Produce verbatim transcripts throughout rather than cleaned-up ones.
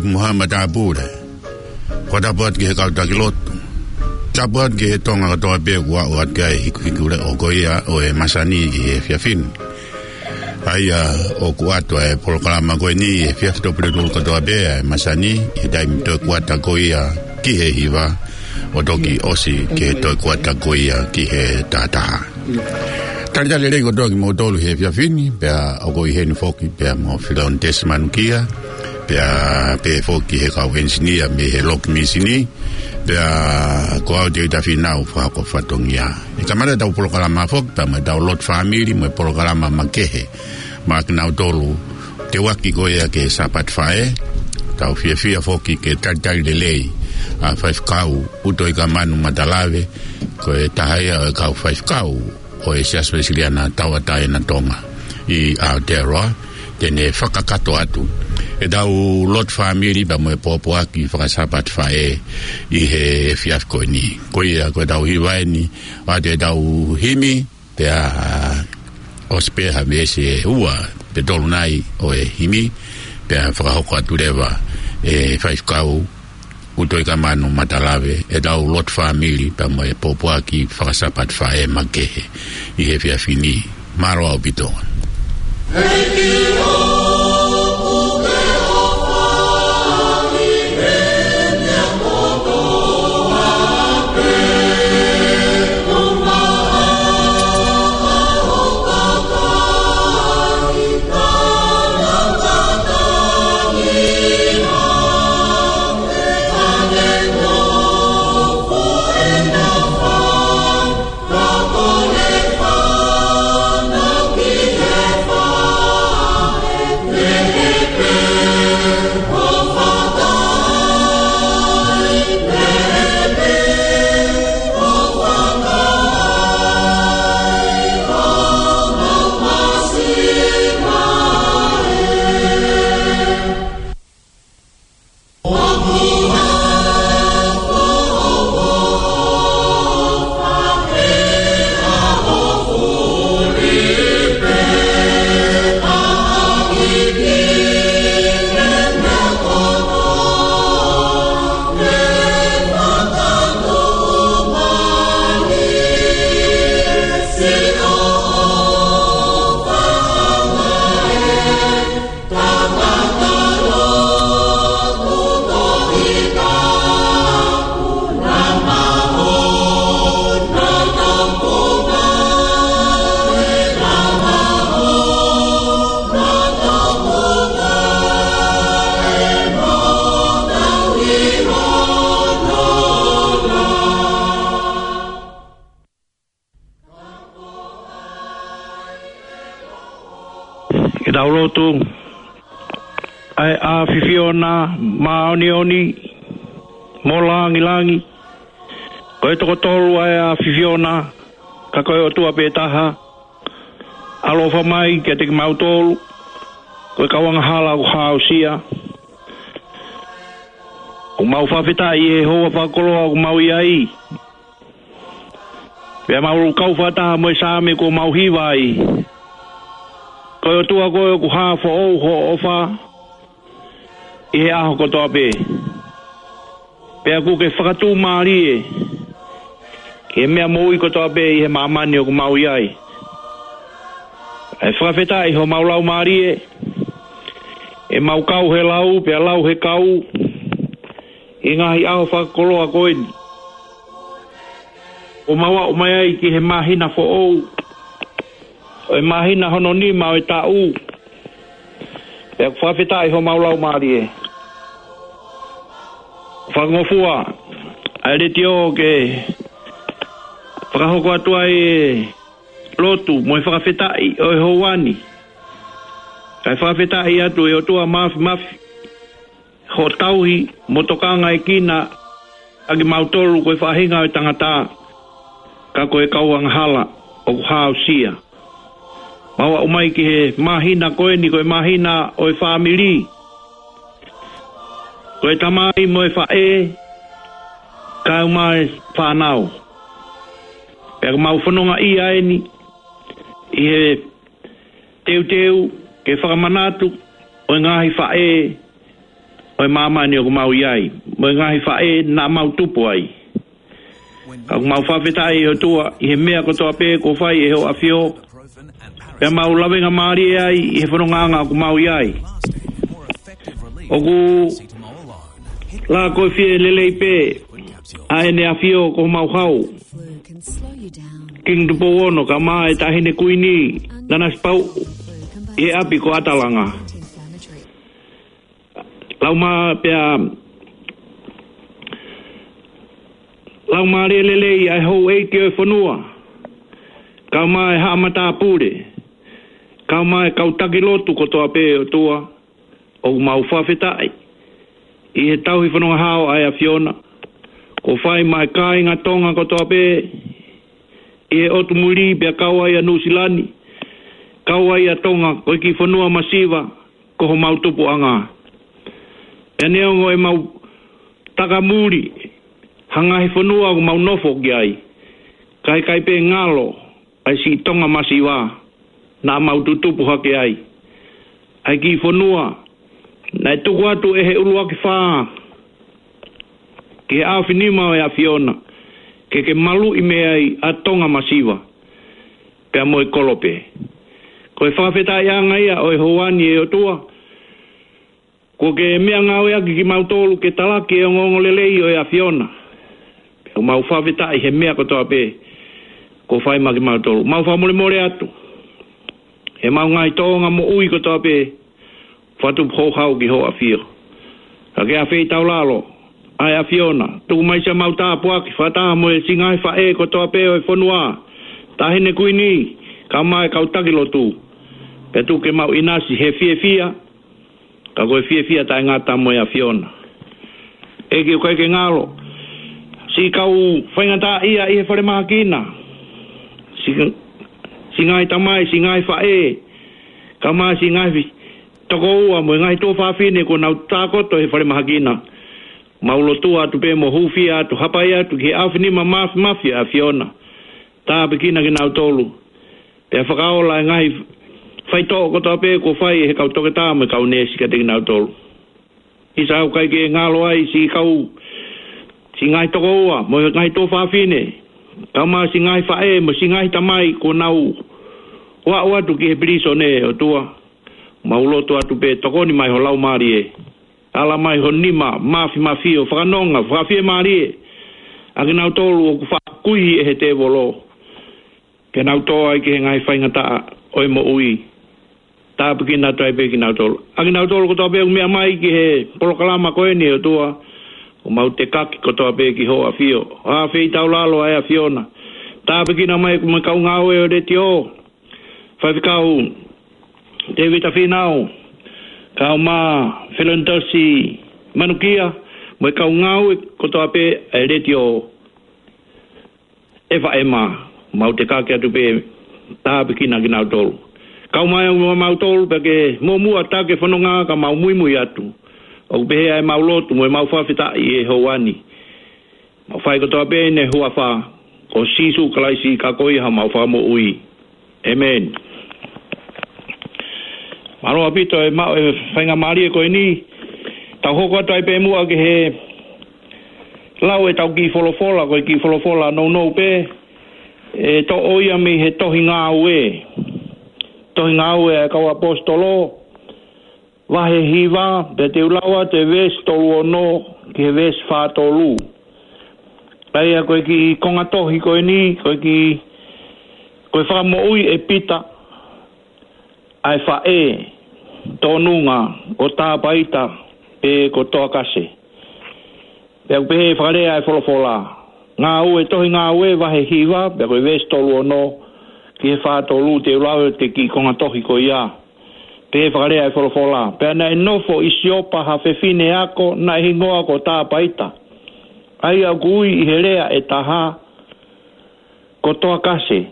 Muhammad Abure. Ko e tapu atu ki he kau taki lotu. Tapu atu ki he Tonga kotoa pē kuo aʻu atu ki ai e hikuhikuleʻo ko ia ʻo e masani ʻi he efiafi ni. ʻA ia ʻoku ʻoatu ʻa e polokalama ko eni ʻi he efiafi Tuʻapulelulu kotoa pē ʻa e masani, ʻi he taimi toe kuata ko ia ki he hiva, ʻo toki ʻosi ki he toe kuata ko ia ki he tahataha. Talitali lelei kotoa kimoutolu he efiafi ni, pea ʻoku ou ʻi heni foki, pea mo Filoni Tesi Manukia, pea pehē foki he kau enisinia mei he Loki Misini, pea ko au Teuta Finau fakahoko fatongia. ʻE kamata ʻetau polokalama foki, pea mo ʻetau lotu fāmili, mo e polokalama makehe maʻa kinautolu, teuaki ko ia ki he Sāpate Faʻē, tau fiefia foki ke talitali lelei ʻa Faifekau ʻUtoikamanu Matalave, ko e taha ia ʻo e kau faifekau ʻo e Siasi Uēsiliana Tauʻatāina Tonga ʻi Aotearoa, te ne fakakakato atu ʻetau lotu fāmili pea mo e pōpoaki faka-Sāpate Faʻē ʻi he efiafi ko eni. Ko ia ko ʻetau hiva eni, ʻoatu ʻetau himi, pea ʻosi pē ha veesi ʻe ua pe tolu nai ʻo e himi, pea fakahoko atu leva ʻe Faifekau ʻUtoikamanu Matalave ʻetau lotu fāmili pea mo e pōpoaki faka-Sāpate Faʻē makehe ʻi he efiafi ni. Mālō ʻaupito. Ke tau lotu. ʻA e ʻAfiona māʻoniʻoni mo langilangi, ko e toko tolu ʻa e ʻAfiona, ka ko e ʻOtua pē taha. ʻAlofa mai kiate kimautolu, ko e kau angahala ʻoku hāusia. ʻOku mau fakafetaʻi he houa fakakoloa ʻoku mau ʻi ai. Pea mau kau fakataha mo e Saame kuo mau hiva ai. Ko e ʻOtua koe ʻoku hā foʻou hoʻo ʻofa ʻi he ʻaho kotoa pē. Pea ʻoku ke fakatomala ki he meʻa moʻui kotoa pē ʻi he māmani ʻoku mau ʻi ai. ʻE fakafetaʻi homau laumālie, ʻemau kau he lau, pea lau he kau, ʻi he ngaahi ʻaho fakakoloa ko eni. ʻOku mau aʻu mai ai ki he māhina foʻou, ʻo e māhina hono nima ʻo e taʻu. Pea ʻoku fakafetaʻi homau laumālie. Fakangofua ʻa e letiō ke fakahoko atu ai e lotu mo e fakafetaʻi ʻo e houa ni. Kae fakafetaʻi atu ʻe ʻOtua Māfimafi, hoʻo tauhi mo tokangaekina ʻa kimautolu ko e faʻahinga ʻo e tangata, ka ko e kau angahala ʻoku hāusia. Mau aʻu mai ki he māhina ko eni, ko e māhina ʻo e fāmili. Ko e tamai mo e faʻē, kae ʻumaʻā e fānau. Pea ʻoku mau fononga ʻi ai eni, ʻi he teuteu ke fakamanatu ʻo e ngaahi faʻē ʻo e māmani ʻoku mau ʻi ai, mo e ngaahi faʻē naʻa mau tupu ai. Ka ʻoku mau fakafetaʻi ʻOtua ʻi he meʻa kotoa pē kuo fai ʻe hoʻo ʻAfio, pea mau lavengamālie ai ʻi he fonongaʻanga ʻoku mau ʻi ai. ʻOku lākoifie lelei pē ʻa ʻEne ʻAfio ko homau hau, King Tupou Ono, kae ʻumaʻā e Taʻahine Kuini Nanasipauʻu, ʻi he ʻapi ko ʻAtalanga. Laumā pea, laumālie lelei ʻa e houʻeiki ʻo e fonua, kae ʻumaʻā e haʻa matāpule, kae ʻumaʻā e kau taki lotu kotoa pē ʻOtua, ʻoku mau fakafetaʻi ʻi he tauhi fononga hao ʻa e ʻAfiona kuo fai maʻa e kāinga Tonga kotoa pē ʻi he ʻotu muli pea kau ai ʻa Nuʻusila ni, kau ai ʻa Tonga, ko e kiʻi fonua masiva ko homau tupuʻanga. Pea neongo ʻemau takamuli ha ngaahi fonua ʻoku mau nofo ki ai, ka ʻikai pē ngalo ʻa e siʻi Tonga masiva naʻa mau tutupu hake ai, ʻa e kiʻi fonua naʻe tuku atu ʻe he ʻuluaki fā ki he ʻaofinima ʻo e ʻAfiona ke ke maluʻi mei ai ʻa Tonga masiva pea mo e kolope. Ko e fakafetaʻiʻanga ia ʻo e houa ni, ʻe ʻOtua, kuo ke meʻangāueʻaki kimautolu ke talaki e ongoongolelei ʻo e ʻAfiona. Pea ʻoku mau fakafetaʻi he meʻa kotoa pē kuo fai maʻa kimautolu. Mau fakamolemole atu he ʻemau ngaahi tōʻonga moʻui kotoa pē, fakatupu houhau ki hoʻo ʻAfio. Ka ke ʻafeitaulalo ʻa e ʻAfiona, tuku mai siʻemau tāpuaki fakataha mo e siʻi ngaahi faʻē kotoa pē ʻo e fonua, Taʻahine Kuini, kae ʻumaʻā e kau taki lotu. Pea tuku ke mau ʻinasi he fiefia, ka ko e fiefia taʻengata mo e ʻAfiona. ʻEiki, ʻoku ʻikai ke ngalo siʻi kau faingataʻaʻia ʻi he falemahaki na, siʻi, siʻi ngaahi tamai, siʻi ngaahi faʻē, kae ʻumaʻā siʻi ngaahi tokoua mo e ngaahi tuofāfine kuo nau tākoto he falemahaki na. Mau lotua atu pē mo hūfia atu, hapai atu ki he ʻaofinima māfimafi ʻa e ʻAfiona. Tāpuekina kinautolu, pea fakaola e ngaahi faitoʻo kotoa pē kuo fai ʻe he kau toketā mo e kau neesi kiate kinautolu. ʻIsa, ʻoku ʻikai ke ngalo ai siʻi kau, siʻi ngaahi tokoua mo e ngaahi tuofāfine, kae ʻumaʻā siʻi ngaahi faʻē mo siʻi ngaahi tamai kuo nau ʻoaʻo atu ki he pilīsone, ʻOtua. Mau lotu atu pē, tokoni mai ho Laumālie, ala mai ho nima māfimafi ʻo fakanonga, fakafiemālie ʻa kinautolu ʻoku faʻa kuihi ʻe he tēvolo ke nau tō ai ki he ngaahi faingataʻa ʻo e moʻui. Tāpuekina atu ai pē kinautolu. ʻA kinautolu kotoa pē ʻoku meʻa mai ki he polokalama ko eni, ʻOtua, ʻoku mau tekaki kotoa pē ki hoʻo ʻAfio. ʻAfeitaulalo ʻa e ʻAfiona. Tāpuekina mai mo e kau ngāue ʻo e letiō, Faifekau Tēvita Fīnau, kae ʻumaʻā Felonitosi Manukia, mo e kau ngāue kotoa pē ʻa e letiō F M. Mau tekaki atu pē, tāpuekina kinautolu. Kau mai mo mautolu pea ke muʻomuʻa taki e fononga ka mau muimui atu. ʻOku pehē ʻa ʻemau lotu mo ʻemau fakafetaʻi ʻi he houa ni. Mau fai kotoa pē ʻi he huafa ʻo Sīsū Kalaisi, ka ko ia homau Fakamoʻui. ʻĒmeni. Mālō ʻaupito e maʻu e faingamālie ko eni. Tau hoko atu ai pē muʻa ki he lau ʻetau kiʻi folofola, ko e kiʻi folofola nounou pē, ʻe toʻo ia mei he tohi Ngāue. Tohi Ngāue ʻa e kau ʻAposetolo, vahe hiva, pea te u lau atu e veesi tolu ono ki he veesi fā tolu. ʻA ia ko e kiʻi konga tohi ko eni, ko e kiʻi, ko e fakamoʻui ʻe Pita ʻa e faʻē tōnunga ko Tāpaita pe ko Toakase. Pea ʻoku pehē ʻe he fakalea ʻa e folofola. Ngāue, tohi Ngāue vahe hiva, pea ko e veesi tolu ono ki he fā tolu, te u lau atu e kiʻi konga tohi ko ia. Pehē ʻe he fakalea ʻa e folofola: Pea naʻe nofo ʻi Siopa ha fefine ako naʻe hingoa ko Tāpaita, ʻa ia ʻoku ui ʻi he lea ʻe taha ko Toakase.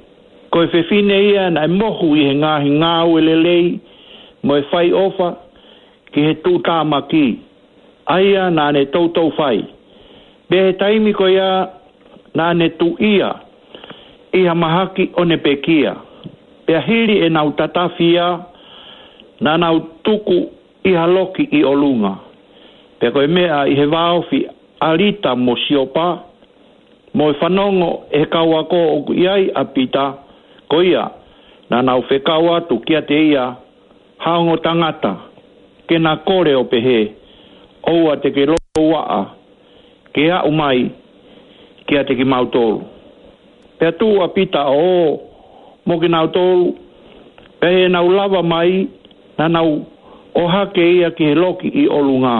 Ko e fefine ia naʻe mohu ʻi he ngaahi ngāue lelei mo e fai ʻofa ki he tuʻutāmaki, ʻa ia naʻa ne toutou fai. Pea ʻi he taimi ko ia naʻa ne tuʻia ʻi ha mahaki ʻo ne pekia. Pea hili ʻenau tatafi ia, naʻa nau tuku ʻi ha loki ʻi ʻolunga. Pea ko e meʻa ʻi he vāofi ʻa Lita mo Siopa, mo e fanongo ʻe he kau ako ʻoku ʻi ai ʻa Pita, ko ia naʻa nau fekau atu kiate ia ha ongo tangata, ke na kole ʻo pehē, ʻOua te ke louaʻa ke aʻu mai kiate kimautolu. Pea tuʻu ʻa Pita ʻo ō mo kinautolu, pea ʻi heʻenau lava mai, naʻa nau ʻohake ia ki he loki ʻi ʻolunga.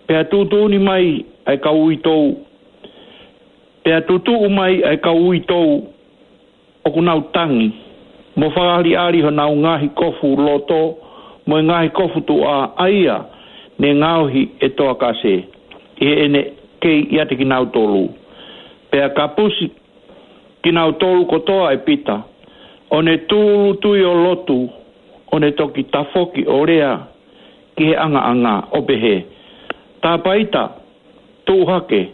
Pea tuʻutuʻuni mai ʻa e kau uitou, pea tutuʻu mai ʻa e kau uitou ʻoku nau tangi, mo fakaʻaliʻali honau ngaahi kofu loto mo e ngaahi kofu tuʻa, ʻa ia ne ngaohi ʻe Toakase, ʻi heʻene kei ʻiate kinautolu. Pea kapusi kinautolu kotoa ʻe Pita, ʻo ne tūʻulutui ʻo lotu, ʻo ne toki tafoki ʻo lea ki he ʻangaʻanga ʻo pehē, Tāpaita, tuʻu hake.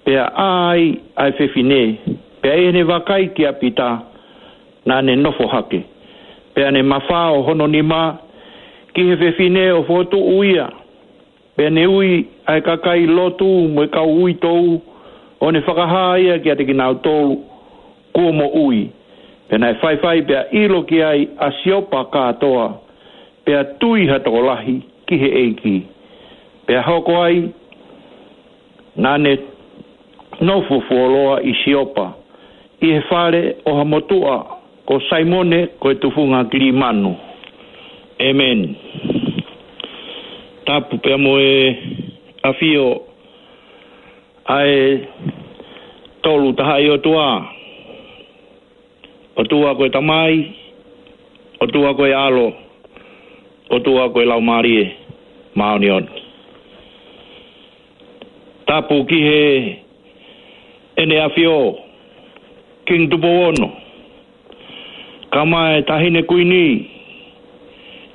Pea ʻā ai ʻa e fefine, pea ʻi heʻene vakai kia Pita, naʻa ne nofo hake. Pea ne mafao hono nima ki he fefine ʻo fokotuʻu ia. Pea ne ui ʻa e kakai lotu mo e kau uitou, ʻo ne fakahā ia kiate kinautolu kuo moʻui. Pea naʻe faifai pea ʻilo ki ai ʻa Siopa kātoa, pea tui ha tokolahi ki he ʻEiki. Pea hoko ai, naʻa ne nofo fuoloa ʻi Siopa, ʻi he fale ʻo ha motuʻa ko Saimone ko e tufunga Kilimanu. ʻĒmeni. Tapu pea mo e ʻafio ʻa e Tolu Tahaʻi ʻOtua. ʻOtua ko e Tamai, ʻOtua ko e ʻAlo, ʻOtua ko e Laumālie Māʻoniʻoni. Tapu ki heʻene ʻafio, Kingi Tupou Ono, kae ʻumaʻā e Taʻahine Kuini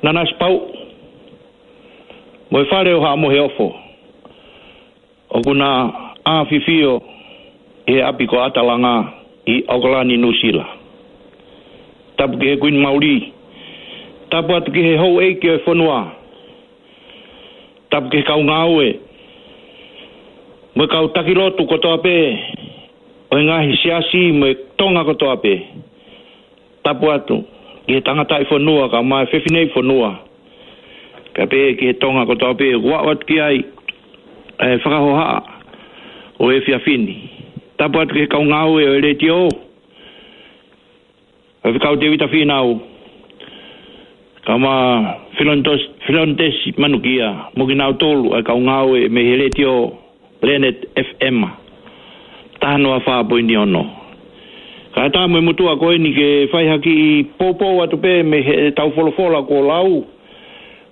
Nanasipauʻu, mo e Fale ʻo Haʻa Moheofo, ʻoku na ʻafifio ʻi he ʻapi ko ʻAtalanga ʻi ʻAokalani, Nuʻusila. Tapu ki he Kuini Mauli. Tapu atu ki he houʻeiki ʻo e fonua. Tapu ki he kau ngāue mo e kau taki lotu kotoa pē ʻo e ngaahi siasi mo e Tonga kotoa pē. Tapu atu ki he tangataʻi fonua kae ʻumaʻā e fefineʻi fonua, kae pehē ki he Tonga kotoa pē ʻoku aʻu atu ki ai e fakahohaʻa ʻo e efiafi ni. Tapu atu ki he kau ngāue ʻo e letiō, ʻa e Faifekau Tēvita Fīnau, kae ʻumaʻā Filontos-, Filonitesi Manukia, mo kinautolu ʻa e kau ngāue mei he letiō Planet F M, taha noa fā poini ono. Kae ʻatā mo e motuʻa ko eni ke fai ha kiʻi poupou atu pē mei heʻetau folofola kuo lau.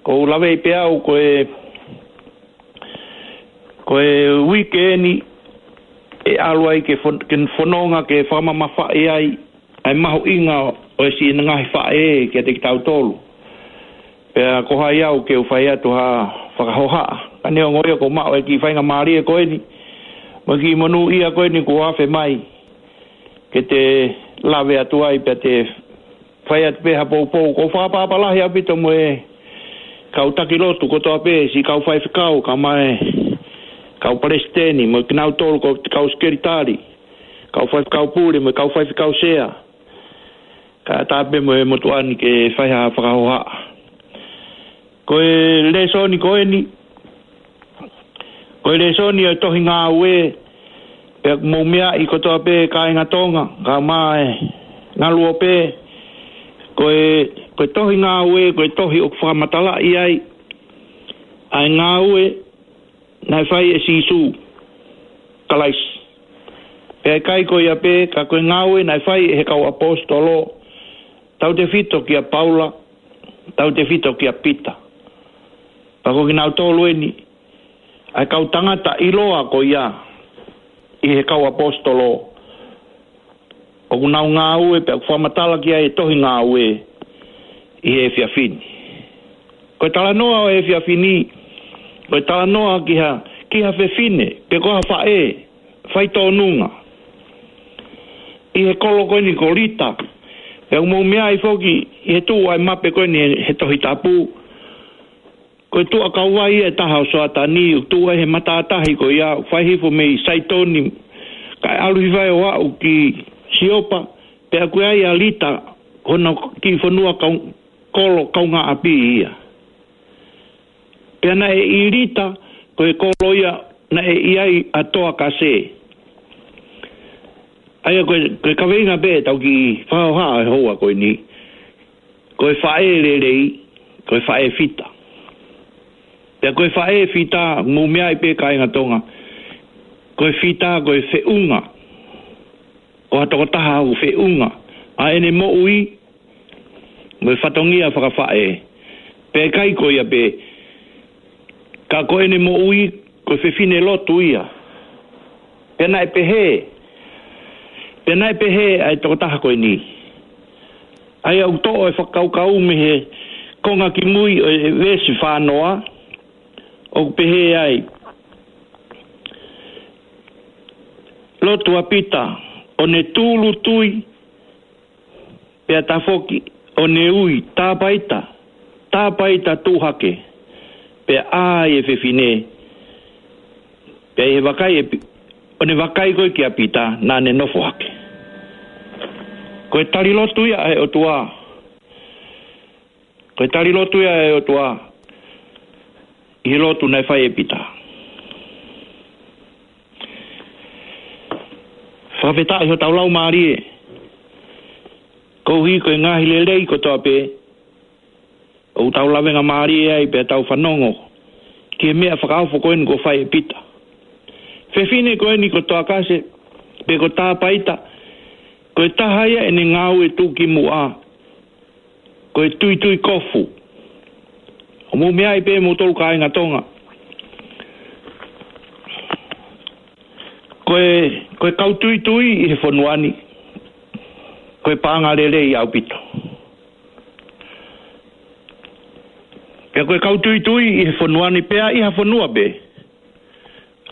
ʻOku ou laveʻi pē au ko e, ko e uike eni ʻe ʻalu ai ke fon-, ke fononga ke fakamamafaʻi ai ʻa e mahuʻinga ʻo e siʻi ngaahi faʻē kiate kitautolu. Pea ko hai au ke u fai atu ha fakahohaʻa. Ka neongo ia ʻoku ou maʻu e kiʻi faingamālie ko eni mo e kiʻi monūʻia ko eni kuo afe mai ke te lave atu ai pea te fai atu pē ha poupou. ʻOku ou fakaʻapaʻapa lahi ʻaupito mo e kau taki lotu kotoa pē, siʻi kau faifekau, kae ʻumaʻā e kau palesiteni, mo kinautolu ko e kau sekelitali, kau faifekau pule, mo e kau faifekau sea. Kae ʻatā pē mo e motuʻa ni ke fai ha fakahohaʻa. Ko e lēsoni ko eni, ko e lēsoni ʻo e tohi Ngāue, pea mou meaʻi kotoa pē kāinga Tonga, kae ʻumaʻā e ngaluope, ko e, ko e tohi Ngāue, ko e tohi ʻoku fakamatalaʻi ai ʻa e ngāue naʻe fai ʻe Sīsū Kalaisi. Pea ʻikai ko ia pē, ka ko e ngāue naʻe fai ʻe he kau ʻaposetolo, tautefito kia Paula, tautefito kia Pita. Pea ko kinautolu eni ʻa e kau tangata ʻiloa ko ia ʻi he kau ʻaposetolo, ʻoku nau ngāue pea ʻoku fakamatala ki ai e tohi Ngāue ʻi he efiafi ni. Ko e talanoa ʻo e efiafi ni, ko e talanoa ki ha, ki ha fefine, pe ko ha faʻē, faitōnunga ʻi he kolo ko eni ko Lita. Pea ʻoku mou meaʻi foki ʻi he tuʻu ʻa e mape ko eni he Tohi Tapu, Ko e tuʻa kauvai ia ʻe taha ʻo Soatani, ʻoku tuʻu ai he matātahi ko ia, fai hifo mei Saitoni, kae ʻalu hifo ai ʻo aʻu ki Siopa, pea ʻoku ʻi ai ʻa Lita, ko hono kiʻi fonua kau-, kolo kaungāʻapi ia. Pea naʻe ʻi Lita, ko e kolo ia naʻe ʻi ai ʻa Toakase. ʻA ia ko e, ko e kaveinga pē ʻetau kiʻi fakahohaʻa he houa ko eni. Ko e faʻē lelei, ko e faʻē fita. Pea ko e faʻē fita, mou meaʻi pē kāinga Tonga. Ko e fita, ko e feʻunga. Ko ha tokotaha ʻoku feʻunga ʻa ʻene moʻui, mo e fatongia fakafaʻē. Pea ʻikai ko ia pē, ka ko ʻene moʻui, ko e fefine lotu ia. Pea naʻe pehē, pea naʻe pehē ʻa e tokotaha ko eni. ʻA ia ʻoku toʻo e fakakaukau mei he konga kimui ʻo e veesi fānoa, ʻoku pehē ai, lotu ʻa Pita, ʻo ne tūʻulutui, pea tafoki, ʻo ne ui, tāpaita, tāpaita tuʻu hake, pea ʻā e fefine, pea ʻi he vakai ʻe Pi-, ʻo ne vakai ko ē kia Pita, naʻa ne nofo hake. Ko e tali lotu ia ʻa e ʻOtua. Ko e tali lotu ia ʻa e ʻOtua ʻi he lotu naʻe fai ʻe Pita. Fakafetaʻi hotau laumālie, koeʻuhi ko e ngaahi lelei kotoa pē ʻoku tau lavengamālie ai pea tau fanongo ki he meʻa fakaofo ko eni kuo fai ʻe Pita. Fefine ko eni ko Toakase, pe ko Tāpaita, ko e taha ia ʻene ngāue tuʻukimuʻa, ko e tuitui kofu. ʻOku mou meaʻi pē moutolu kāinga Tonga. Ko e, ko e kau tuitui ʻi he fonua ni, ko e paʻanga lelei ʻaupito. Pea ko e kau tuitui ʻi he fonua ni pea ʻi ha fonua pē,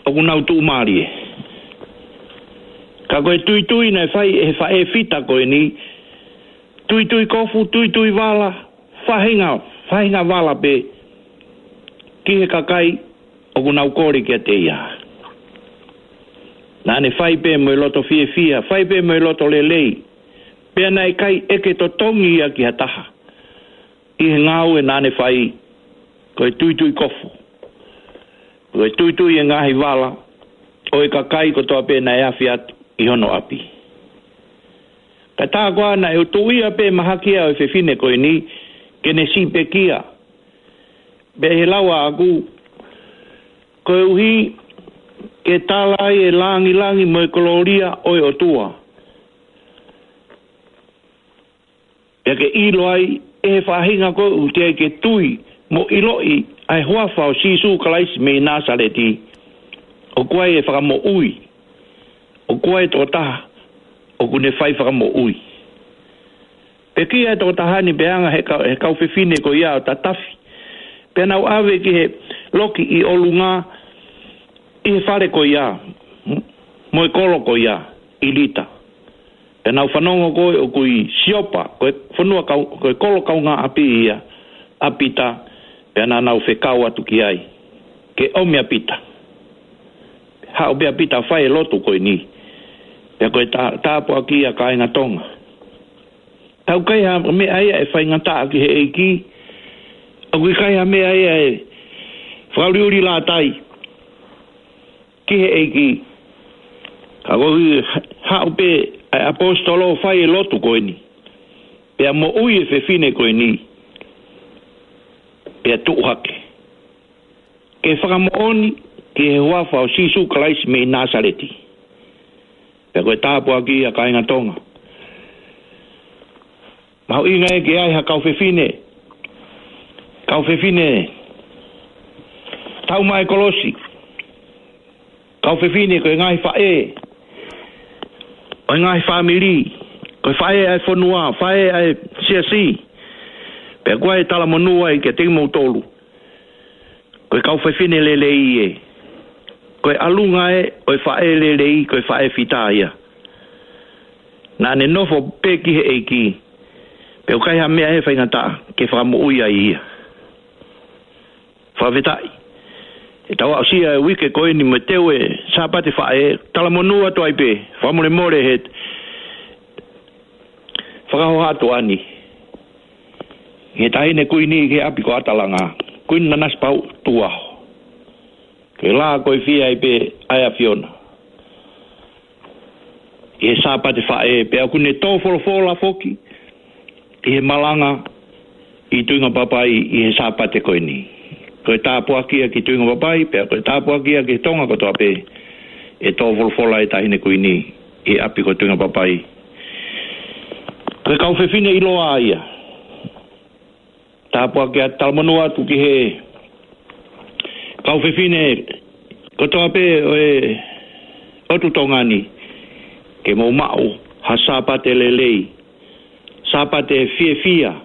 ʻoku nau tuʻumālie. Ka ko e tuitui naʻe fai ʻe he faʻē fita ko eni, tuitui kofu, tuitui vala, faʻahinga, faʻahinga vala pē ki he kakai ʻoku nau kole kiate ia. Naʻa ne fai pē mo e loto fiefia, fai pē mo e loto lelei, pea naʻe ʻikai ʻeke totongi ia ki ha taha ʻi he ngāue naʻa ne fai, ko e tuitui kofu, ko e tuitui e ngaahi vala ʻo e kakai kotoa pē naʻe afi atu ʻi hono ʻapi. Ka tā koā naʻe tuʻu ia pē mahaki ia ʻo e fefine ko eni ke ne siʻi pekia. Pea ʻi he lau ʻaʻaku, koeʻuhi ke tala ai e langilangi mo e kolōlia ʻo e ʻOtua. Pea ke ʻilo ai ʻe he faʻahinga ko ē ʻoku teʻeki ke tui mo ʻiloʻi ʻa e huafa ʻo Sīsū Kalaisi mei Nāsaleti, ʻoku ʻi ai e fakamoʻui, ʻoku ʻi ai e tokotaha ʻoku ne fai fakamoʻui. Pekia e tokotaha ni pea hanga ʻe he kau, he kau fefine ko ia ʻo tatafi, pea nau ʻave ki he loki ʻi ʻolunga ʻi he fale ko ia, mo e kolo ko ia ʻi Lita. Pea nau fanongo ko ē ʻoku ʻi Siopa, ko e fonua kau, ko e kolo kaungāʻapi ia ʻa Pita, pea naʻa nau fekau atu ki ai ke ʻomi ʻa Pita. Haʻu pē ʻa Pita ʻo fai e lotu ko eni. Pea ko e tā, tāpuaki ia kāinga Tonga. Tau kai ha meʻa ia ʻe faingataʻa ki he ʻEiki, ʻoku ʻikai ha meʻa ia ʻe fakauliuli lātai ki he ʻEiki. Ka koeʻuhi haʻu pē ʻa e ʻaposetolo ʻo fai e lotu ko eni, pea moʻui e fefine ko eni, pea tuʻu hake ke fakamoʻoni ki he huafa ʻo Sīsū Kalaisi mei Nāsaleti. Pea ko e tāpuaki ia kāinga Tonga. Mahuʻinga ē ke ʻi ai ha kau fefine, kau fefine tau mai kolosi, kau fefine ko e ngaahi faʻē ʻo e ngaahi fāmili, ko e faʻē ʻa e fonua, faʻē ʻa e siasi. Pea ʻoku ʻi ai e talamonū ai kiate kimoutolu. Ko e kau fefine lelei ē. Ko e ʻalunga ē ʻo e faʻē lelei, ko e faʻē fita ia. Naʻa ne nofo pē ki he ʻEiki, pea ʻoku ʻikai ha meʻa ʻe faingataʻa ke fakamoʻui ai ia. Fakafetaʻi. ʻE tau aʻusia e uike ko eni mo e teu e Sāpate Faʻē, talamonū atu ai pē, fakamolemole he fakahoha atu ʻeni he Taʻahine Kuini ki he ʻapi ko ʻAtalanga, Kuini Nanasipauʻu Tukuʻaho. Ke lā ko e fie ai pē ʻa e ʻAfiona ʻi he Sāpate Faʻē, pea ʻoku ne tō folofola foki ʻi he malanga ʻi Tuʻingapapai ʻi he Sāpate ko eni. Ko e tāpuaki ia ki Tuʻingapapai, pea ko e tāpuaki ia ki Tonga kotoa pē, ʻe tō folofola e Taʻahine Kuini ʻi he ʻapi ko Tuʻingapapai. Ko e kau fefine ʻiloa ia. Tāpuaki atu, talamonū atu ki he kau fefine kotoa pē ʻo e ʻotu Tonga ni, ke mou maʻu ha Sāpate lelei, Sāpate fiefia,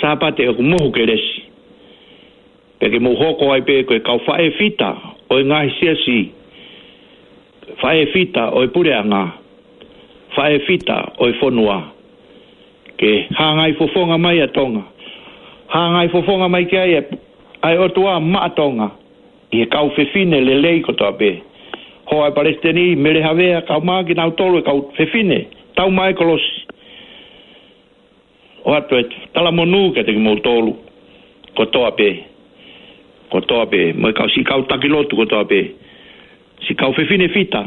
Sāpate ʻoku mohu kelesi. Pea ke mou hoko ai pē ko e kau faʻē fita ʻo e ngaahi siasi, faʻē fita ʻo e puleʻanga, faʻē fita ʻo e fonua. Ke hangai fofonga mai ʻa Tonga. Hangai fofonga mai ki ai ʻa e ʻOtua maʻa Tonga ʻi he kau fefine lelei kotoa pē. Hoa e Palesiteni, Mele Havea, kae ʻumaʻā kinautolu e kau fefine tau mai kolosi. ʻOatu e talamonū kiate kimoutolu kotoa pē, kotoa pē, mo e kau siʻi kau taki lotu kotoa pē, siʻi kau fefine fita,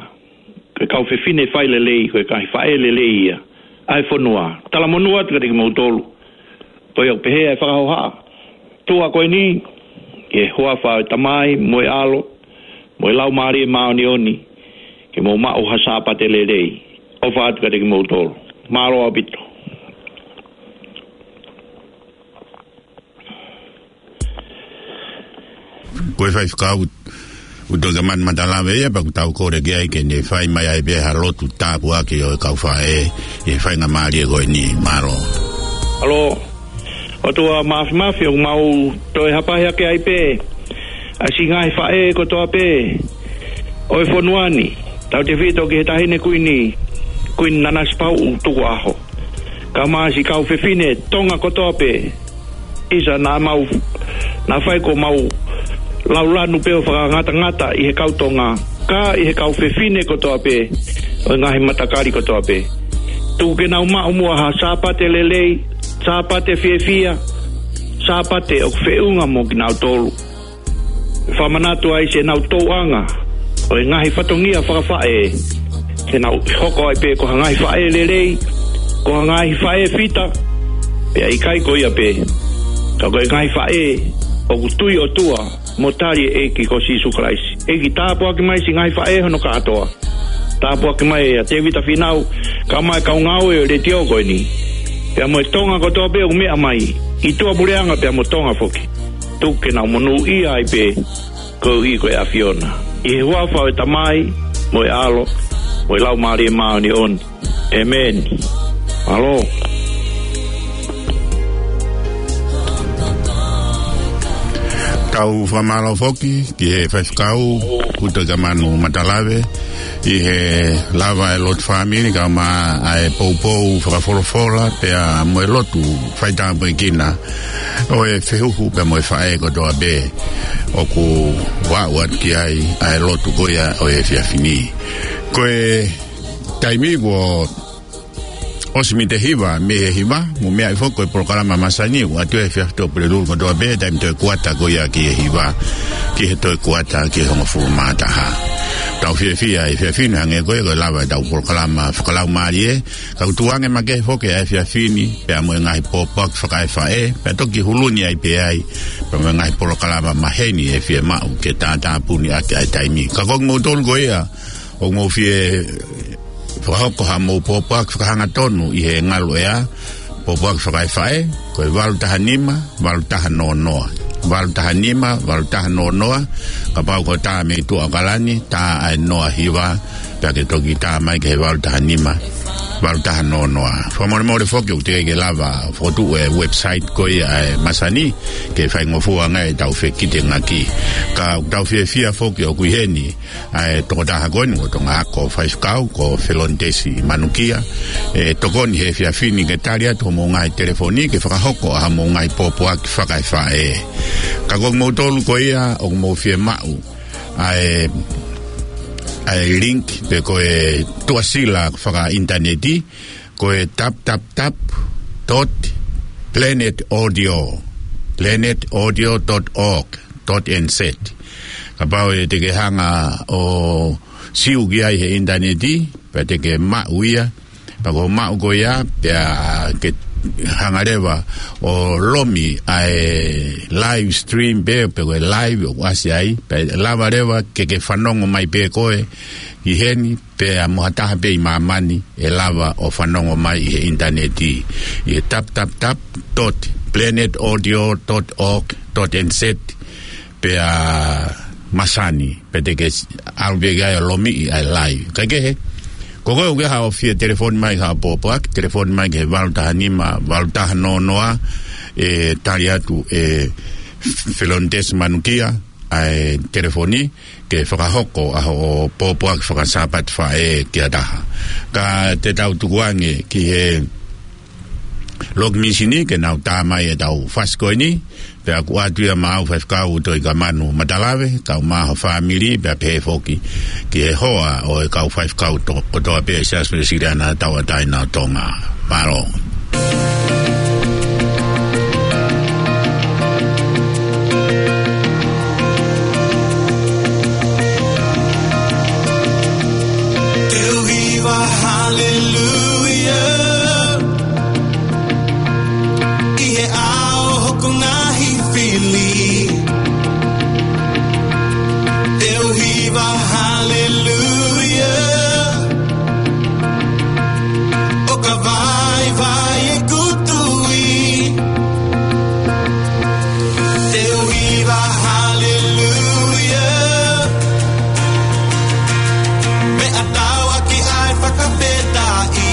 ko e kau fefine fai lelei, ko e kau faʻē lelei ia ʻa e fonua. Talamonū atu kiate kimoutolu. Ko ia ʻoku pehē ʻa e fakahoha tuʻa ko eni, ʻi he huafa ʻo e Tamai, mo e ʻAlo, mo e Laumālie Māʻoniʻoni, ke mou maʻu ha Sāpate lelei. ʻOfa atu kiate kimoutolu. Mālō ʻaupito. Ko e faifekau ʻUtoikamanu Matalave ia, pea ʻoku tau kole ki ai ke ne fai mai ai pē ha lotu tāpuaki ʻo e kau faʻē ʻi he faingamālie ko eni. Mālō. Mālō. ʻOtua Māfimafi, ʻoku mau toe hapahi hake ai pē ʻa siʻi ngaahi faʻē kotoa pē ʻo e fonua ni. Tautefito ki he Taʻahine Kuini, Kuini Nanasipauʻu Tukuʻaho, kae ʻumaʻā siʻi kau fefine Tonga kotoa pē. ʻIsa, naʻa mau, naʻa fai ko mau laulanu pē ʻo fakangatangata ʻi he kau Tonga, ka ʻi he kau fefine kotoa pē ʻo e ngaahi matakali kotoa pē. Tuku ke nau maʻu muʻa ha Sāpate lelei, Sāpate fiefia, Sāpate ʻoku feʻunga mo kinautolu. Fakamanatu ai siʻenau tōʻanga ʻo e ngaahi fatongia fakafaʻē, ke nau hoko ai pē ko ha ngaahi faʻē lelei, ko ha ngaahi faʻē fita, pea ʻikai ko ia pē, ka ko e ngaahi faʻē ʻoku tui ʻOtua mo tali e ʻEiki ko Sīsū Kalaisi. ʻEiki, tāpuaki mai siʻi ngaahi faʻē hono kātoa. Tāpuaki mai ʻa Tēvita Fīnau, kae ʻumaʻā e kau ngāue ʻo e letiō ko eni, pea mo e Tonga kotoa pē ʻoku meʻa mai, ʻi tuʻapuleʻanga pea mo Tonga foki. Tuku ke nau monūʻia ai pē, koeʻuhi ko e ʻAfiona. ʻI he huafa ʻo e Tamai, mo e ʻAlo, mo e Laumālie Māʻoniʻoni. ʻĒmeni. Mālō. Tau fakamālō foki ki he faifekau ʻUtoikamanu Matalave ʻi he lava e lotu fāmili, kae ʻumaʻā e poupou fakafolofola pea mo e lotu faitāpuekina ʻo e fehuhu pea mo e faʻē kotoa pē ʻoku aʻu atu ki ai ʻa e lotu ko ia ʻo e efiafi ni. Ko e taimi kuo ʻosi mita hiva mei he hiva, mou meaʻi foki ko e polokalama masani ʻoku ʻoatu he efiafi Tuʻapulelulu kotoa pē, taimi toe kuata ko ia ki he hiva, ki he toe kuata ki he hongofulu mā taha. Tau fiefia he efiafi ni hangē ko ia ko e lava ʻetau polokalama fakalaumālie, ka ʻoku tuʻu ange makehe foki ʻa e efiafi ni, pea mo e ngaahi pōpoaki fakaefaʻē, pea toki hulu ni ai pē ai, pea mo e ngaahi polokalama maheni ʻe fiemaʻu ke tātāpuni ʻaki ʻa e taimi. Ka ko kimoutolu ko ia ʻoku mou fie fakahoko haʻamou pōpoaki fakahangatonu ʻi he ngaluʻea, pōpoaki fakaefaʻē, ko e valu taha nima, valu taha noa noa. Valu taha nima, valu taha noa noa, kapau ko e tā mei tuʻa ʻAokalani, tā ʻa e noa hiva, pea ke toki tā mai ki he valu taha nima. valu taha noa noa. Fakamolemole foki ʻoku teʻeki ke lava fokotuʻu e website ko ia ʻa e masani, ke faingofua ange ʻetau fekitengaki. Ka ʻoku tau fiefia foki ʻoku ʻi heni ʻa e tokotaha ko eni, ko e toʻonga ako faifekau, ko Felontesi Manukia, ʻe tokoni he efiafi ni ke tali atu hoʻomou ngaahi telefoni, ke fakahoko ʻa hoʻomou ngaahi pōpoaki fakaefaʻē. Ka ko kimoutolu ko ia ʻoku mou fiemaʻu ʻa e, ʻa e link pe ko e tuʻasila fakaʻinitaneti, ko e tap tap tap dot planet audio, planet audio dot org dot N Z. Kapau ʻe te ke hanga ʻo siu ki ai he ʻinitaneti, pea te ke maʻu ia, pea ko e maʻu ko ia, pea ke hanga leva ʻo lomi ʻa e live stream pe, pe ko e live ʻoku ʻasi ai, pea lava leva ke ke fanongo mai pē koe ʻi heni, pea mo ha taha pē ʻi māmani ʻe lava ʻo fanongo mai ʻi he ʻinitaneti, ʻi he tap tap tap dot planet audio dot org dot N Z, pea masani, pea te ke ʻalu pē ki ai ʻo lomiʻi ʻa e live. Kae kehe, ko koe ʻoku ʻi ai haʻo fie telefoni mai ha pōpoaki, telefoni mai ki he valu taha nima, valu taha noa noa, ʻe tali atu ʻe Felontesi Manukia ʻa e telefoni, ke fakahoko ʻa hoʻo pōpoaki fakasāpate faʻē ki ha taha. Ka te tau tukuange ki he loki mīsini ke nau tā mai ʻetau fasi ko eni, pea ʻoku ʻoatu ia maʻau Faifekau Toikamanu Matalave, kau mai ho fāmili, pea pehē foki ki he hoa ʻo e kau faifekau to-, kotoa pē ʻi he Siasi Uēsiliana Tauʻatāina ʻo Tonga. Mālō. Te u hiva haleluia ʻi he ʻao hoku ngaahi fili. Te u hiva haleluia ʻo ka vaivai ʻeku tui. Te u hiva haleluia meʻa tauʻaki ʻa e fakafetaʻi.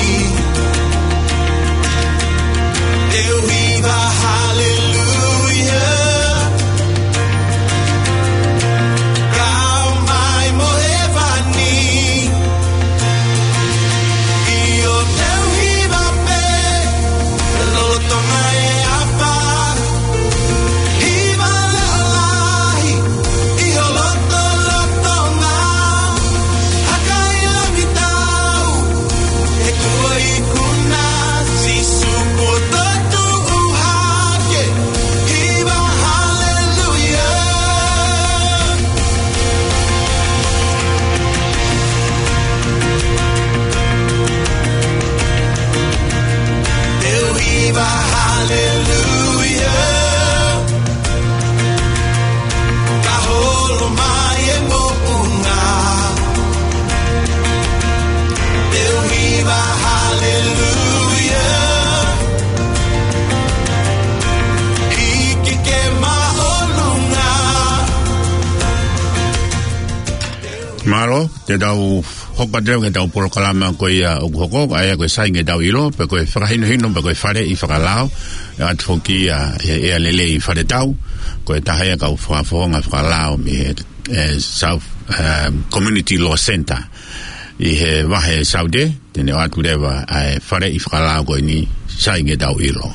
Te u hiva haleluia kau mai mo hēvani. ʻIo, te u hiva pē lolotonga e ʻafa, hiva leʻo lahi ʻi ho lotolotonga. Hakaʻi lami tau, he kuo ikuna Sīsū kuo toetuʻu hake. Hiva haleluia. Te u hiva haleluia ka holo mai e moʻunga. Te u hiva haleluia hiki ke māʻolunga. Mālō, te tau hoko atu ki heʻetau polokalama ko ia ʻoku hoko, ʻa ia ko e Sai Nge Tau ʻIlo, pe ko e fakahinohino, pe ko e faleʻi fakalao, ʻe ʻoatu foki ia ʻe he ʻEa Lelei Faletau, ko e taha ia kau fakafofonga fakalao mei he, ʻe, South, um, Community Law Centre ʻi he vahe Saute, te ne ʻoatu leva ʻa e faleʻi fakalao ko eni, Sai Nge Tau ʻIlo.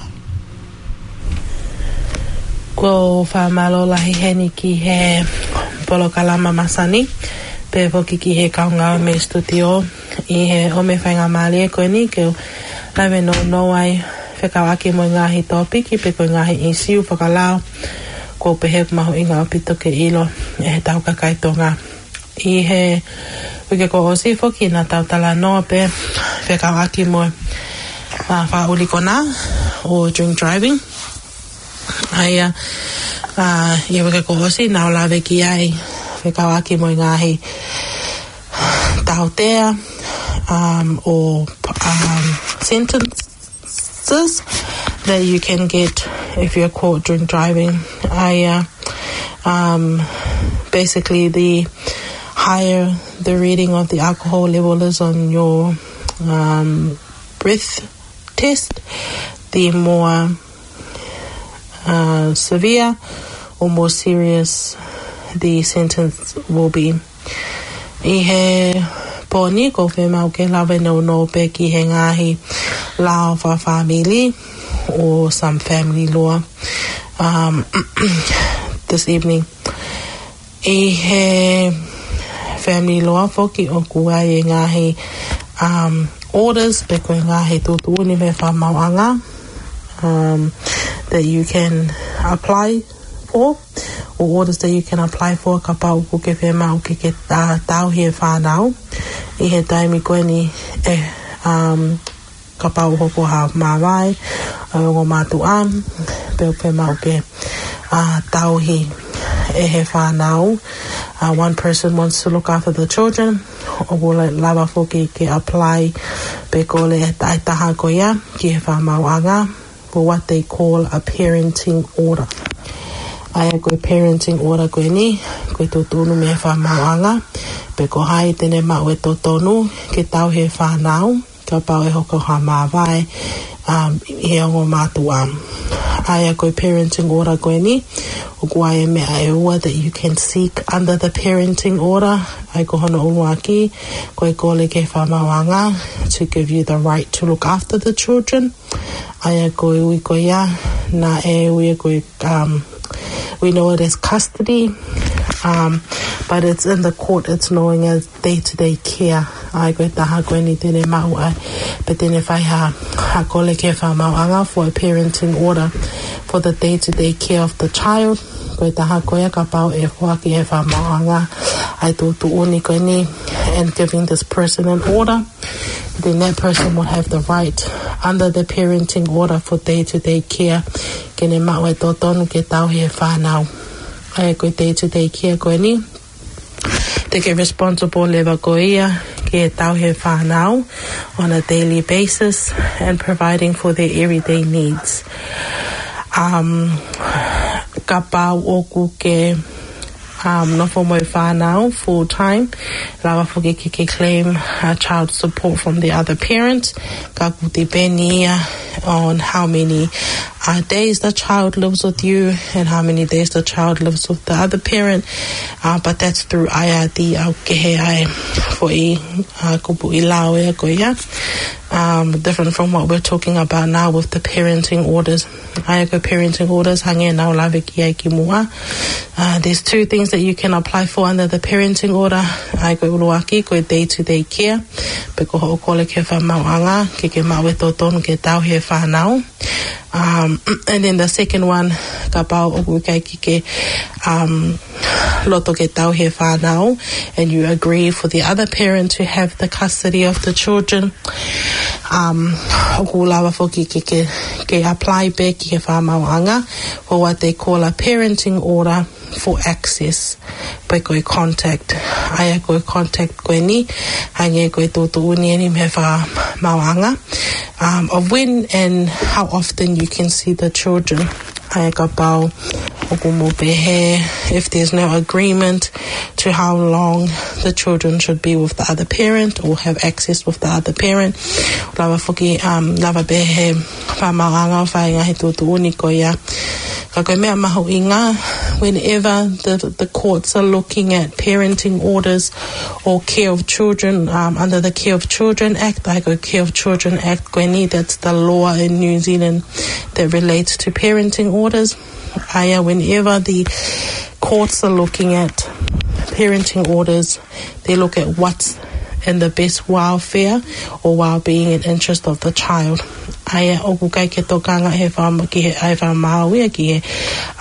Ko e fakamālō lahi heni ki he polokalama masani, pea foki ki he kau ngāue mei he studio, ʻi he ʻomi e faingamālie ko eni ke u lave nounou ai fekauʻaki mo e ngaahi tōpiki pe ko e ngaahi ʻīsiu fakalao, ʻoku ou pehē ʻoku mahuʻinga ʻaupito ke ʻilo ʻe he tau kakai Tonga. ʻI he uike kuo ʻosi foki naʻa tau talanoa pē fekauʻaki mo e, ʻa, fakaʻuli konā ʻo drink driving. ʻA ia, ʻa, ʻi he uike kuo ʻosi naʻa ku lave ki ai fekauʻaki mo e ngaahi tautea, um, ʻo, um, sentence that you can get if you're caught drink driving. I, uh, um, basically, the higher the reading of the alcohol level is on your, um, breath test, the more, uh, severe or more serious the sentence will be. ʻI he pō ni ʻoku ou fiemaʻu ke lave nounou pē ki he ngaahi lao fakafāmili or some family law, um, this evening. ʻI he family law foki ʻoku ʻi ai e ngaahi, um, orders pe ko e ngaahi tuʻutuʻuni mei he fakamaauʻanga, um, that you can apply for, or orders that you can apply for kapau ʻoku ke fiemaʻu ke ke, uh, tauhi e fānau ʻi he taimi ko eni ʻe, um, kapau ʻoku hoko ha māvae ʻa e ongo mātuʻa, pe ʻoku fiemaʻu ke, uh, tauhi ʻe he fānau. Uh, one person wants to look after the children, ʻoku lava foki ke apply pe kole ʻe he taha ko ia ki he fakamaauʻanga for what they call a parenting order. ʻA ia ko e parenting order ko eni, ko e tuʻutuʻuni mei he fakamaauʻanga pe ko hai te ne maʻu e totonu ke tauhi e fānau kapau ʻe hoko ha māvae, um, ʻi he ongo mātuʻa. ʻA ia ko e parenting order ko eni, ʻoku ʻi ai e meʻa ʻe ua that you can seek under the parenting order. ʻA ia ko hono ʻuluaki, ko e kole ki he fakamaauʻanga to give you the right to look after the children. ʻA ia ko e ui ko ia, naʻe ui ko e, um, we know it as custody, um, but it's in the court, it's known as day-to-day care. ʻA ia ko e taha ko eni te ne maʻu ai, pe te ne fai ha, ha kole ki he fakamaauʻanga for a parenting order for the day-to-day care of the child. Ko e taha ko ia kapau ʻe foaki ʻe he fakamaauʻanga ʻa e tuʻutuʻuni ko eni and giving this person an order, then that person will have the right under the parenting order for day-to-day care ke ne maʻu e totonu ke tauhi e fānau. ʻA ia ko e day-to-day care ko eni, te ke responsible leva ko ia ke tauhi e fānau on a daily basis and providing for their everyday needs. Um, kapau ʻoku ke, um, nofo mo e fānau full time, lava foki ke ke claim, uh, child support from the other parent. Ka ʻoku depend ia on how many, uh, days the child lives with you and how many days the child lives with the other parent. Uh, but that's through I R D, ʻoku kehe ʻa e foʻi, uh, kupuʻi lao ia ko ia. Um, different from what we're talking about now with the parenting orders. ʻA ia ko e parenting orders, hangē naʻa ku lave ki ai kimuʻa. Uh, there's two things that you can apply for under the parenting order. ʻA ia ko e ʻuluaki, ko e day-to-day care, pe ko hoʻo kole ki he fakamaauʻanga ke ke maʻu e totonu ke tauhi e fānau. Um, and then the second one, kapau ʻoku ʻikai ke ke, um, loto ke tauhi e fānau, and you agree for the other parent to have the custody of the children, um, ʻoku lava foki ke ke, ke apply pē ki he fakamaauʻanga for what they call a parenting order for access, pe ko e contact. ʻA ia ko e contact ko eni, hangē ko e tuʻutuʻuni eni mei he fakamaauʻanga, um, of when and how often you can see the children. ʻA ia kapau ʻoku mou pehē, if there's no agreement to how long the children should be with the other parent or have access with the other parent, lava foki, um, lava pē ʻe he fakamaauʻanga ʻo fai e ngaahi tuʻutuʻuni ko ia. Ka ko e meʻa mahuʻinga, whenever the, the courts are looking at parenting orders or care of children, um, under the Care of Children Act, ʻa ia ko e Care of Children Act ko eni, that's the law in New Zealand that relates to parenting orders. ʻA ia, whenever the courts are looking at parenting orders, they look at what's in the best welfare or well-being and interest of the child. ʻA ia, ʻoku ʻikai ke tokanga he fam-, ki he, ʻa e fakamaau ia ki he,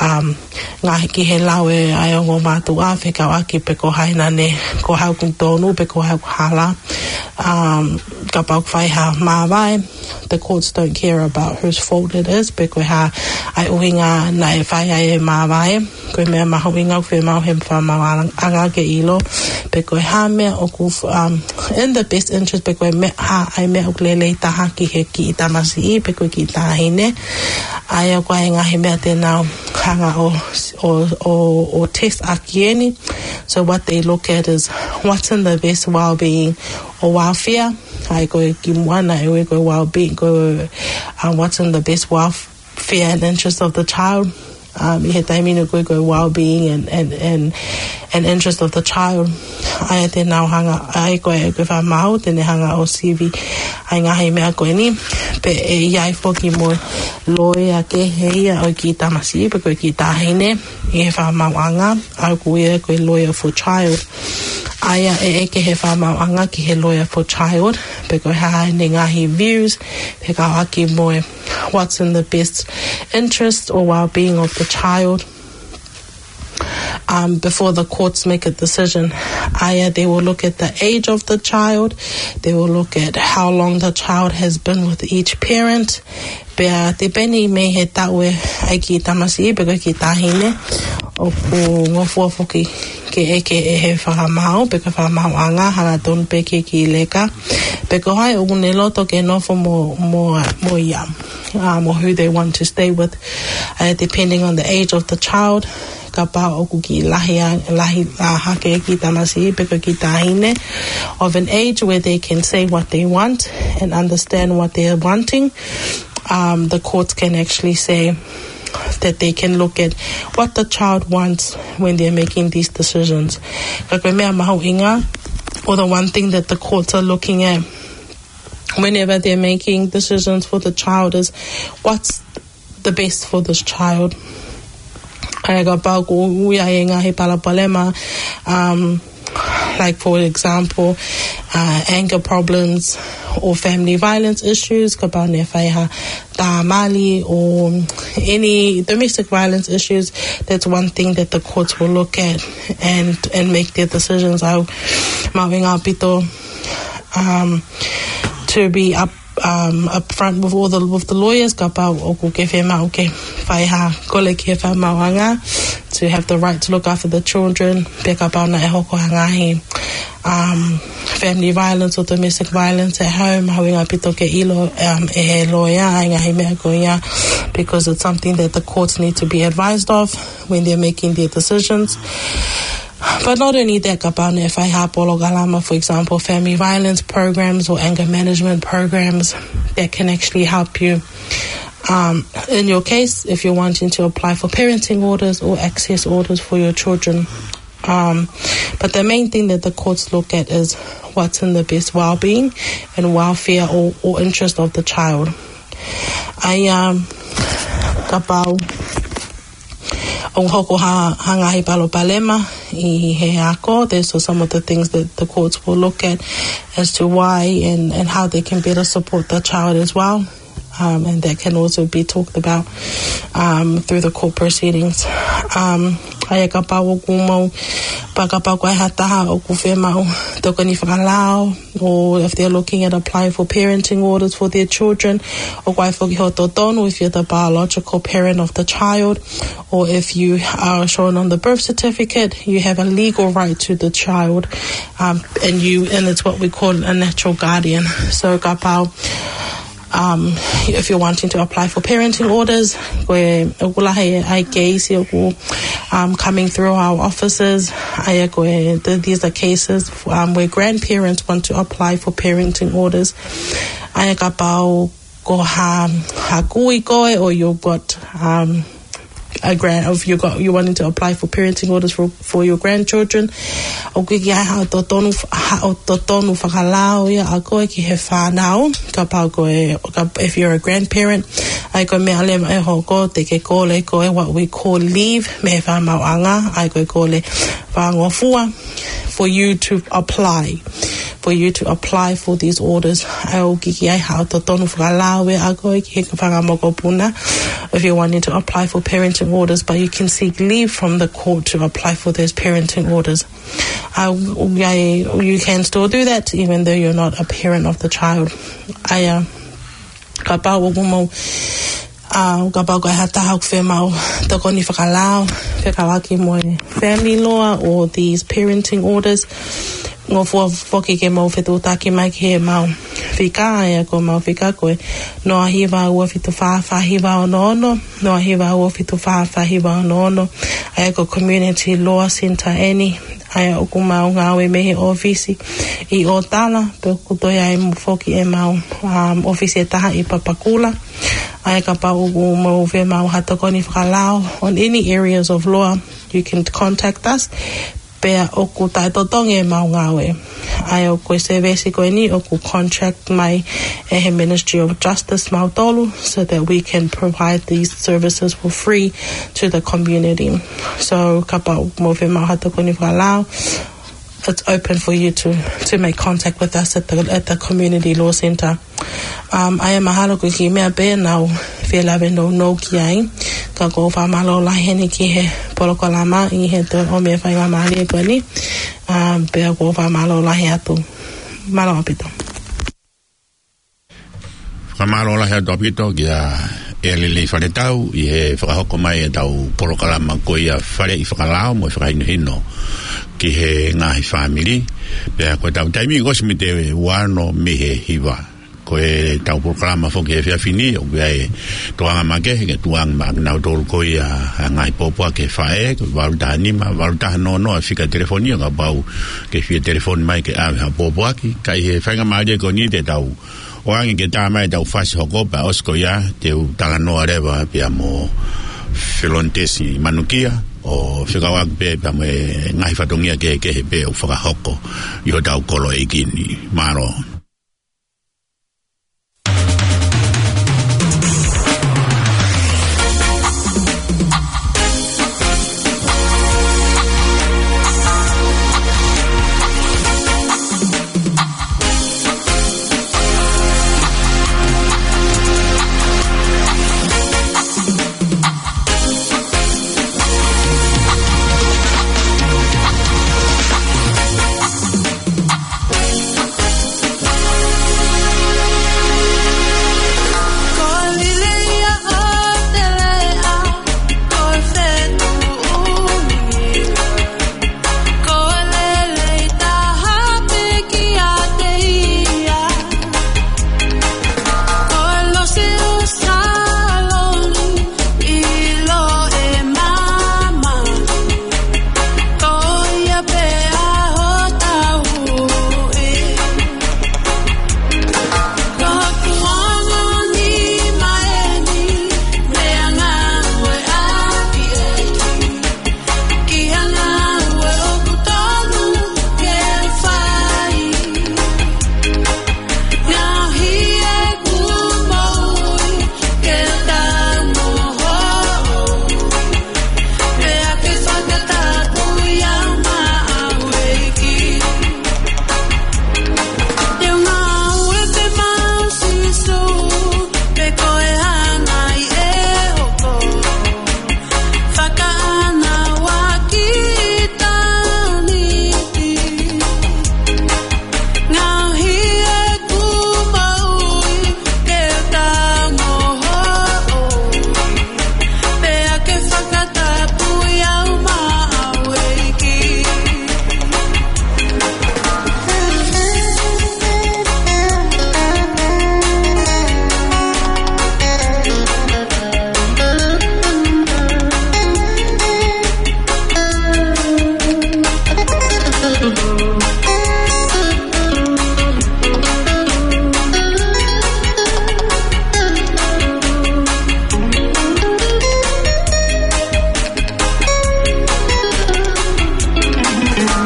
um, ngaahi ki he lau ʻa e ongo mātuʻa fekauʻaki pe ko hai naʻa ne, ko hai ʻoku tonu pe ko hai ʻoku hala. Um, kapau ʻoku fai ha māvae, the courts don't care about whose fault it is, pe ko e hā ʻa e ʻuhinga naʻe fai ai e māvae. Ko e meʻa mahuʻinga ʻoku fiemaʻu he fakamaauʻanga ke ʻilo, pe ko e hā meʻa ʻoku, um, in the best interest, pe ko e meʻa, hā ʻa e meʻa ʻoku lelei taha ki he kiʻi tamasiʻi, pe ko e kiʻi taʻahine. ʻA ia ko e ngaahi meʻa te nau hanga ʻo, ʻo, ʻo, ʻo test ʻaki eni. So what they look at is what's in the best well-being or welfare. ʻA ia ko e kimuʻa naʻe ui ko e well-being, ko e, um, what's in the best welfare and interest of the child. Um, ʻi he taimi ni ko e, ko e well-being and, and, and, and interest of the child. ʻA ia te nau hanga, ʻa ia ko e, ko e fakamaau, te ne hanga ʻo sivi ʻa e ngaahi meʻa ko eni. Pea ʻe ʻi ai foki mo e loea kehe ia ʻo e kiʻi tamasiʻi, pe ko e kiʻi taʻahine, ʻi he fakamaauʻanga, ʻa ia ko ia ko e lawyer for child. ʻA ia ʻe ʻeke he fakamaauʻanga ki he lawyer for child, pe ko e hā ʻene ngaahi views, pea kau ʻaki mo e what's in the best interest or well-being of the child, um, before the courts make a decision. ʻA ia, they will look at the age of the child, they will look at how long the child has been with each parent. Pea depending mei he taʻu ʻa e kiʻi tamasiʻi pe ko e kiʻi taʻahine, ʻoku ngofua foki ke ʻeke ʻe he fakamaau, pe ko e fakamaauʻanga, hangatonu pē ki he kiʻi leka, pe ko hai ʻoku ne loto ke nofo mo, mo, mo ia, um, or who they want to stay with, uh, depending on the age of the child. Kapau ʻoku kiʻi lahi a, lahi a hake e kiʻi tamasiʻi pe ko e kiʻi taʻahine of an age where they can say what they want and understand what they're wanting, um, the courts can actually say that they can look at what the child wants when they're making these decisions. Ka ko e meʻa mahuʻinga, or the one thing that the courts are looking at whenever they're making decisions for the child is what's the best for this child. ʻA ia kapau ʻoku ʻi ai e ngaahi palopalema, um, like, for example, uh, anger problems or family violence issues, kapau naʻe fai ha tā mali or any domestic violence issues, that's one thing that the courts will look at and, and make their decisions. ʻOku mahuʻinga ʻaupito, um, to be up, um, upfront with all the, with the lawyers, kapau ʻoku ke fiemaʻu ke fai ha kole ki he fakamaauʻanga, to have the right to look after the children, pe kapau naʻe hoko ha ngaahi, um, family violence or domestic violence at home, mahuʻinga ʻaupito ke ʻilo, um, ʻe he lawyer ʻa e ngaahi meʻa ko ia, because it's something that the courts need to be advised of when they're making their decisions. But not only that, kapau naʻe fai ha polokalama, for example, family violence programs or anger management programs that can actually help you, um, in your case, if you're wanting to apply for parenting orders or access orders for your children. Um, but the main thing that the courts look at is what's in the best well-being and welfare or, or interest of the child. ʻA ia, um, kapau ʻoku hoko ha, ha ngaahi palopalema ʻi he ako, those are some of the things that the courts will look at as to why and, and how they can better support the child as well. Um, and that can also be talked about, um, through the court proceedings. Um, ʻa ia kapau ʻoku mou, pea kapau ko e hā ha taha ʻoku fiemaʻu tokoni fakalao, or if they're looking at applying for parenting orders for their children, ʻoku ʻi ai foki hoʻo totonu, if you're the biological parent of the child, or if you are shown on the birth certificate, you have a legal right to the child, um, and you, and it's what we call a natural guardian. So kapau, um, if you're wanting to apply for parenting orders, ko e, ʻoku lahi ʻa e case ʻoku, um, coming through our offices, ʻa ia ko e, th-, these are cases, um, where grandparents want to apply for parenting orders. ʻA ia kapau ko ha, ha kui koe, or you've got, um, a grand, if you got, you wanting to apply for parenting orders for, for your grandchildren, ʻoku ʻikai ke ʻi ai haʻo totonu, haʻo totonu fakalao ia ʻa koe ki he fānau, kapau ko e, ka-, if you're a grandparent, ʻa ia ko e meʻa leva ʻe hoko, te ke kole koe what we call leave mei he fakamaauʻanga, ʻa ia ko e kole fakangofua for you to apply, for you to apply for these orders. ʻOku ʻikai ke ʻi ai haʻo totonu fakalao ia ʻa koe ki he fanga mokopuna if you're wanting to apply for parenting orders, but you can seek leave from the court to apply for those parenting orders. Uh, you can still do that even though you're not a parent of the child. ʻA ia, kapau ʻoku mou, ʻA, kapau ko e hā ha taha ʻoku fiemaʻu tokoni fakalao, fekauʻaki mo e family law or these parenting orders, ngofua foki ke mou fetuʻutaki mai ki heʻemau fika, ʻa ia ko ʻemau fika ko e noa hiva ua fitu fā fā hiva ono ono, noa hiva ua fitu fā fā hiva ono ono, ʻa ia ko e Community Law Centre ʻeni, ʻa ia ʻoku mau ngāue mei he ʻōfisi ʻi ʻŌtala, pea ʻoku toe ʻi ai mo foki ʻemau, um, ʻōfisi ʻe taha ʻi Papakura. ʻA ia kapau ʻoku mou fiemaʻu ha tokoni fakalao on any areas of law, you can contact us. Pea ʻoku taʻetotongi ʻemau ngāue. ʻA ia ko e service ko eni ʻoku contract mai ʻe he Ministry of Justice mautolu, so that we can provide these services for free to the community. So kapau ʻoku mou fiemaʻu ha tokoni fakalao, it's open for you to, to make contact with us at the, at the Community Law Centre. Um, ʻa ia mahalo ko e kiʻi meʻa pē naʻá ku fie lave nounou ki ai, ka ʻoku ou fakamālō lahi heni ki he polokalama ʻi he toe ʻomi e faingamālie ko eni, um, pea ʻoku ou fakamālō lahi atu. Mālō ʻaupito. Fakamālō lahi atu ʻaupito kia ʻEleli Faletau ʻi he fakahoko mai ʻetau polokalama ko ia Faleʻi Fakalao mo e fakahinohino ki he ngaahi fāmili. Pea ko ʻetau taimi ʻosi mei he ua ono mei he hiva. Ko ʻetau polokalama foki he efiafi ni, ʻoku ʻi ai e tokanga makehe ke tukuange maʻanautolu ko ia ʻa e ngaahi pōpoaki ki he faʻē, ko e valu taha nima, valu taha noa noa, fika telefoni, ʻo kapau ʻoku ke fie telefoni mai ke ʻave ha pōpoaki. Ka ʻi he faingamālie ko eni te tau ʻoange ke tā mai ʻetau fasi hoko pea ʻosi ko ia te u talanoa leva pea mo Felonitesi Manukia, ʻo fekauʻaki pē pea mo e ngaahi fatongia kehekehe pē ʻoku fakahoko ʻi hotau kolo ʻeiki ni. Mālō.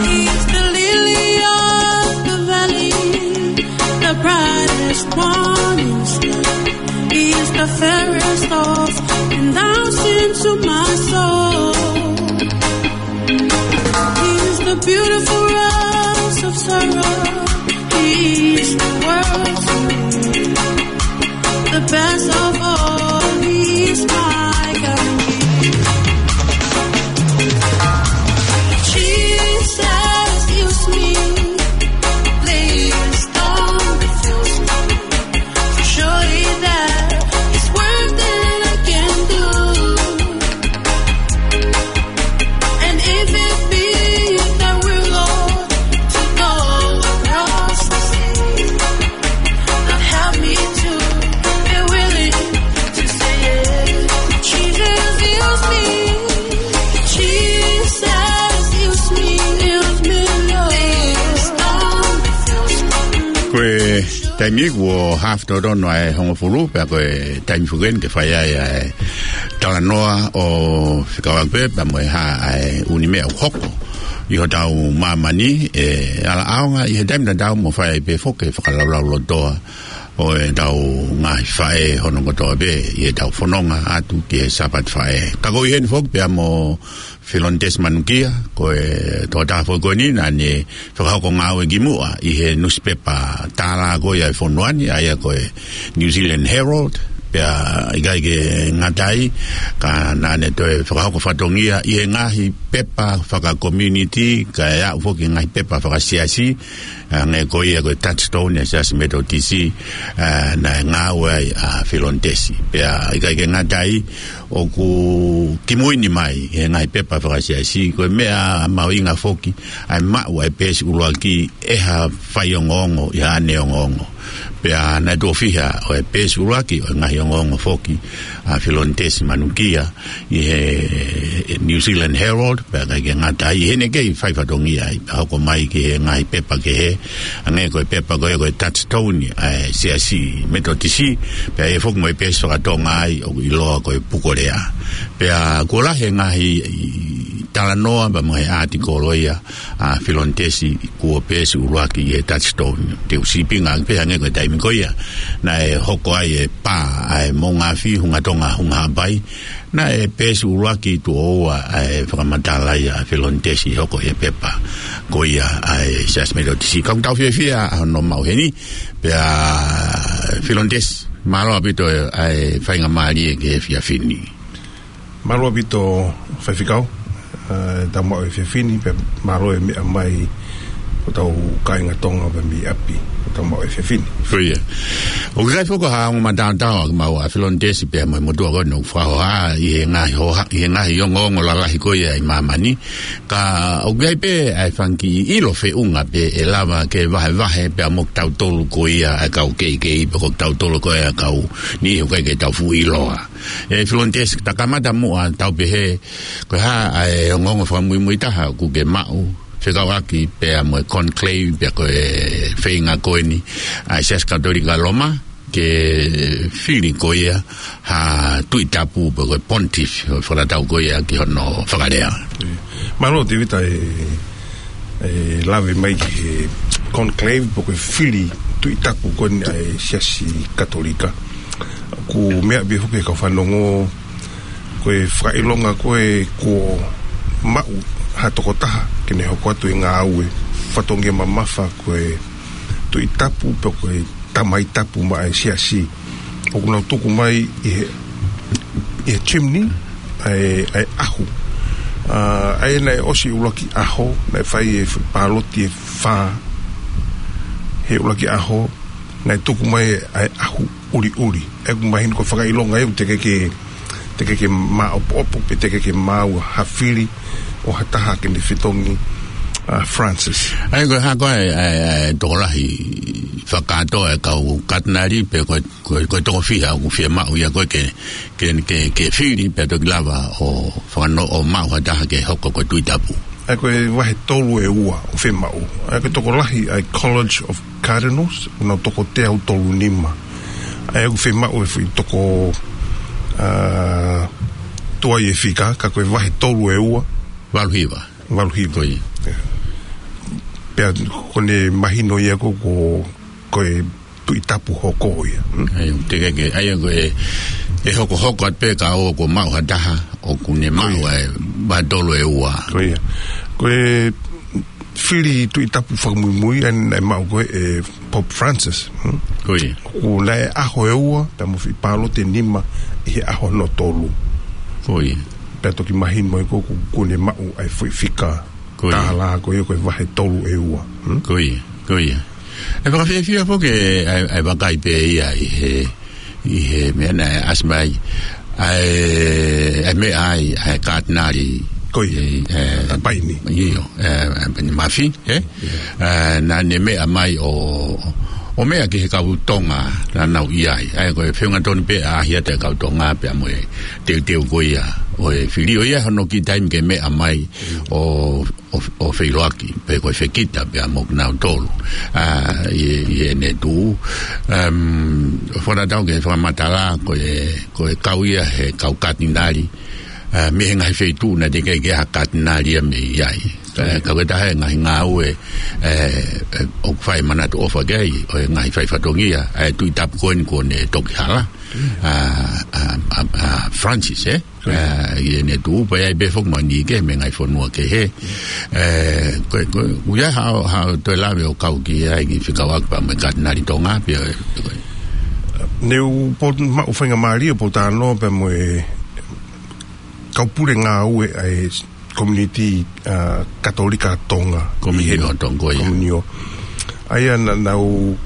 He's the lily of the valley, the brightest morning star. He is the fairest of ten thousand to my soul. He is the beautiful rose of Sharon. He is the world to me. The best of all, He's my guarantee. Jesus, use me, please don't refuse me. Surely that is worth it, I Taimi kuo haafe totonu ʻa e hongofulu, pea ko e taimi foki eni ke fai ai ʻa e talanoa ʻo fekauʻaki pē pea mo e hā ʻa e ʻū meʻa ʻoku hoko ʻi hotau māmani, ʻe ala ʻaonga ʻi he taimi tatau mo fai ai pē foki e fakalaulaulotoa ʻo ʻetau ngaahi faʻē hono kotoa pē ʻi heʻetau fononga atu ki he Sāpate Faʻē. Ka ko ʻi heni foki pea mo Filonitesi Manukia, ko e tokotaha foki ko eni naʻa ne fakahoko ngāue kimuʻa ʻi he nusipepa tālā ko ia ʻa e fonua ni, ʻa ia ko e New Zealand Herald, pea ʻikai ke ngata ai, ka naʻa ne toe fakahoko fatongia ʻi he ngaahi pepa fakakomiunitī, kae aʻu foki ki he ngaahi pepa fakasiasi, ʻa, hangē ko ia ko e Touchstone ʻa e Siasi Metotisi, ʻa, naʻe ngāue ai ʻa Filonitesi. Pea ʻikai ke ngata ai, ʻoku kimui ni mai he ngaahi pepa fakasiasi, ko e meʻa mahuʻinga foki ʻa e maʻu ʻa e peesi ʻuluaki ʻe ha faiongoongo ʻi haʻane ongoongo. Pea naʻe tuʻo fiha ʻo e peesi ʻuluaki ʻo e ngaahi ongoongo foki ʻa Filonitesi Manukia ʻi he New Zealand Herald, pea ʻikai ke ngata ai, ʻi heʻene kei fai fatongia ai, pea hoko mai ki he ngaahi pepa kehe, hangē ko e pepa ko ia ko e Touchstone ʻa e Siasi Metotisi, pea ʻi ai foki mo e peesi fakatonga ai ʻoku ʻiloa ko e Pukolea. Pea kuo lahi e ngaahi talanoa pea mo e ʻātikolo ia ʻa Filonitesi kuo peesi ʻuluaki ʻi he Touchstone. Te u sīpinga pē hangē ko e taimi ko ia naʻe hoko ai e pā ʻa e Moʻungaafi Hunga Tonga Hunga Haʻapai, naʻe peesi ʻuluaki tuʻo ua ʻa e fakamatala ia ʻa Filonitesi hoko he pepa ko ia ʻa e Siasi Metotisi. Ka ʻoku tau fiefia ʻa hono maʻu heni, pea Filonitesi, mālō ʻaupito ʻa e faingamālie ki he efiafi ni. Mālō ʻaupito Faifekau, ʻa, tau maʻu e efiafi ni, pea mālō e meʻa mai ʻo hotau kāinga Tonga pē mei ʻapi, ʻo tau maʻu e efiafi ni. Ko ia. ʻOku ʻikai foki ha ongo mataotao ʻa kimaua ʻa Filonitesi pea mo e motuʻa ko eni ʻoku fakahohaʻa ʻi he ngaahi hoha-, ʻi he ngaahi ongoongo lalahi ko ia ʻi māmani. Ka ʻoku ʻi ai pē ʻa e fanga kiʻi ʻilo feʻunga pē ʻe lava ke vahevahe pea mo kitautolu ko ia ʻa e kau keikei pe ko kitautolu ko ia ʻa e kau niʻihi ʻoku ʻikai ke tau fuʻu ʻiloa. ʻE Filonitesi, ta kamata muʻa tau pehē, ko e hā ʻa e ongoongo fakamuimui taha ʻoku ke maʻu, fekauʻaki pea mo e conclave, pea ko e feinga ko eni ʻa e Siasi Katolika Loma, ke fili ko ia ha tuʻi tapu pe ko e pontiff, ʻo fakatatau ko ia ki hono fakalea. Mālō Tēvita, ʻe, ʻe lave mai ki he conclave pe ko e fili tuʻi tapu ko eni ʻa e Siasi Katolika. ʻOku meʻa pē foki ʻe he kau fanongo, ko e fakaʻilonga ko ē kuo maʻu ha tokotaha ke ne hoko atu e ngāue fatongia mamafa ko e tuʻi tapu pe ko e tamai tapu maʻa e Siasi. ʻOku nau tuku mai ʻi he, ʻi he chimney ʻa e, ʻa e ʻahu. ʻA, ʻa ia naʻe ʻosi ʻuluaki ʻaho, naʻe fai e f-, pāloti ʻe fā he ʻuluaki ʻaho, naʻe tuku mai ʻa e ʻahu ʻuliʻuli. ʻOku mahino ko e fakaʻilonga ia ʻoku teʻeki ke, teʻeki ke māʻopoʻopo, pe teʻeki ke maʻu ha fili ʻo ha taha ke ne fetongi ʻa Francis. ʻA ia ko e hā ko ē ʻa e, ʻa e, ʻa e tokolahi fakakātoa ʻa e kau katinali pe ko e, ko e, ko e toko fiha ʻoku fiemaʻu ia ko ē ke, ke, ke, ke fili pea toki lava ʻo fakano-, ʻo maʻu ha taha ke hoko ko e tuʻi tapu. ʻA ia ko e vahe tolu ʻe ua ʻoku fiemaʻu. ʻA ia ko e tokolahi ʻa e College of Cardinals, ʻoku nau toko teau tolu nima. ʻA ia ʻoku fiemaʻu e foʻi toko, ʻa, tuai e fika, ka ko e vahe tolu ʻe ua. Valu hiva. Valu hiva. Ko ia. Pea ʻoku ne mahino ia ko, ko, ko e tuʻi tapu hoko ia. Hmm? ʻA ia, teʻeki ke, ʻa ia ko e, ʻe hokohoko atu pē ka ʻoku maʻu ha taha, ʻoku ne maʻu ʻa e vahe tolu ʻe ua. Ko ia. Ko e fili tuʻi tapu fakamuimui ʻa ia naʻe maʻu ko ē ʻe Pope Francis. Hmm? Ko ia. ʻOku naʻe ʻaho ʻe ua, pea mo e foʻi pāloti ʻe nima ʻi he ʻaho hono tolu. Ko ia. Pea toki mahino ai ko ē ʻoku, ʻoku ne maʻu ʻa e foʻi fika. Ko ia. Tālā ko ia ko e vahe tolu ʻe ua. Hmm? Ko ia, ko ia. ʻE fakafiefia foki ʻa e, ʻa e vakai pē ia ʻi he, ʻi he meʻa naʻe ʻasi mai. ʻA e, ʻa e meʻa ai, ʻa e katinali. Ko ia. ʻE, ʻe, ʻa Paini. ʻIo, ʻe, ʻa Paini Mafi, ē? ʻIo. ʻE, naʻa ne meʻa mai ʻo, ʻo meʻa ki he kau Tonga naʻa nau ʻi ai. ʻA ia ko e feʻunga tonu pē ʻa e ʻahiʻahi ʻa e kau Tonga pea mo e teuteu ko ia ʻo e fili ʻo ia hono kiʻi taimi ke meʻa mai ʻo, ʻo, ʻo feʻiloaki, pe ko e fekita pea mo kinautolu. ʻA, ʻi, ʻi heʻene tuʻu. Um, fakatatau ki he fakamatala, ko e, ko e kau ia he kau katinali, ʻa, mei he ngaahi feituʻu naʻe teʻeki ke ʻi ai ha katinali ia mei ai. ʻA, ka ko e taha e ngaahi ngāue, ʻe, ʻe, ʻoku fai manatu ʻofa ki ai, ʻo e ngaahi fai fatongia, ʻa e Tuʻi Tapu ko eni kuo ne toki hala. ʻA, ʻa, ʻa, ʻa Francis, ē? ʻA, ʻi heʻene tuʻu, pea ʻi ai pē foki mo Nike, mei he ngaahi fonua kehe. ʻE, ko e, ko e, ʻoku ʻi ai haʻo, haʻo toe lave ʻo kau ki ai ki he fekauʻaki pea mo e katinali Tonga, pea, ko e. Ne u po-, maʻu faingamālie ʻo pōtalanoa pea mo e kau pule ngāue ʻa e community, ʻa, Katolika Tonga. Komunio ʻi he Tonga, ko ia. Komunio. ʻA ia naʻa nau,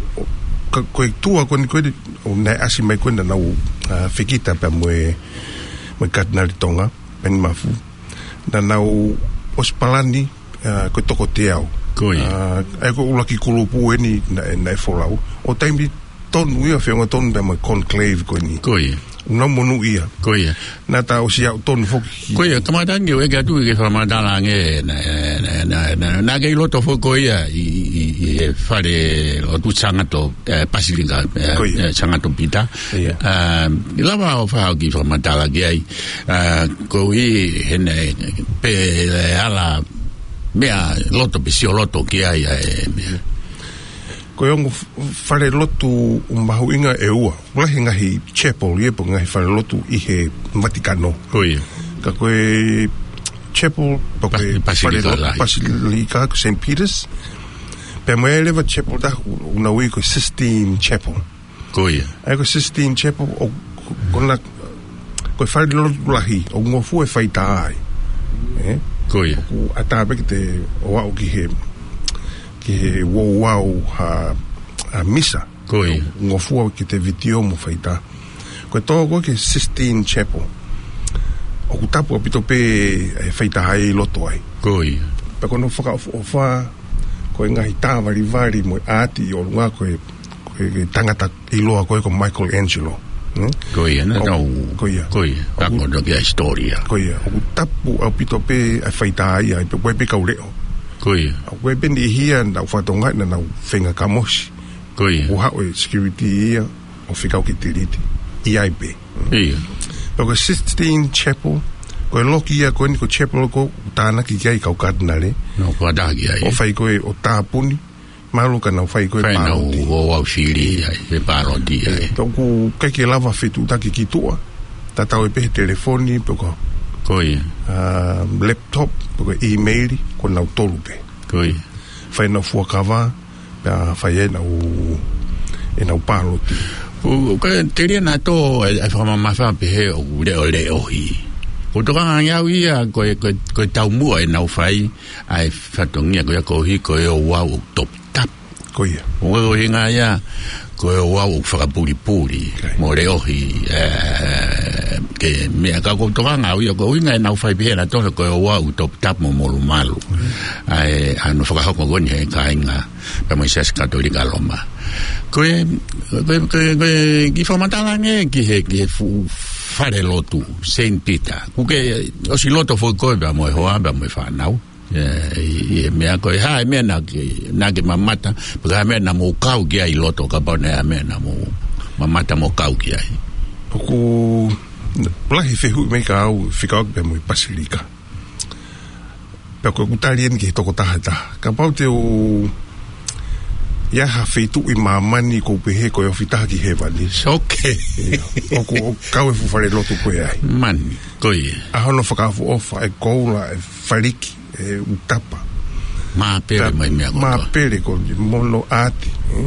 ka, ko e tuʻa ko eni ko eni, ʻo naʻe ʻasi mai ko eni naʻa nau, ʻa, fekita pea mo e, mo e katinali Tonga, Peni Mafu. Naʻa nau ʻosi palani, ʻa, ko e toko teau. Ko ia. ʻA, ʻa ia ko e ʻuluaki kulupu eni naʻe, naʻe folau. ʻO taimi tonu ia, feʻunga tonu pea mo e conclave ko eni. Ko ia. Naʻa nau monūʻia. Ko ia. Naʻa ta ʻosi aʻu tonu foki. Ko ia, kamata ange ʻo ʻeke atu ki he fakamatala ange, naʻa, naʻa, naʻa, naʻa, naʻa ke ʻi loto foki ko ia ʻi, ʻi, ʻi, ʻi he fale lotu Sangato, ʻe, Pasilika, ʻe, Ko ia. ʻe, Sangato Pita. Ia. ʻA, ʻe lava ʻo fai ha kiʻi fakamatala ki ai, ʻa, koeʻuhi he naʻe pehē ʻe ala meʻa loto pe sio loto ki ai, ʻa e meʻa. Ko e ongo f-, fale lotu mahuʻinga ʻe ua. Lahi e ngaahi chapel ia pe ko e ngaahi fale lotu ʻi he Vatikano. Ko ia. Ka ko e chapel pe ko e Pas-, Pasilika fale lotu lahi. Pasilika ko Saint Peter's. Pea mo e leva chapel taha ʻoku nau ui ko e Sistine Chapel. Ko ia. ʻA ia ko e Sistine Chapel ʻoku, ko ena, ko e fale lotu lahi, ʻoku ngofua e faitā ai. Ē? Ko ia. ʻOku ʻatā pē ke te ō ʻo aʻu ki he, ki he ouau ha, ha misa. Ko ia. ʻOku ngofua ke te vitiō mo faitā. Ko e tō ko ē ki he Sistine Chapel, ʻoku tapu ʻaupito pē e faitā ʻi loto ai. Ko ia. Pea ko hono fakaʻofoʻofa, ko e ngaahi tā valivali mo e ʻaati ʻi ʻolunga ko e, ko e, ko e tangata ʻiloa ko ē ko Michelangelo. Hmm? Ko ia, naʻa ʻOku, nau, ko ia. ko ia. ʻOku, Ka ko no kia hisitōlia. ko ia. ʻOku tapu ʻaupito pē e faitā ia, pe ko e pē kau leʻo. Ko ia. ʻOku ʻi ai pē niʻihi ia naʻa nau fatongia naʻa nau feinga kamosi. Ko ia. ʻOku haʻu e security ia ʻo fekau ke tiliti. ʻI ai pē. Ia. Pea ko e Sistine Chapel, ko e loki ia ko eni ko e chapel ko ē ʻoku tānaki ki ai e kau katinale. Nau fakatātā ki ai. ʻO fai ko ē ʻo tāpuni, mahalo ka nau fai ko ē Fai nau pāloti. ouau fili ai, pe pāloti ai. Pea ʻoku ʻikai ke lava fetuʻutaki ki tuʻa. Tatau ai pē he telefoni, pe ko e Ko ia. ʻa, laptop, pe ko e email, ko nautolu pē. Ko ia. Fai ʻenau fuakava, pea fai ʻenau, ʻenau pāloti. ʻO, ʻo ka telia naʻa tō e, e fakamamafa pehē ʻoku leʻoleʻohi. ʻOku tokanga ange au ia ko e, ko e, ko e taumuʻa ʻenau fai ʻa e fatongia ko ia koeʻuhi ko e ouau ʻoku toputapu. Ko ia. ʻO ko e ʻuhinga ia, ko e ouau ʻoku fakapulipuli, Kai. mo leʻohi, ē, ke meʻa ka ʻoku tokanga au ia ko e ʻuhinga ʻenau fai pehē naʻa tō ko e ouau ʻoku toputapu mo molumalu. ʻA e, ʻa hono fakahoko ko eni he kāinga, pea mo e Siasi Katolika Loma. Ko e, ko e, ko e, ko e, kiʻi fakamatala ange ki he, ki he fuʻu fale lotu, Saint Peter. ʻOku ke ʻosi loto foki koe pea mo e hoa, pea mo e fānau. ʻE, ʻi, ʻi he meʻa ko e hā e meʻa naʻa ke, naʻa ke mamata, pe ko e hā e meʻa naʻa mou kau ki ai ʻi loto kapau naʻe ʻi ai ha meʻa naʻa mou mamata mo kau ki ai. ʻOku lahi fehuʻi mai kia au, fekauʻaki pea mo e Pasilika. Pea ko ʻeku tali eni ki he tokotaha ʻe taha. Kapau te u ʻi ai ha feituʻu ʻi māmani ʻoku ou pehē ko e ofi taha ki hēvani. Soke. Ia. ʻOku, ʻoku kau e fuʻu fale lotu ko ē ai. Mani, ko ia. ʻA hono fakaʻofoʻofa, e koula, e faliki, e utapa. Māpele Pea mai meʻa kotoa. Māpele ko e mono ʻaati, ē?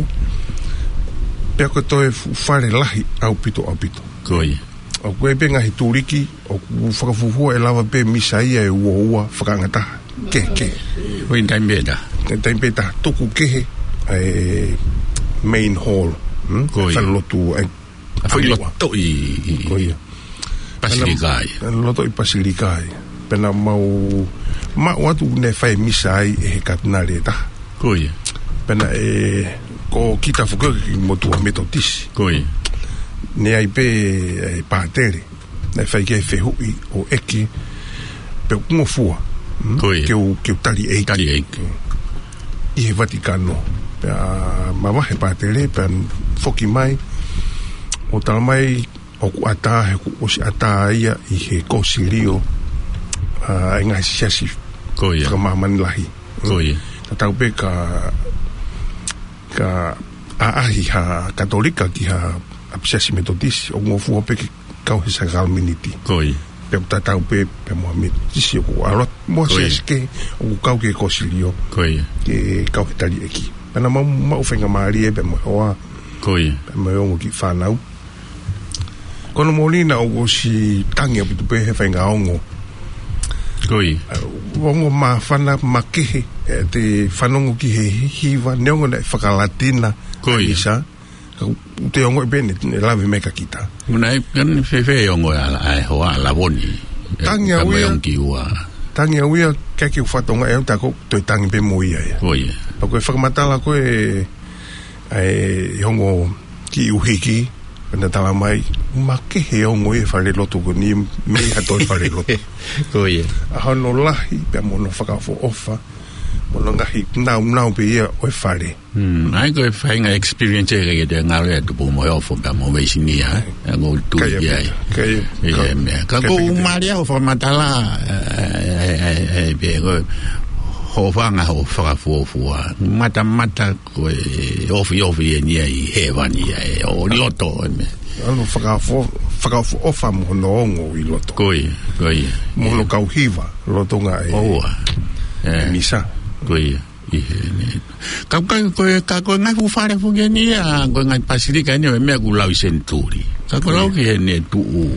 Pea ko e toe fuʻu fale lahi ʻaupito, ʻaupito. Ko ia. ʻOku ʻi ai pē ngaahi tuliki, ʻoku fakafuofua ʻe lava pē misa ia ʻe uaua fakaangataha. Kehe, kehe. Ko e taimi pē ʻe taha. Taimi pē ʻe taha, tuku kehe, ʻa e main hall, hmm? Ko ia. Fale lotu, ʻa e ʻA e foʻi ʻamuʻa. loto ʻi, ʻi, Ko ia. Pasilika ai. Pea naʻa, loto ʻi Pasilika ai. Pea naʻa mau, maʻu atu naʻe fai misa ai ʻe he katinale ʻe taha. Ko ia. Pea naʻe, Ko kita foki ʻoku motuʻa Metotisi. Ko ia. Naʻe ʻi ai pē e pātele naʻe fai ki ai e fehuʻi ʻo ʻeke pe ʻoku ngofua, mm? Ko ia. Ke u, ke u tali ʻeiki. Tali ʻeiki. ʻI he Vatikano. Pea mavahe e pātele, pea foki mai ʻo talamai ʻoku ʻatā, he kuo ʻosi ʻatā ia ʻi he kōsilio, ʻa, ʻa e ngaahi siasi, ko ia, fakamāmani lahi. Ko ia. Tatau pē ka, ka ʻaʻahi ha Katolika ki ha ʻapisiasi Metotisi, ʻoku ngofua pē ke kau he sākalamēniti. Ko ia. Pea ʻoku tatau pē, pea mo ha Metotisi ʻoku ʻalu atu, mo ha, ko ia, siasi kehe ʻoku kau ki he kōsilio. Ko ia. Ke kau he tali ʻeiki. Pea naʻa mau, mau faingamālie pea mo e hoa. Ko ia. Pea mo e ongo kiʻi fānau. Ko hono moʻoni naʻe ʻosi tangi ʻaupito pē he faʻahinga ongo. Ko ia. ʻA, ongo māfana, makehe, ʻete fanongo ki he hiva, neongo naʻe fakalatina. Ko ia. ʻA e misa. Ka ʻoku te ongoʻi pē naʻe, naʻe lave mai kia kita. Muna e, ka naʻe fēfē e ongo ʻa, ʻa e hoa, ʻa Lavoni? Tangi au ia. Ka mai ongo ki ua. Tangi au ia, ʻikai ke u fatongia ʻe au, tā ko ʻeku toe tangi pē mo ia ia. Ko ia. Pea ko e fakamatala ko ē ʻa e ongo kiʻi ʻuhiki, naʻe talamai, makehe e ongo ʻi he falelotu ko eni mei ha toe falelotu. Ko ia. ʻA hono lahi, pea mo hono fakaʻofoʻofa, mo hono ngaahi nāunau pē ia ʻo e fale. Hmm, ʻa ia ko e faʻahinga experience ē, ʻikai ke te ngalo ia tupu mo e ofo pea mo e veisinia, ē? ʻOku ou tui ki ai. Ka ia, ka ia, ʻIo, ka, meʻa. Ka ka ko ia, u mālie hoʻo fakamatala, ē, ē, ē, ē, ē, pea ko hoʻo fanga hoʻo fakafuofua. Matamata ko e ofiofi eni ia ʻi hēvani ia ē, ʻo loto ē meʻa. ʻAlu fakafu-, fakaʻofoʻofa mo hono ongo ʻi loto. Ko ia, ko ia. Mo hono kau hiva, lolotonga e, ʻoua, ē, misa. Ko ia. ʻI heni. Ka, ka, ko e, ka, ko e ngaahi fuʻu fale foki eni ia, ko e ngaahi pasilika eni ʻo e meʻa kuo lau ʻi senituli. Ka ko e lau ki heni e tuʻu,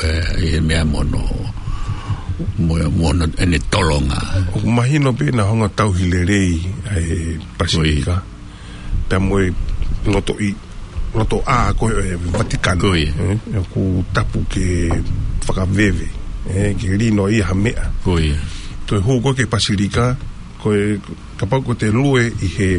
ē, ʻi he meʻa mo hono, mo, mo hono ʻene tolonga. ʻOku mahino pē naʻe hanga ʻo tauhi lelei ʻa e pasilika. Ko ia. Pea mo e loto ʻi, loto ʻā ko ē ʻo e Vatikano. Ko ia. Ē, ʻoku tapu ke fakaveve, ē, ke lino ia ha meʻa. Ko ia. Toe hū ko ē ki he pasilika, ko e, kapau ko ʻete lue ʻi he,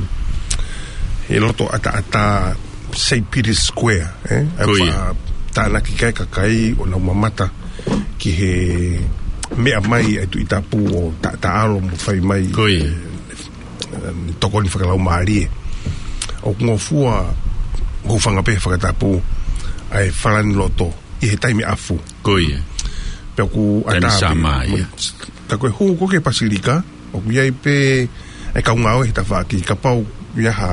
he loto ʻataʻatā Saint Peter's Square, ē? Ko ia. ʻA e tānaki ki ai e kakai ʻo nau mamata ki he meʻa mai ʻa e Tuʻi Tapu ʻo ta-, taʻalo mo fai mai, ko ia, ē, ē, tokoni fakalaumālie. ʻOku ngofua, ʻoku fanga pē he fakatapu ʻa e falani loto ʻi he taimi ʻafu. Ko ia. Pea ʻoku ʻatā pē. Taimi Sāmā ia. Ka ko e hū ko ē ki he pasilika, ʻoku ʻi ai pē e kau ngāue he tafaʻaki, kapau ʻoku ʻi ai ha,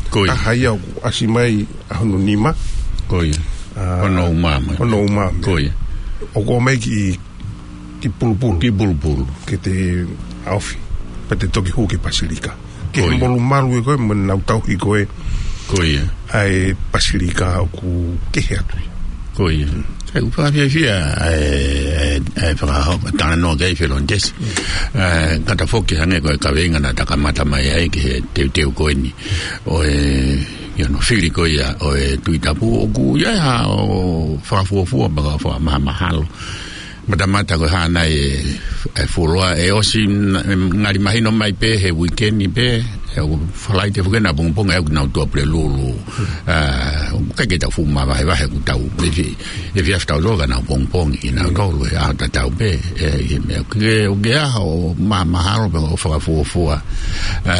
ko ia, taha ia ʻoku ʻasi mai ʻa hono nima. Ko ia. ʻA, hono uma mai. Hono uma mai. Ko ia. ʻOku ʻomai kiʻi, kiʻi pulupulu. Kiʻi pulupulu. Ke te ʻaofi. Pea te toki hū ki he pasilika. Ke, ko ia, molumalu ē ko ē, mo nau tauhi ko ē. Ko ia. ʻA e pasilika ʻoku kehe atu ia. Ko ia. Sai, ʻoku fakafiefia ʻa e, ʻa e, ʻa e fakaho-, talanoa ki ai Felonitesi. ʻA e, kata foki hangē ko e kaveinga naʻa ta kamata mai ai ki he teuteu ko eni ʻo e, ʻi hono fili ko ia ʻo e Tuʻi Tapu, ʻoku ʻi ai haʻo fakafuofua mo e fakamahamahalo. Matamata ko e hā nai e, e fuoloa, ʻe ʻosi n-, ngali mahino mai pē he uike ni pē, ʻe ʻoku Falaite foki ʻapongipongi ʻe ʻoku nau tuʻa Pulelulu. ʻA, ʻoku ʻikai ke tau fuʻu mavahevahe ʻoku tau, ʻe fi-, ʻe fiefia tau tō ka nau pongipongi, nau tolu, ʻe ʻaho tatau pē, ē, ʻi he meʻa. ʻOku ke, ʻoku ke ʻaho ma-, mahalo pē ʻo fakafuofua. ʻA,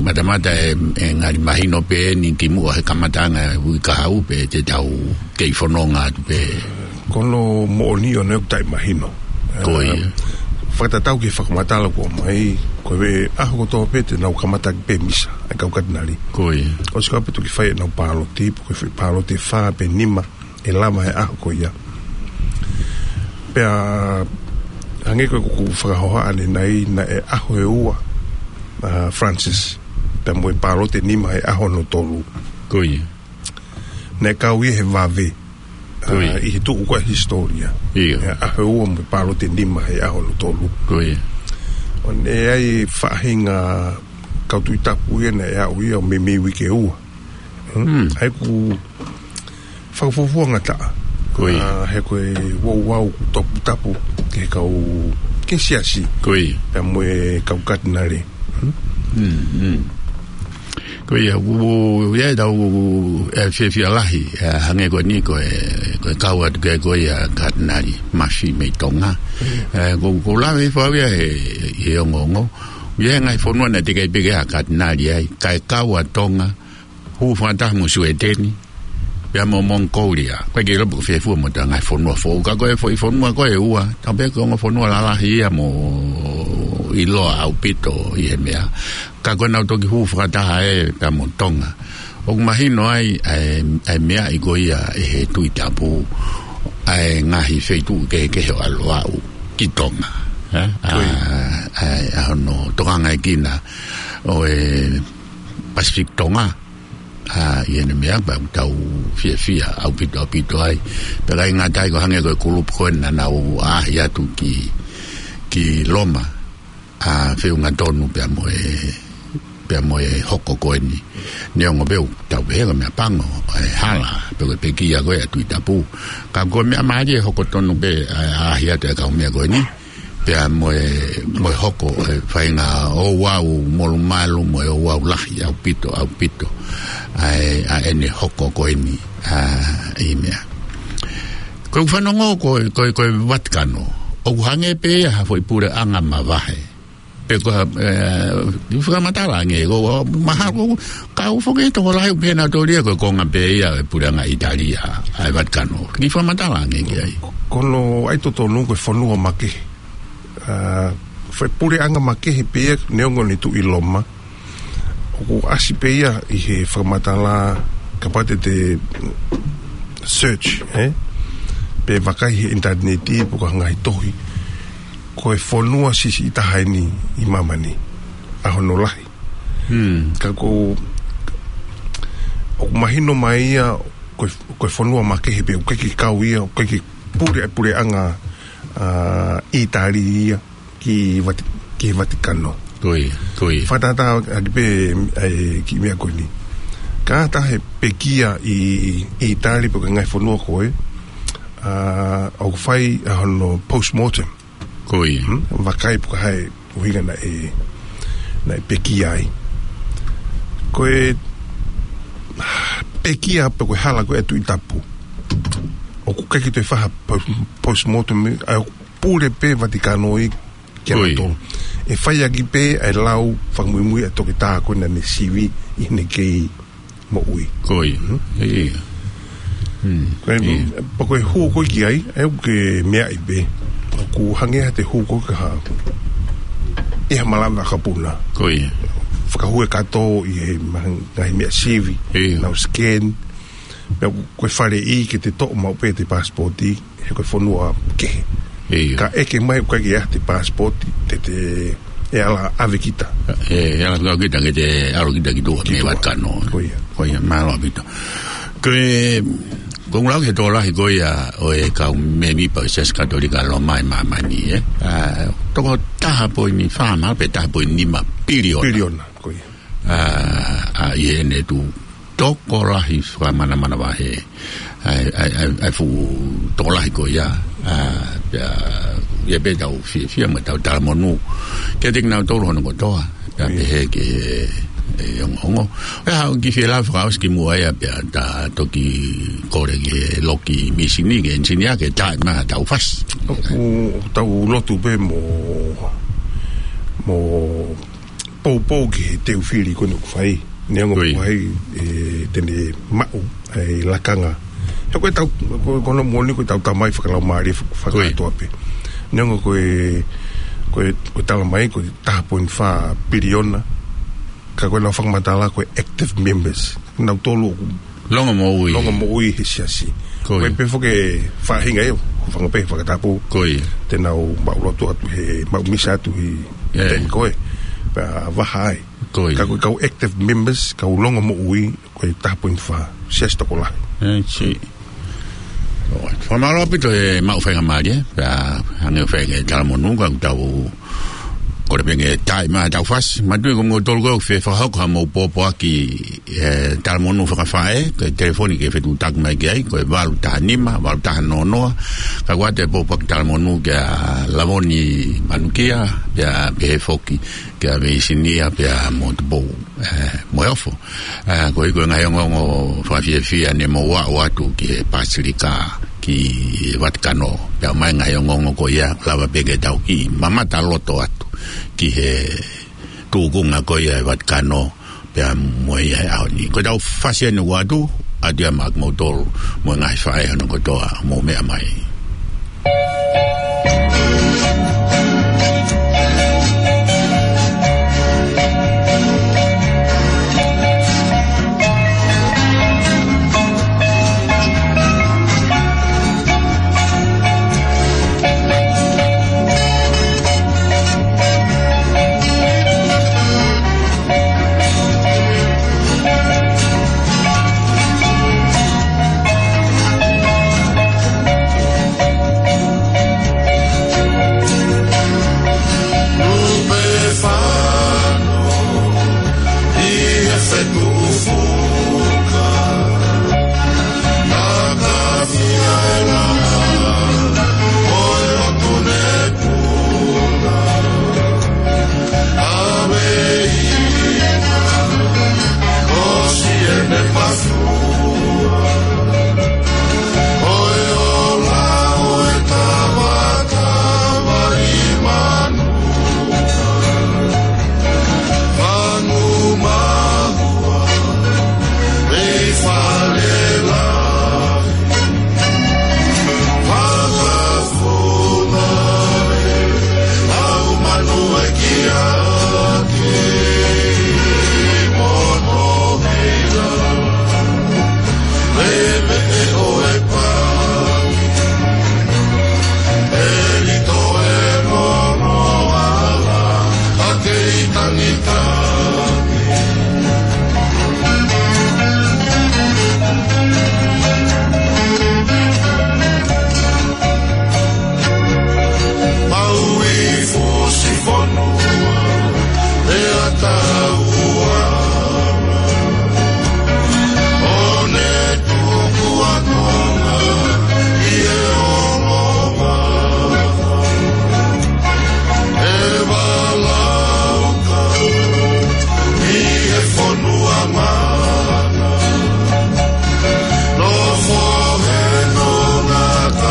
matamata ʻe, ʻe ngali mahino pē eni kimuʻa he kamataʻanga e uike kahaʻu pē te tau kei fononga atu pē. Ko hono moʻoni ʻoku ne ʻoku taʻemahino. Ko ia. Ā, fakatatau ki he fakamatala kuo ʻomai, ko e ʻaho kotoa pē te nau kamata pē misa, ʻa e kau katinali. Ko ia. ʻOsi ko ia pē toki fai ʻenau pāloti, pe ko e foʻi pāloti ʻe fā pe nima, ʻe lava he ʻaho ko ia. Pea, hangē ko ʻeku fakahohaʻa ʻanenai, naʻe ʻaho ʻe ua, ā, Francis, pea mo e pāloti ʻe nima he ʻaho hono tolu. Ko ia. Naʻe kau ia he vave, ʻa, ko ia, ʻi he tuʻu ko ē ʻa e hisitōlia. ʻIo. ʻA, ʻaho ʻe ua mo e pāloti ʻe nima he ʻaho hono tolu. Ko ia. ʻOku ʻi ai e faʻahinga kau Tuʻi Tapu ia naʻe aʻu ia ʻo meimei uike ua. Hmm. Hmm. ʻA ia ʻoku fakafuofuangataʻa. Ko ia. ʻA, he ko e ouau ʻoku toputapu ki he kau, ki he siasi. Ko ia. Pea mo e kau katinali. Hmm? Hmm, hmm. Ko ia, ʻoku, ia ʻetau, ʻe, fiefia lahi, ʻe, hangē ko eni ko e, ko e kau atu ki ai ko ia Katinali Mafi mei Tonga. ʻE, ko, ko lave hifo au ia he, he ongoongo. Ia he ngaahi fonua naʻe teʻeki ai pē ke ʻi ai ha Katinali ai, kae kau ʻa Tonga, hū fakataha mo Sueteni, pea mo Mongikōlia. Ko e ke lopo ko fefua mo ʻetau ngaahi fonua foʻou. Ka ko e foʻi fonua ko ē ʻe ua, tau pehē ko e ongo fonua lalahi ia mo ʻiloa ʻaupito ʻi he meʻa. Ka ko ʻenau toki hū fakataha ē pea mo Tonga. ʻOku mahino ai, ʻa e, ʻa e meʻa ko ia ʻe he Tuʻi Tapu, ʻa e ngaahi feituʻu kehekehe ʻo ʻalu ʻo aʻu ki Tonga. ʻE? ʻA, Ko ia. ʻA, ʻa hono tokangaʻi kinaua ʻo e Pacific Tonga. ʻA, ʻi heʻene meʻa pea ʻoku tau fiefia ʻaupito, ʻaupito ai. Pea ʻikai ngata ai ko e hangē ko e kulupu ko ē naʻa nau ʻaʻahi atu ki, ki Loma. ʻA, feʻunga tonu pea mo e, pea mo e hoko ko eni. Neongo pē ʻoku tau pehē ko e meʻa pango, ʻa e hala, pe ko e pekia ko ē ʻa e Tuʻi Tapu. Ka ko e meʻa mālie hoko tonu pē, ʻa, ʻaʻahi atu e kau meʻa ko eni. Pea mo e, mo e hoko, ʻe, faʻahinga ouau molumalu, mo e ouau lahi, ʻaupito, ʻaupito. ʻA e, ʻa ʻene hoko ko eni, ʻa, ʻi he meʻa. Ko e fanongo ko, ko, ko e Vatikano. ʻOku hangē pē ia ha foʻi puleʻanga mavahe. Pe ko ha, ʻe, ʻi fakamatala ange, ko, ko, mahalo, ka ʻoku foki tokolahi ʻoku pehē nautolu ia ko e konga pē ia e puleʻanga ʻItālia, ʻa e Vatikano. ʻI fakamatala ange ki ai. Ko hono ʻai totonu ko e fonua makehe. ʻA, foʻi puleʻanga makehe pē ia neongo ʻene tuʻu ʻi Loma. ʻOku ʻasi pē ia ʻi he fakamatala kapau te te search, ʻe? Pe vakai he ʻinitaneti, pe ko ha ngaahi tohi. Ko e fonua siʻisiʻi taha eni ʻi māmani. ʻA hono lahi. Hmm. Ka ko, ʻoku mahino mai ia, ko e, ko e fonua makehe pē, ʻoku ʻikai ke kau ia, ʻoku ʻikai ke pule, puleʻanga, ʻa, ʻItālia ia ki Vati-, ki Vatikano. Ko ia, ko ia. Fakatātā ʻaki pē, ʻa e kiʻi meʻa ko eni. Ka ʻi ai ha pekia ʻi, ʻi ʻItālia pe ko e ngaahi fonua ko ē, ʻa, ʻoku fai ʻa hono postmortem. Ko ia. Hmm? Vakai pe ko e hā e ʻuhinga naʻe, naʻe pekia ai. Ko e pekia pe ko e hala ko ē ʻa e Tuʻi Tapu. ʻOku ʻikai ke toe fai ha po-, postmortem, ʻa, ʻoku pule pē Vatikano ia kia Ko ia. nautolu. ʻE fai ʻaki pē ʻa e lau fakamuimui ʻa e toketā ko ē naʻa ne sivi ʻi heʻene kei moʻui. Ko ia. Hmm? ʻIo. Hmm. Ko e, ʻIo. pea ko e hū ko ē ki ai, ʻe ʻoku ke meaʻi pē. ʻOku hangē ha te hū ko ē ki ha, ʻi ha malanga kapuna. Ko ia. Fakahū e kato ʻi he maha-, ngaahi meʻa sivi, ʻIo. nau scan. Pea ko e faleʻi ke te toʻo maʻu pē ʻete passport, he ko e fonua kehe. ʻIo. Ka ʻeke mai ʻoku ʻikai ke ʻi ai haʻate passport, te te ʻe ala ʻave kita. ʻE, ʻe ala ʻave kita ke te ʻalu kita ki tuʻa mei Vatikano. Ko ia. Ko ia, mālō ʻaupito. Ko e, ko e ngulao ke tokolahi ko ia ʻo e kau mēmipa ʻo e Siasi Katolika Loma ʻi māmani, ʻe. ʻA, toko taha poini fā, mahalo pē taha poini nima piliona. Piliona, ko ia. ʻA, ʻa, ʻi heʻene tuʻu tokolahi fakamanamanavahe. ʻA e, ʻa e, ʻa e, ʻa e fuʻu tokolahi ko ia. ʻA, pea, ia pē tau fiefia mo tau talamonū. Kiate kinautolu hono kotoa. Pea Ia. pehē ki he, he ongoongo. ʻE, haʻu ki he lave fakaʻosi kimuʻa ia pea ta toki kole ki he loki misini ki he ʻenisinia ke tā mai ha tau fasi. ʻOku tau lotu pē mo, mo poupou ki he teu fili ko eni ʻoku fai. Neongo Ko ia. ʻoku ʻi ai, ʻe, te ne maʻu ʻa e lakanga. He ko e tau, ko, ko hono moʻoni ko e tau tamai fakalaumālie fak-, Ko ia. fakakātoa pē. Neongo ko e, ko e, ko e tala mai ko e taha poini fā piliona. Ka ko ʻenau fakamatala ko e active members. Nautolu ʻoku Longomoʻui. longomoʻui he siasi. Ko ia. Ko e pē foki e faʻahinga ia, hūfanga pē he fakatapu. Ko ia. Te nau maʻulotu atu he, maʻu misa atu he ʻE. taimi ko ē. Pea vaha ai. Ko ia. Ka ko e kau active members, kau longomoʻui, ko e taha poini fā. Siasi tokolahi. ʻE, si. ʻOi, fakamālō ʻaupito e maʻu faingamālie, pea hangē ʻoku fai ange e talamonū, ka ʻoku tau kole pē ke tā mai ha tau fasi. Manatuʻi ko moutolu ko ē ʻoku fie fakahoko haʻamou pōpoaki, ʻe, talamonū fakafaʻē, ko e telefoni ke fetuʻutaki mai ki ai, ko e valu taha nima, valu taha noa noa, ka ʻoku ʻoatu e pōpoaki talamonū kia Lavoni Manukia, pea pehē foki kia Veisinia pea mo Tupou, ē, mo e Ofo. Ē, ko e, ko e ngaahi ongoongo fakafiefia ne mou aʻu atu ki he Pasilika, ki Vatikano. Pea ʻomai e ngaahi ongoongo ko ia, lava pē ke tau kiʻi mamata loto atu ki he tūkunga ko ia ʻa e Vatikano, pea mo ia he ʻaho ni. Ko ʻetau fasi eni ʻoatu, ʻoatu ia maʻa kimoutolu, mo e ngaahi faʻē hono kotoa, mou meʻa mai.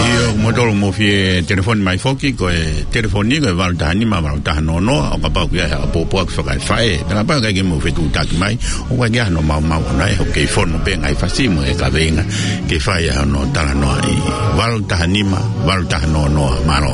ʻIo, kimoutolu mou fie telefoni mai foki, ko e telefoni ko e valu taha nima, valu taha noa noa, ʻo kapau ʻoku ʻi ai ha ʻapoʻopo ʻoku fakaefaʻē. Pea kapau ʻoku ʻikai ke mou fetuʻutaki mai, ʻoku ʻikai ke ʻi ai hano maumau ʻona, ʻe, ʻoku kei fonu pē ngaahi fasi mo e kaveinga ke fai ai hono talanoaʻi. Valu taha nima, valu taha noa noa, mālō.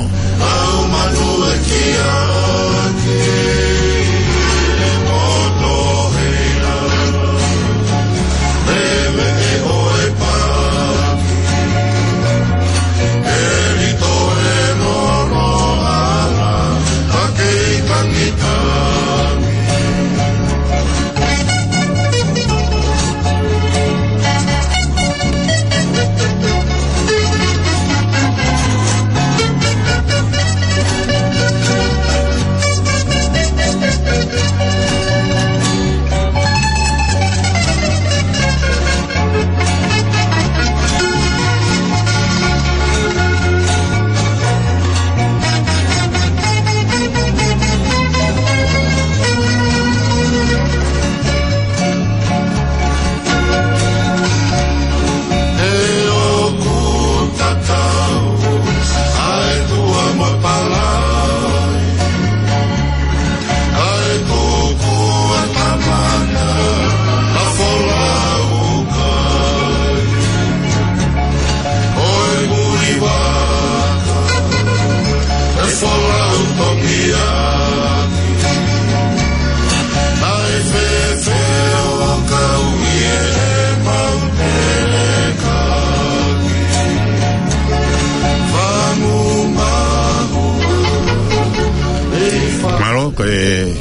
Mālō, ko e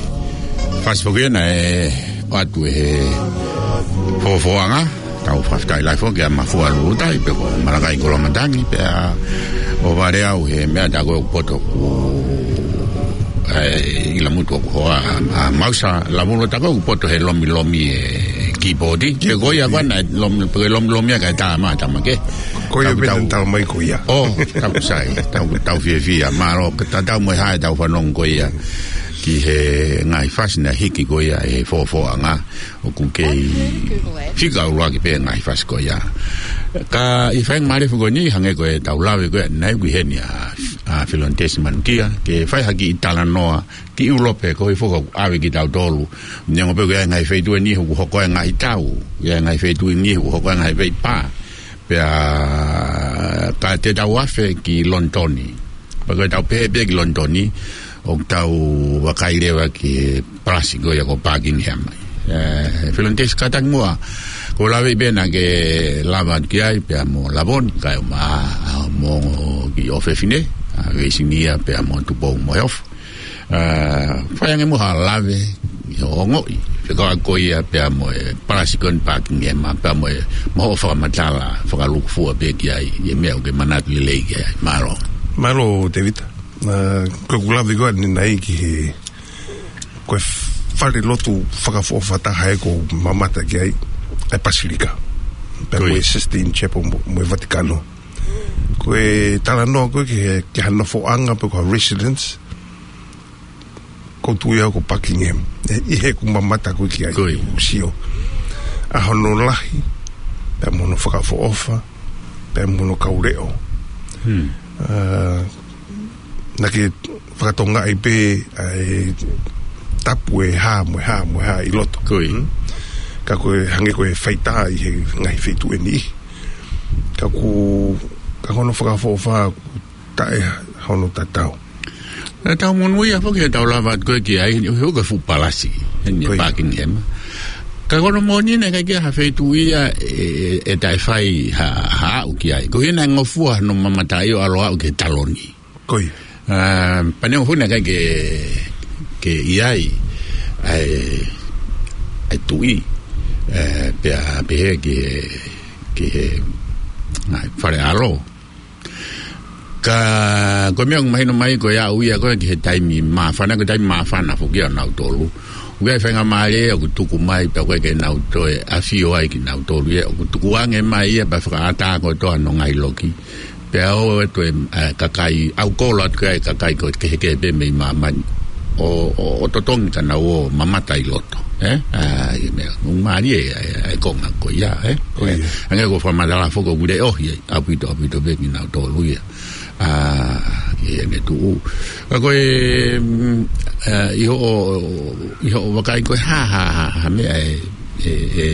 fasi foki ena ʻe ʻoatu ʻe he Fofoʻanga. Tau fakafetaʻi lahi foki kia Mafua Lulutai, pea ko Malakai Koloamatangi, pea ʻo Valeau he meʻa, tā ko ē ʻoku poto ʻoku, ʻe, ʻi Lamutu ʻoku hoa, ʻa, ʻa Mausa Lavulo, tā ko ē ʻoku poto he lomilomi e kīpooti. Ke ko ia ko ena, lomi, pe lomilomi ʻa e kae tā mā, tā mā ke. Ko ia. Tau, pē tau, tau mai ko ia. ʻŌ, tapu sai, tau, tau fiefia, mālō, ke tatau mo e hā ʻetau fanongo ko ia. ki he ngaahi fasi naʻe hiki ko ia ʻe he Fofoʻanga, ʻoku kei fika ʻuluaki pē ngaahi fasi ko ia. Ka ʻi he faingamālie foki ko eni, hangē ko ʻetau lave ko ē ʻanenai, ʻoku ʻi heni ʻa, ʻa Filonitesi Manukia, ke fai ha kiʻi talanoa ki ʻIulope, ko e foʻi ʻave kitautolu. Neongo pē ko e ngaahi feituʻu eni ʻoku hoko ai e ngaahi tau, ʻi he ngaahi feituʻu eni ʻoku hoko ai e ngaahi veipā. Pea ka te tau afe ki Lonitoni. Pea ko ʻetau pehē pē ki Lonitoni, ʻoku tau vakai leva ki he palasi ko ia ko Buckingham. ʻE, Filonitesi, kātaki muʻa, ko e lave pē naʻa ke lave ki ai pea mo Lavoni, kae ʻumaʻā mo e kiʻi ʻofefine, ʻa Veisinia pea mo Tupou Moheofo. ʻE, fai ange muʻa ha lave ʻi hoʻo ongoʻi fekauʻaki ko ia pea mo e palasi ko eni Buckingham, pea mo e, mo hoʻo fakamatala fakalūkufua pē ki ai, ʻi he meʻa ʻoku ke manatu lelei ki ai. Mālō. Mālō, Tēvita. ʻE, ko ʻeku lave ko ē ʻanenai ki he, ko e falelotu fakaʻofoʻofa taha ʻoku ou mamata ki ai, ʻa e Pasilika. Pea mo e Sistine Chapel mo, mo e Vatikano. Ko e talanoa ko ē ki he, ki ha nofoʻanga pe ko ha residence, ʻoku ou tui au ko Buckingham. ʻE, ʻi heʻeku mamata ko ē ki ai, ʻoku ou sio ʻa hono lahi, pea mo hono fakaʻofoʻofa, pea mo hono kau leʻo. Hmm. ʻE, naʻa ke fakatokangaʻi pē ʻa e tapu ʻe hā mo e hā mo e hā ʻi loto. Hmm? Ka ko e hangē ko e faitā ʻi he ngaahi feituʻu ʻe niʻihi. Ka ʻoku, ka ko hono fakaʻofoʻofa ʻoku taʻe hono tatau. ʻE, tau monūʻia foki ʻetau lava atu ko ē ki ai, ʻi he ʻuhi ko e fuʻu palasi ʻeni ʻa Buckingham. Ka ko hono moʻoni naʻe ʻikai ke ʻi ai ha feituʻu ia ʻe, ʻe taʻe fai ha, ha aʻu ki ai. Ko ia naʻe ngofua hono mamataʻi ʻo ʻalu ʻo aʻu ki he taloni. ʻE, pea neongo foki naʻe ʻikai ke, ke ʻi ai ʻa e, ʻa e tuʻi, ʻe, pea pehē ki he, ki he ngaahi fale ʻalo. Ka ko e meʻa ʻoku mahino mai ko e aʻu ia ko ē ki he taimi māfana, ko e taimi māfana foki ʻanautolu. ʻOku ʻi ai e faingamālie ʻoku tuku mai pea ʻoku ʻikai ke nau toe ʻafio ai kinautolu ia. ʻOku tukuange mai ia pea fakaʻatā kotoa hono ngaahi loki. Pea ō atu e, ʻe, kakai, ʻoku kolo atu ki ai e kakai ko ē kehekehe pē mei māmani. ʻO, ʻo, ʻo totongi ka nau ō mamata ʻi loto. ʻE? ʻA, ʻi he meʻa, ʻoku mālie ʻa e, ʻa e konga ko ia, ʻe? Ko ia. Hangē ko e fakamatala foki ʻoku leʻohi ai ʻaupito, ʻaupito pē kinautolu ia. ʻA, ʻi heʻene tuʻu. Ka ko e, mm, ʻa, ʻi hoʻo, ʻi hoʻo vakai ko e hā, hā, hā, hā meʻa ʻe, ʻe, ʻe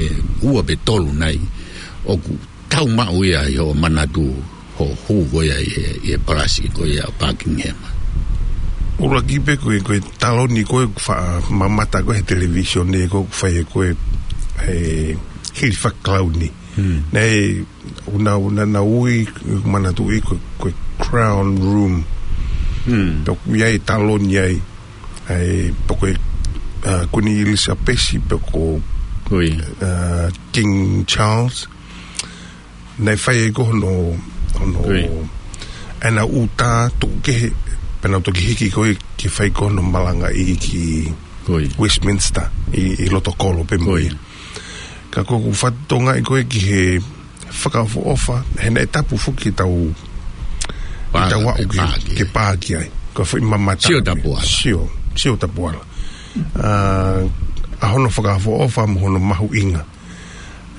ua pe tolu nai ʻoku tau maʻu ia ʻi hoʻo manatu, hoʻo hū ko ia ʻi he, ʻi he palasi ko ia ʻo Buckingham. ʻUluaki pē ko e, ko e taloni ko ē ʻoku faʻa mamata ko ē he televīsone ko ē ʻoku fai ko ē he hili fakakalauni. Hmm. Naʻe, ʻoku nau, naʻa nau ui, manatuʻi ko e, ko e Crown Room. Hmm. Pea ʻoku ʻi ai e taloni ai, ʻa e, pe ko e, ʻa, Kuini ʻIlisapesi, pe ko, ʻa, King Charles. Naʻe fai ai ko hono, hono, ʻa ʻenau ʻū tā tuku kehe, pea nau toki hiki ko ē ke fai ko hono malangaʻi ki Westminster, ʻi, ʻi loto kolo pē mo ia. Ka ko ʻeku fakatokangaʻi ko ē ki he fakaʻofoʻofa, he naʻe tapu foki ʻetau, ʻetau aʻu ke, ke pā ki ai. Ko e foʻi mamata. Sio tapuala. Sio, sio tapuala. ʻA, ʻa hono fakaʻofoʻofa mo hono mahuʻinga.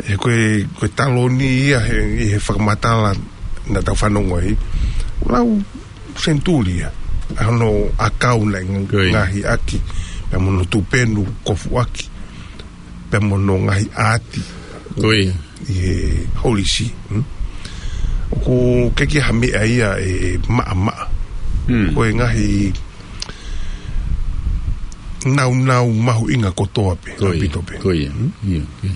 He ko e, ko e taloni ia he, ʻi he fakamatala naʻa tau fanongo ai. Lau senituli ia. ʻA hono ʻakau naʻe ngaohi ʻaki. Pea mo hono tupenu kofuʻaki. Pea mo hono ngaahi ʻaati. ʻI he Holy See. Hmm? ʻOku ʻikai ke ʻi ai ha meʻa ia ʻe maʻamaʻa. Hmm. Ko e ngaahi naunau mahuʻinga kotoa pē, ʻaupito pē. Ko ia. Hmm? Ia, ia.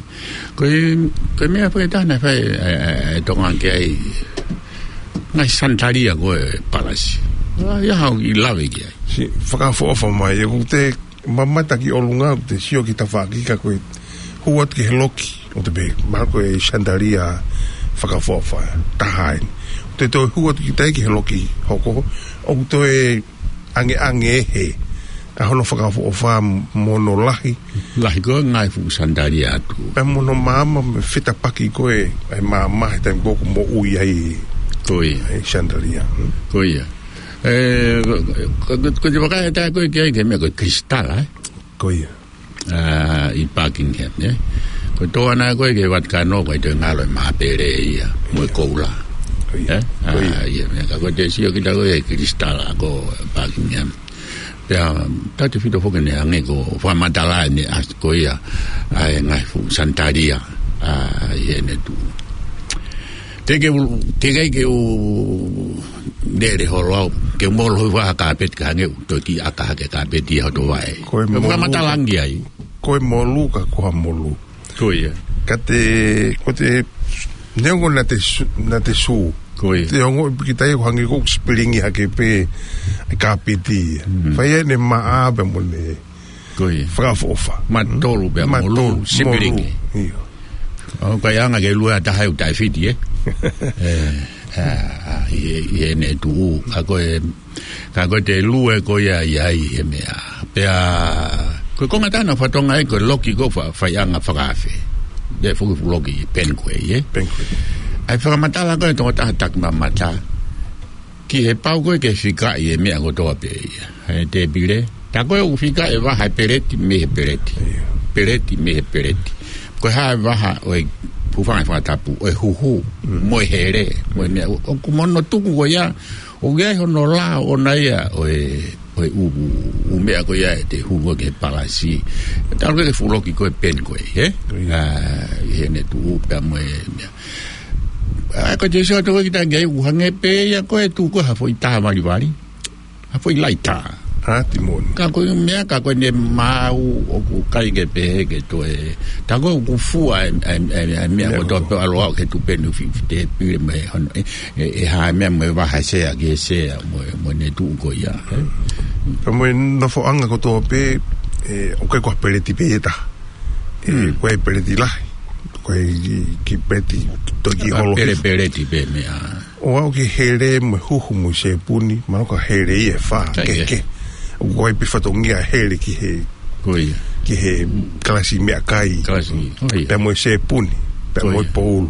Ko e, ko e meʻa foki ʻe taha naʻe fai, ʻe, ʻe, ʻe Tonga ki ai. Ngaahi sanitalia ko ē palasi. ʻA, ia haʻu ʻo lave ki ai. Sio, fakaʻofoʻofa mai, ʻoku te mamata ki ʻolunga, ʻoku te sio ki tafaʻaki ka ko e hū atu ki he loki, ʻoku te pehē, mahalo ko e sanitalia fakaʻofoʻofa, taha eni. ʻOku te toe hū atu ki tai ki he loki hoko, ʻoku toe angeange ʻe he, ʻa hono fakaʻofoʻofa mo hono lahi. Lahi ko e ngaahi fuʻu sanitalia atu. Pea mo hono maama mo e fetapaki ko ē, ʻa e maama he taimi ko ē ʻoku moʻui ai. Ko ia. ʻA e sanitalia. Hmm? Ko ia. Ē, ko, ko, ko, ko e vakai atu ko ē ki ai ki he meʻa ko e kilisitala, ē? Ko ia. ʻA, ʻi Buckingham, ē? Ko e toʻo ʻana ko ē ki he Vatikano, ko e toe ngalo e māpele ia, mo e koula. Ko ia. Ē? Ko ia. ʻA, ia, meʻa ka ko e te sio kita ko ē kilisitala ko Buckingham. Pea, tautefito foki ne hangē ko e fakamatala ʻene ʻasi ko ia, ʻa e ngaahi fuʻu sanitalia, ʻa, ʻi heʻene tuʻu. Te ke u, te ke ke u lele holo au, ke molu ʻi ha kāpeti ka hangē ʻoku toki ʻaka hake kāpeti ʻi hoto vaʻe. Ko e molu. Fakamatala ange ai. Ko e molu ka ko ha molu. Ko ia. Ka te, ko te, neongo naʻa te sū, naʻa te sū. Ko ia. Te ongo piki tai ko hangē ko e sipilingi hake pē e kāpeti. Mm. Fai ʻene maʻa pē mo ne Ko ia. Fakaʻofoʻofa. Matolu pea molu, sipilingi. Io. ʻOku ʻikai anga ke lue ʻa taha ʻoku taʻefiti, ē? Ē, ʻa, ʻa, ʻi he, ʻi heʻene tuʻu, ka ko e, ka ko e te lue ko ia ʻi ai he meʻa. Pea, ko e konga taha naʻa fatongia ai ko e loki ko e fa-, faiʻanga fakaafe. Pea fuki fuʻu loki Penquay, ē? Penquay. ʻA e fakamatala ko e tokotaha taki mamata. Ki he pau ko ē ke fikaʻi e meʻa kotoa pē ia. He tēpile. Tā ko ē ʻoku fikaʻi e vaha e peleti mei he peleti. Ia. Peleti mei he peleti. Ko e hā e vaha ʻo e hūfanga he fakatapu, ʻo e huhu, Mm. mo e hele, mo e meʻa. ʻO, ʻoku mono tuku ko ia, ʻoku ʻi ai hono lao ʻona ia, ʻo e, ʻo e ʻū, ʻū meʻa ko ia ʻe te huhu ki he palasi. Tā ko ē ke fuʻu loki ko e Penquay, ē? Ia. ʻA, ʻi heʻene tuʻu pea mo e meʻa. ʻA, ko e te sio atu ko ē kita ki ai ʻoku hangē pē ia ko e tuʻu ko ē ha foʻi tā valivali. Ha foʻi laita. Ha timoni. Ka ko e meʻa, ka ko ʻene maau ʻoku ʻikai ke pehē ke toe. Tā ko ē ʻoku fua e, e, e, e meʻa Meʻa kotoa kotoa. Pē ʻalu ʻo aʻu ki he tupenu fi-, fi-, tēpile mo e hono, ʻe, ʻe, ʻe hā e meʻa mo e vaha e sea ki he sea mo e, mo ʻene tuʻu ko ia. Pea mo e nofoʻanga kotoa pē, ē, ʻoku ʻikai ko ha peleti pē ʻe taha. Ē, Hmm. ko e peleti lahi. Ko e ki, ki peleti toki Ka holo pele hifo. Peleti pē meʻa. ʻO aʻu ki he hele mo e huhu mo e sēpuni, mahalo ko e hele ia ʻe fā, Ka ke, ia. ke. ʻOku ʻi ai pē fatongia hele ki he, Ko ia. ki he kalasi meʻakai. Kalasi, ko ia. Pea mo e sēpuni, pea Ko mo e ia. poulu.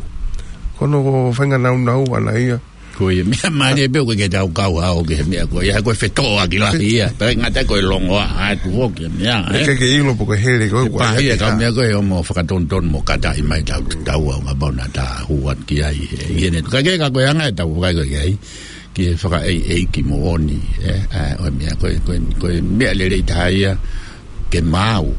Ko hono faʻahinga naunau ʻana ia. Ko ia, meʻa mālie pē ʻoku ke tau kau hao ki he meʻa ko ia, ko e fetoʻoaki lahi ia. Pea ngata ko e longoaʻa atu foki meʻa, ʻE ē? ke ke ʻilo pe ko e hele ko ē He ʻoku pāhi ʻe ʻikai ke kau hā. meʻa ko ē ʻoku mo fakatonutonu mo kataʻi mai tau, tau au ngā pau naʻa ta hū atu ki ai, ē, ʻi heʻene. Ka ke ka ko e anga ʻetau vakai ko ē ki ai, ki he fakaʻeiʻeiki moʻoni, ē, ʻa, ʻo e meʻa ko ē, ko e, ko e meʻa lelei taha ia, ke maau,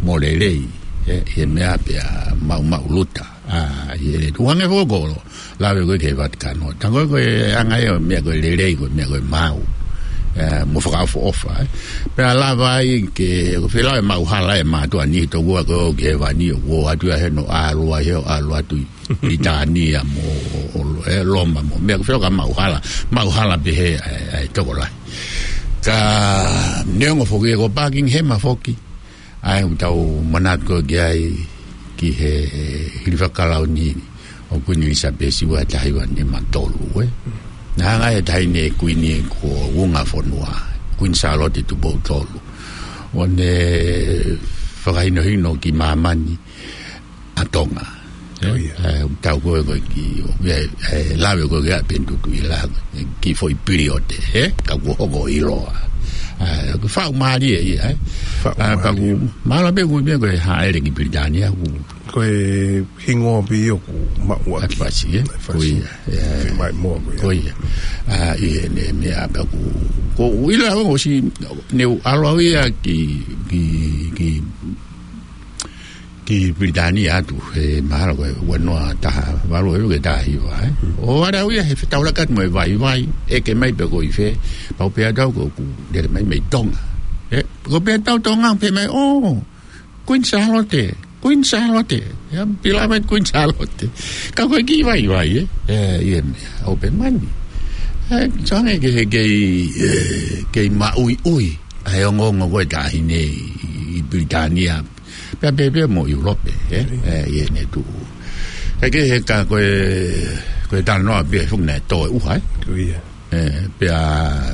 mo lelei, ē, ʻi he meʻa pea maʻumaʻuluta, ʻa, ʻi heʻene tuʻu hangē foki ko e lave ko ē ki he Vatikano. Tā ko ē ko e anga ia ʻo e meʻa ko e lelei, ko e meʻa ko e maau. Ē, mo fakaʻofoʻofa, ē. Pea lava ai ke, ko e fēlā e maʻuhala e mātuʻa ni tokua ko ē ʻoku ʻi hēvani ʻoku ʻoatu ia he ʻoku ʻalu ai he ʻoku ʻalu atu ʻi Pilitānia mo, ʻo, ʻo, ē, Loma mo. Meʻa ko e fēlā ka maʻuhala, maʻuhala pē he, ē, ē, tokolahi. Ka neongo foki ē ko Buckingham foki. ʻA ia ʻoku tau manatu ko ē ki ai ki he hilifaki kalauni ʻo Kuini ʻIlisapesi ua taha hiva nima tolu, ē. Naʻe hanga ʻe he taʻahine kuini ko Vunga Fonua, Kuini Sālote Tupou Tolu, ʻo ne fakahinohino ki māmani ʻa Tonga. Ē, Oh, ia. ē, tau ko ē ko ē ki, ʻo, ē, ē, lave ko ē ki ai pē ʻoku tuʻu ʻi he lahi, ki he foʻi piliote, ē, ka kuo hoko ʻiloa. Ē, ko e faʻu mālie ia, ē. Faʻu Ē, mālie. Pea ʻoku, mahalo pē ʻoku meʻa ko e hāʻele ki Pilitānia, ʻoku Ko e hingoa pē ia ʻoku maʻu ʻaki. ʻAki fasi, ē? ʻAki fasi. Ko ia, ē. Fiemaʻu moa ko ia. Ko ia. Ā, ʻi heʻene meʻa pea ʻoku, ʻoku ou ʻilo au ʻosi, ne u ʻalu au ia ki, ki, ki ki Pilitānia atu, he mahalo ko e ua noa taha valu ʻe ua ke taha hiva, ē. ʻO ʻalu au ia he fetaulaki atu mo e vaivai, ʻeke mai pe ko e fē, pau pē ʻa au ko ʻeku lele mai mei Tonga. Ē, ko pē ʻa au Tonga, pehē mai, "Oh, Queen Sālote, Queen Sālote, ia, beloved Queen Sālote." Ka ko e kiʻi vaivai, ē. Ē, ʻi heʻene, ʻo pehē mai. Ē, so hangē kei, kei, ē, kei maʻuiʻui ʻa e ongoongo ko e taʻahine ʻi, ʻi Pilitānia. Pea pehē pē mo ʻIulope, ē? ʻIo. Ē, ʻi heʻene tuʻu. Ka ke he ka ko e, ko e talanoa pē foki naʻe tō e ʻuha, ē? Ko ia. Ē, pea,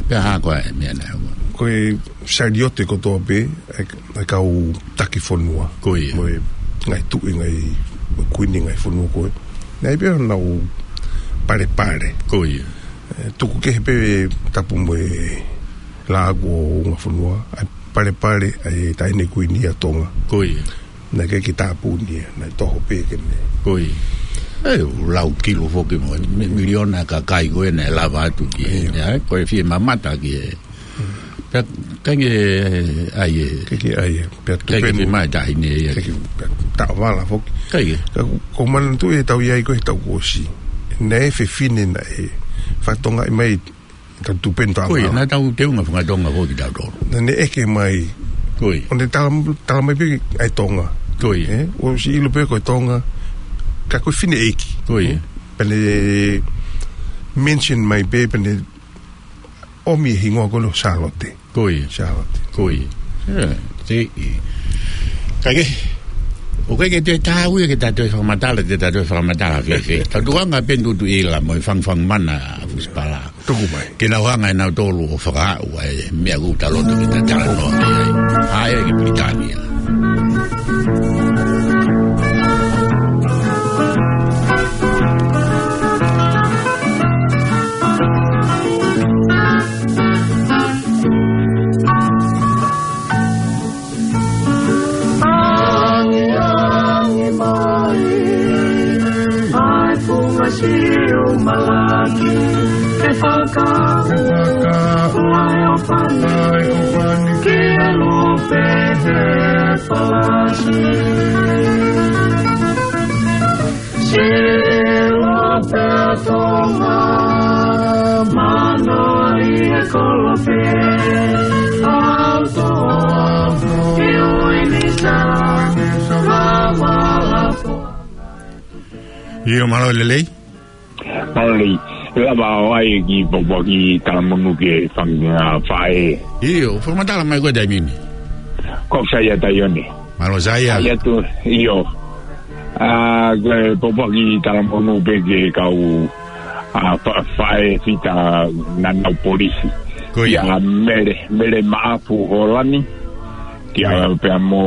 pea hā ko ā e meʻa naʻe hoko. Ko e saliote kotoa pē, ʻa e, ʻa e kau taki fonua. Ko ia. Mo e ngaahi tuʻi, ngaahi, mo e kuini ngaahi fonua ko ē. Naʻe ʻi ai pē honau palepale. Ko ia. ʻE, tuku kehe pē tapu mo e lāku ʻo Ungafonua, ʻa e palepale ʻa e Taʻahine Kuini ʻa Tonga. Ko ia. Naʻe ʻikai ke tāpuni ia, naʻe toho pē ke ne. Ko ia. ʻE, ʻoku lau kilo foki mo e mi-, miliona kakai ko ē naʻe lava atu ki he, ʻIo. ʻa e, ko e fie mamata ki he. Pea, kainge, ʻai ē. Kainge ʻai ē. Pea Kainge tupenu. Fie mai taʻahine ia. Kainge, pea taʻovala foki. Kainge. Ka ko, ko manatu ʻe tau ʻi ai ko e tau kuo ʻosi. Naʻe fefine naʻe fakatokangaʻi mai tau tupenu taʻovala. Ko ia, naʻa tau teunga fakatonga foki tautolu. Naʻa ne ʻeke mai. Ko ia. ʻO ne tala, tala mai pē ʻa e Tonga. Ko ia. ʻE, ʻosi ʻilo pē ko e Tonga. Ka ko e fineʻeiki. Ko ia. Pea ne mention mai pē, pea ne ʻomi e hingoa ko ē ʻo Sālote. Ko ia. Sālote. Ko ia. ʻE, te i. Kainge. ʻOku ʻikai ke te tāu ia ke ta toe fakamatala, te ta toe fakamatala fēfē. Tau tuanga pē Tutuʻila mo e Fangafanga Mana ʻa Fusipala. Tuku mai. Ke nau hanga ʻe nautolu ʻo fakaaʻu ʻa e meʻa ʻoku ta loto ke ta talanoa ki ai. ʻAi ki Pilitānia. Angiangi mai ʻa e funga siu malaki, ke fakaʻuʻu ʻa e ʻofa ni ki he lupe he palasi. Sila pea Tonga, mano ʻi he kolope, auto ʻi uini sa, lama lapo. ʻIo, mālō e lelei. Mālō e lelei. Lava ʻo ʻai ki Pōpoaki talamonū ki he fanga faʻē. ʻIo, fakamatala mai ko e taimi ni. Ko Saia Taione. Mālō Saia. ʻAi atu, ʻio. ʻA, ko e Pōpoaki talamonū pē ki he kau, ʻa, fa-, faʻē fita naʻa nau polisi. Ko ia. ʻIa Mele, Mele Maʻafu Holani. ʻIa Ko ia. pea mo,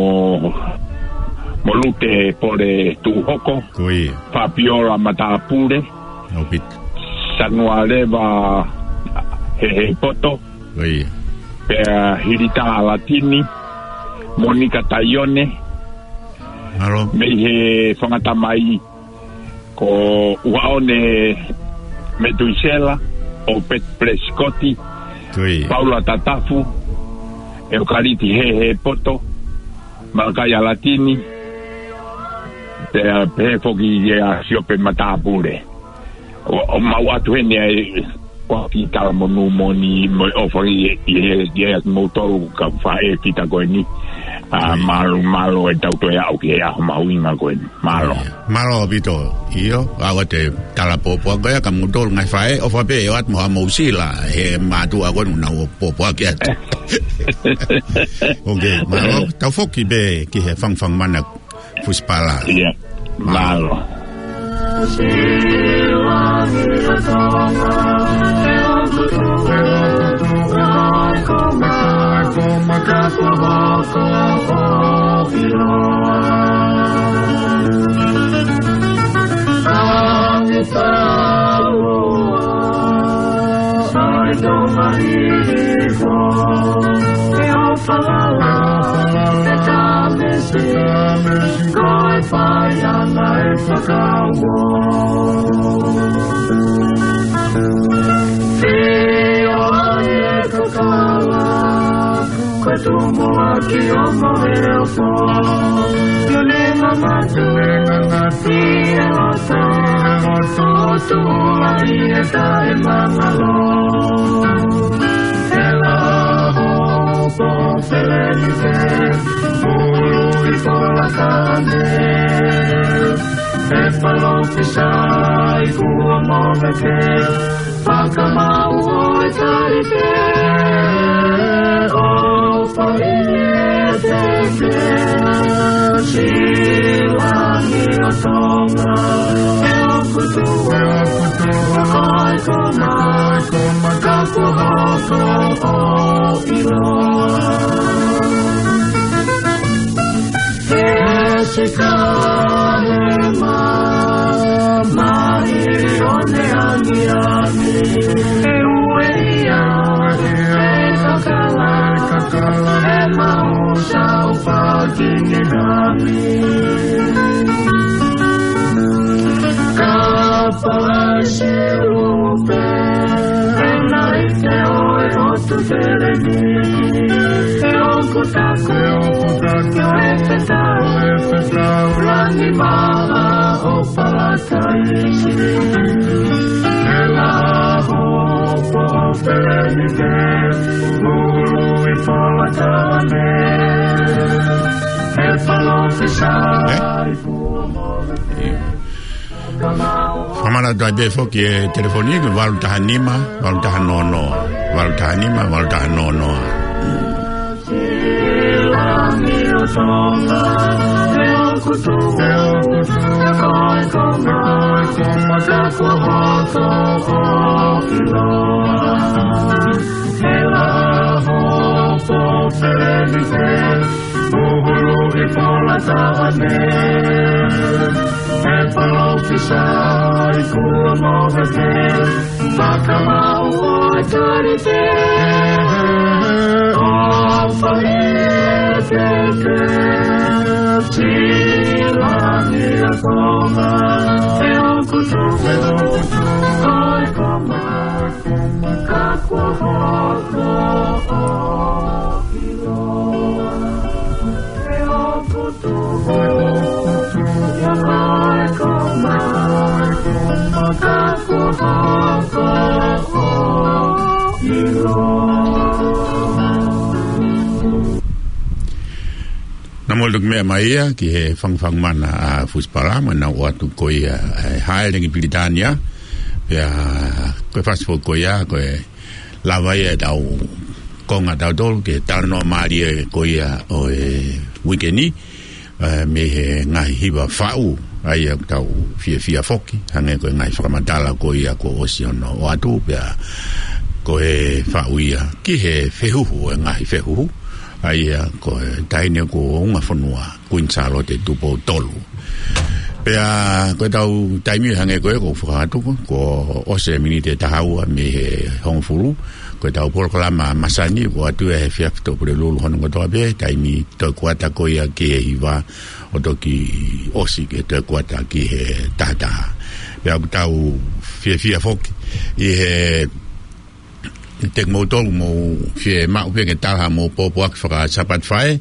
mo Lute Pole Tuʻuhoko. Ko ia. Fapiola Matāpule. ʻAupito. Sanualeva Hehepoto. Ko ia. Pea Hilita Latini, Monika Taione, Mālō. mei he Fangatamai, ko ʻUhaʻone Metuisela, ʻOpeti Pelesikoti, Ko ia. Paula Tatafu, ʻEokaliti Hehepoto, Malakai Latini, pea pehē foki kia Siope Matāpule. ʻO, ʻo mau atu heni ʻa e, ko ki talamonū moʻoni mo e ʻofa ʻi, ʻi, ʻi, ʻi, ʻi moutolu kau faʻē fita ko eni. ʻA, Ko ia. mālō, mālō e tau toe aʻu ki he ʻaho mahuʻinga ko eni. Mālō. Mālō ʻaupito. ʻIo, ʻa ʻoua te tala pōpoaki ko ia ka moutolu ngaahi faʻē, ʻofa pē ʻo ʻoatu mo ha mou sila, he mātuʻa ko eni naʻa nau pōpoaki atu. Ok, mālō. Tau foki pē ki he Fangafanga Mana Fusipala. ʻIa, mālō. Ko e fai ʻana e fakauo. Fio ai e kakala, ko e tumuʻaki ʻo Moheofo. Lule ngangatu, ngangatu, ʻi he loto, ʻi he loto, tuʻu ai e taʻemangalo. He laho, po feleni te, Ulu i polakane, e palōfisai kuo momeke, fakamau ʻo e tali te, ʻo fai e teke, silangi ʻo Tonga, e ʻoku tuʻu, e ʻoku tuʻu, ko e koma, ko e koma, ka kuo hoko ʻo ʻiloa. He sika he mamahi ʻo ne angiangi. ʻOku taku, ʻoku taku, ʻe fetau, ʻe fetau, langi māʻa ʻo Palataisi. ʻE laho po peleni te, ʻulu ʻi Polataone. ʻE palōfisai, ʻe? Kuo mole. Fakamālō atu ai pē foki e telefoni ko e valu taha nima, valu taha noa noa, valu taha nima, valu taha noa noa. ʻUhulu ʻi Polataone, ʻe palōfisai kuo mole te, fakamaʻu ʻa e kalite, ʻo fai e teke, silangi ʻa Tonga, ʻe ʻoku tuʻu, ʻe ʻoku tuʻu, ʻo e koma, koma, ka kuo hoko, ʻo ʻiloa. Naʻa mou toki meʻa mai ia ki he fangufangu mana ʻa Fusipala, mo ʻenau ʻoatu ko ia ʻa e Hāʻele ki Pilitānia. Pea ko e fasi foki ko ia, ko e lava ia ʻetau konga ʻatautolu ki he talanoa mālie ko ia ʻo e uike ni, ē, mei he ngaahi hiva faʻu, ʻa ia ʻoku tau fiefia foki, hangē ko e ngaahi fakamatala ko ia kuo ʻosi hono ʻoatu, pea ko e faʻu ia ki he fehuhu ʻo e ngaahi fehuhu, ʻa ia ko e taʻahine kuo unga fonua, Kuini Sālote Tupou Tolu. Pea ko ʻetau taimi hangē ko ē kuo u fakahā atu, kuo ʻosi e miniti ʻe taha ua mei he hongofulu. Ko ʻetau polokalama masani, ʻoku ʻoatu ia he efiafi ʻo Pulelulu hono kotoa pē, taimi toe kuata ko ia ki he hiva, ʻo toki ʻosi ki he toe kuata ki he taha taha. Pea ʻoku tau fiefia foki ʻi he te kimoutolu mou fiemaʻu pē ke tala haʻamou pōpoaki faka-Sāpate Faʻē,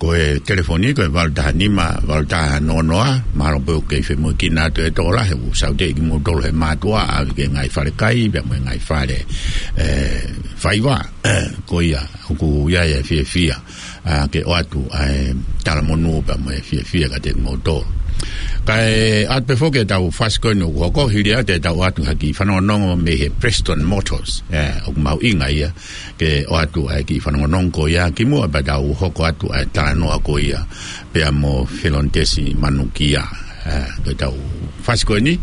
ko e telefoni ko e valu taha nima, valu taha noa noa, mahalo pē ʻoku kei femoʻuekina atu e tokolahi, ʻoku saute kimoutolu he mātuʻa, ʻave ki he ngaahi fale kai, pea mo e ngaahi fale, ē, faiva, ko ia, ʻoku ʻi ai e fiefia ʻa, ke ʻoatu ʻa e talamonū pea mo e fiefia kiate kimoutolu. Kae ʻoatu pē foki ʻetau fasi ko eni ʻoku hoko, hili atu ʻetau ʻoatu ha kiʻi fanongonongo mei he Prestone Motors. Ē, ʻoku mahuʻinga ia ke ʻoatu ʻa e kiʻi fanongonongo ko ia kimuʻa pea tau hoko atu ʻa e talanoa ko ia pea mo Felonitesi Manukia. Ē, ko ʻetau fasi ko eni,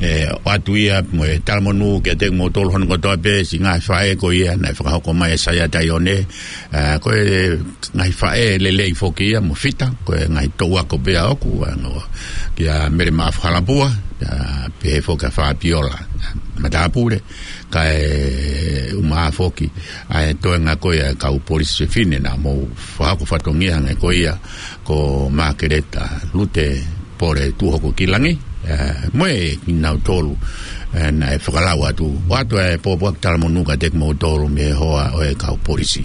ē, ʻoatu ia mo e talamonū kiate kimoutolu hono kotoa pē, siʻi ngaahi faʻē ko ia naʻe fakahoko mai ʻe Saia Taione, ē, ko e ngaahi faʻē lelei foki ia mo Fita, ko e ngaahi touako pē ʻoku, ʻa, kia Mele Maʻafu Halapua, ʻa, pehē foki kia Fapiola Matāpule, kae ʻumaʻā foki ʻa e toenga ko ia e kau polisi fefine naʻa mou fakahoko fatongia hangē ko ia ko Makeleta Lute Pole Tuʻuhokokilangi, ē, mo e kinautolu, ē, naʻe fakalau atu. ʻOatu e pōpoaki talamonū kiate kimoutolu mei he hoa ʻo e kau polisi.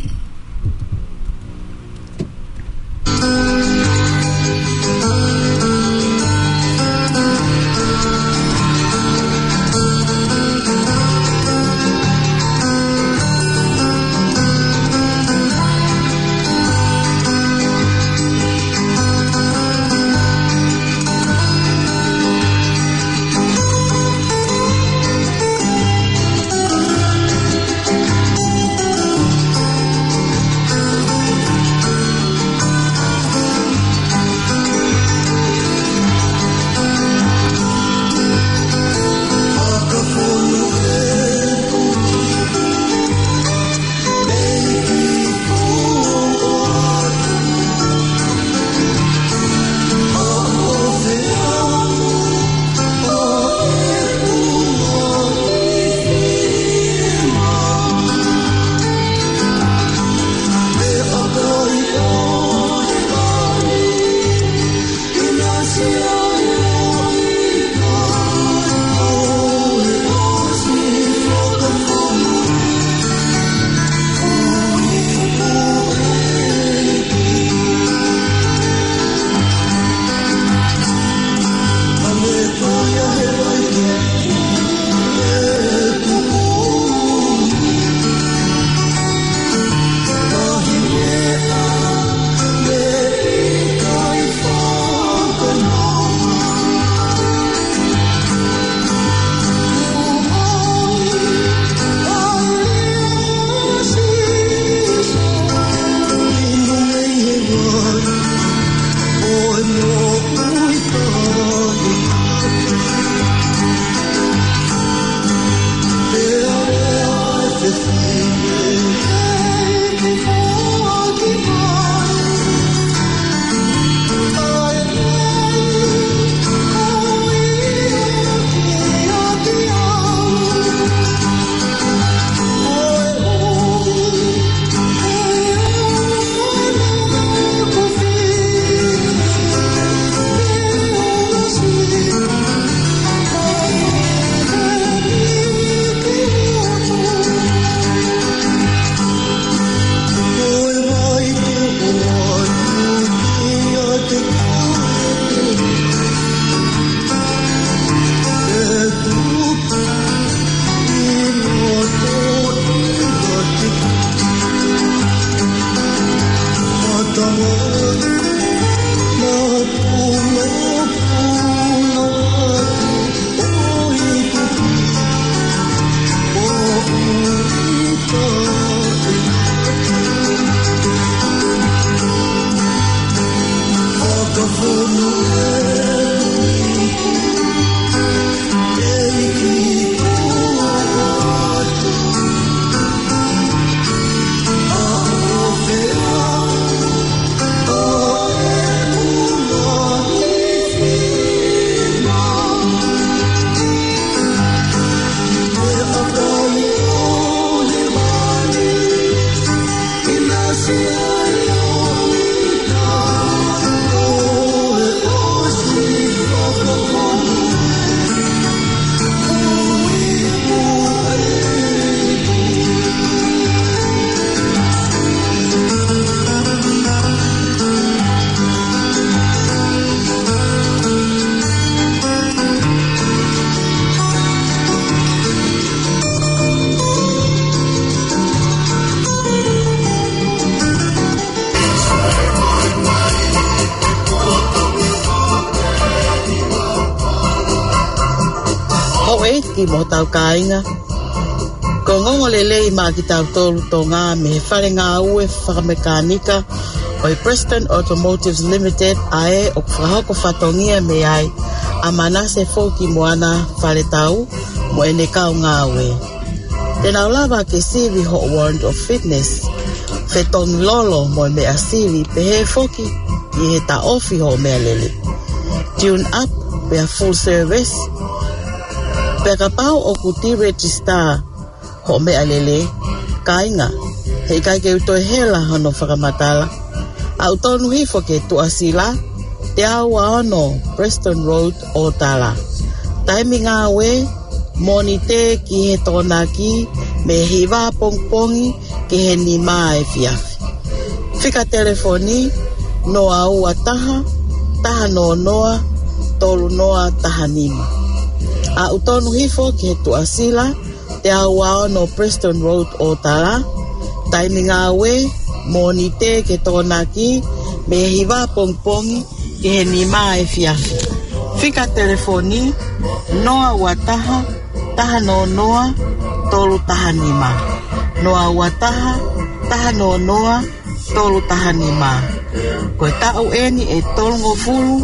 Houʻeiki mo hotau kāinga. Ko e ongoongolelei maʻa kitautolu Tonga mei he fale ngāue fakamekānika ʻo e Preston Automotive Limited ʻa ē ʻoku fakahoko fatongia mei ai ʻa Manase Foki Moana Faletau mo ʻene kau ngāue. Te nau lava ke sivi hoʻo warrant of fitness, fetongi lolo mo e meʻa sivi pehē foki ki he taʻofi hoʻo meʻalele. Tune up pea full service. Pea kapau ʻoku deregister hoʻo meʻalele, kāinga, heʻikai ke u toe hela hono fakamatala. ʻAʻu tonu hifo ki he Tuʻasila, teau ua ono Preston Road, Ōtala. Taimi ngāue, Mōnite ki he Tokonaki, mei he hiva pongipongi ki he nima efiafi. Fika telefoni, noa ua taha, taha noa noa, tolu noa taha nima. ʻAʻu tonu hifo ki he Tuʻasila, teau ua ono Preston Road, Ōtala. Taimi ngāue, Mōnite ki he Tokonaki, mei he hiva pongipongi ki he nima efiafi. Fika telefoni, noa ua taha, taha noa noa, tolu taha nima. Noa ua taha, taha noa noa, tolu taha nima. Ko e taʻu eni ʻe tolungofulu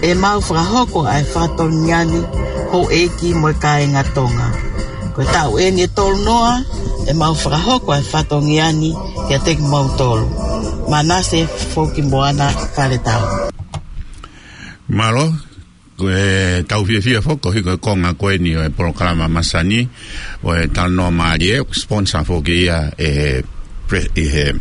ʻemau fakahoko ʻa e fatongia ni, houʻeiki mo e kāinga Tonga. Ko e taʻu eni ʻe tolunoa ʻemau fakahoko ʻa e fatongia ni kiate kimoutolu. Manase Foki Moana Faletau. Mālō, ko ʻetau fiefia foki, ko e konga ko eni ʻo e polokalama masani, ʻo e Talanoa Mālie, ʻoku sponsor foki ia ʻe he Pre-, ʻe he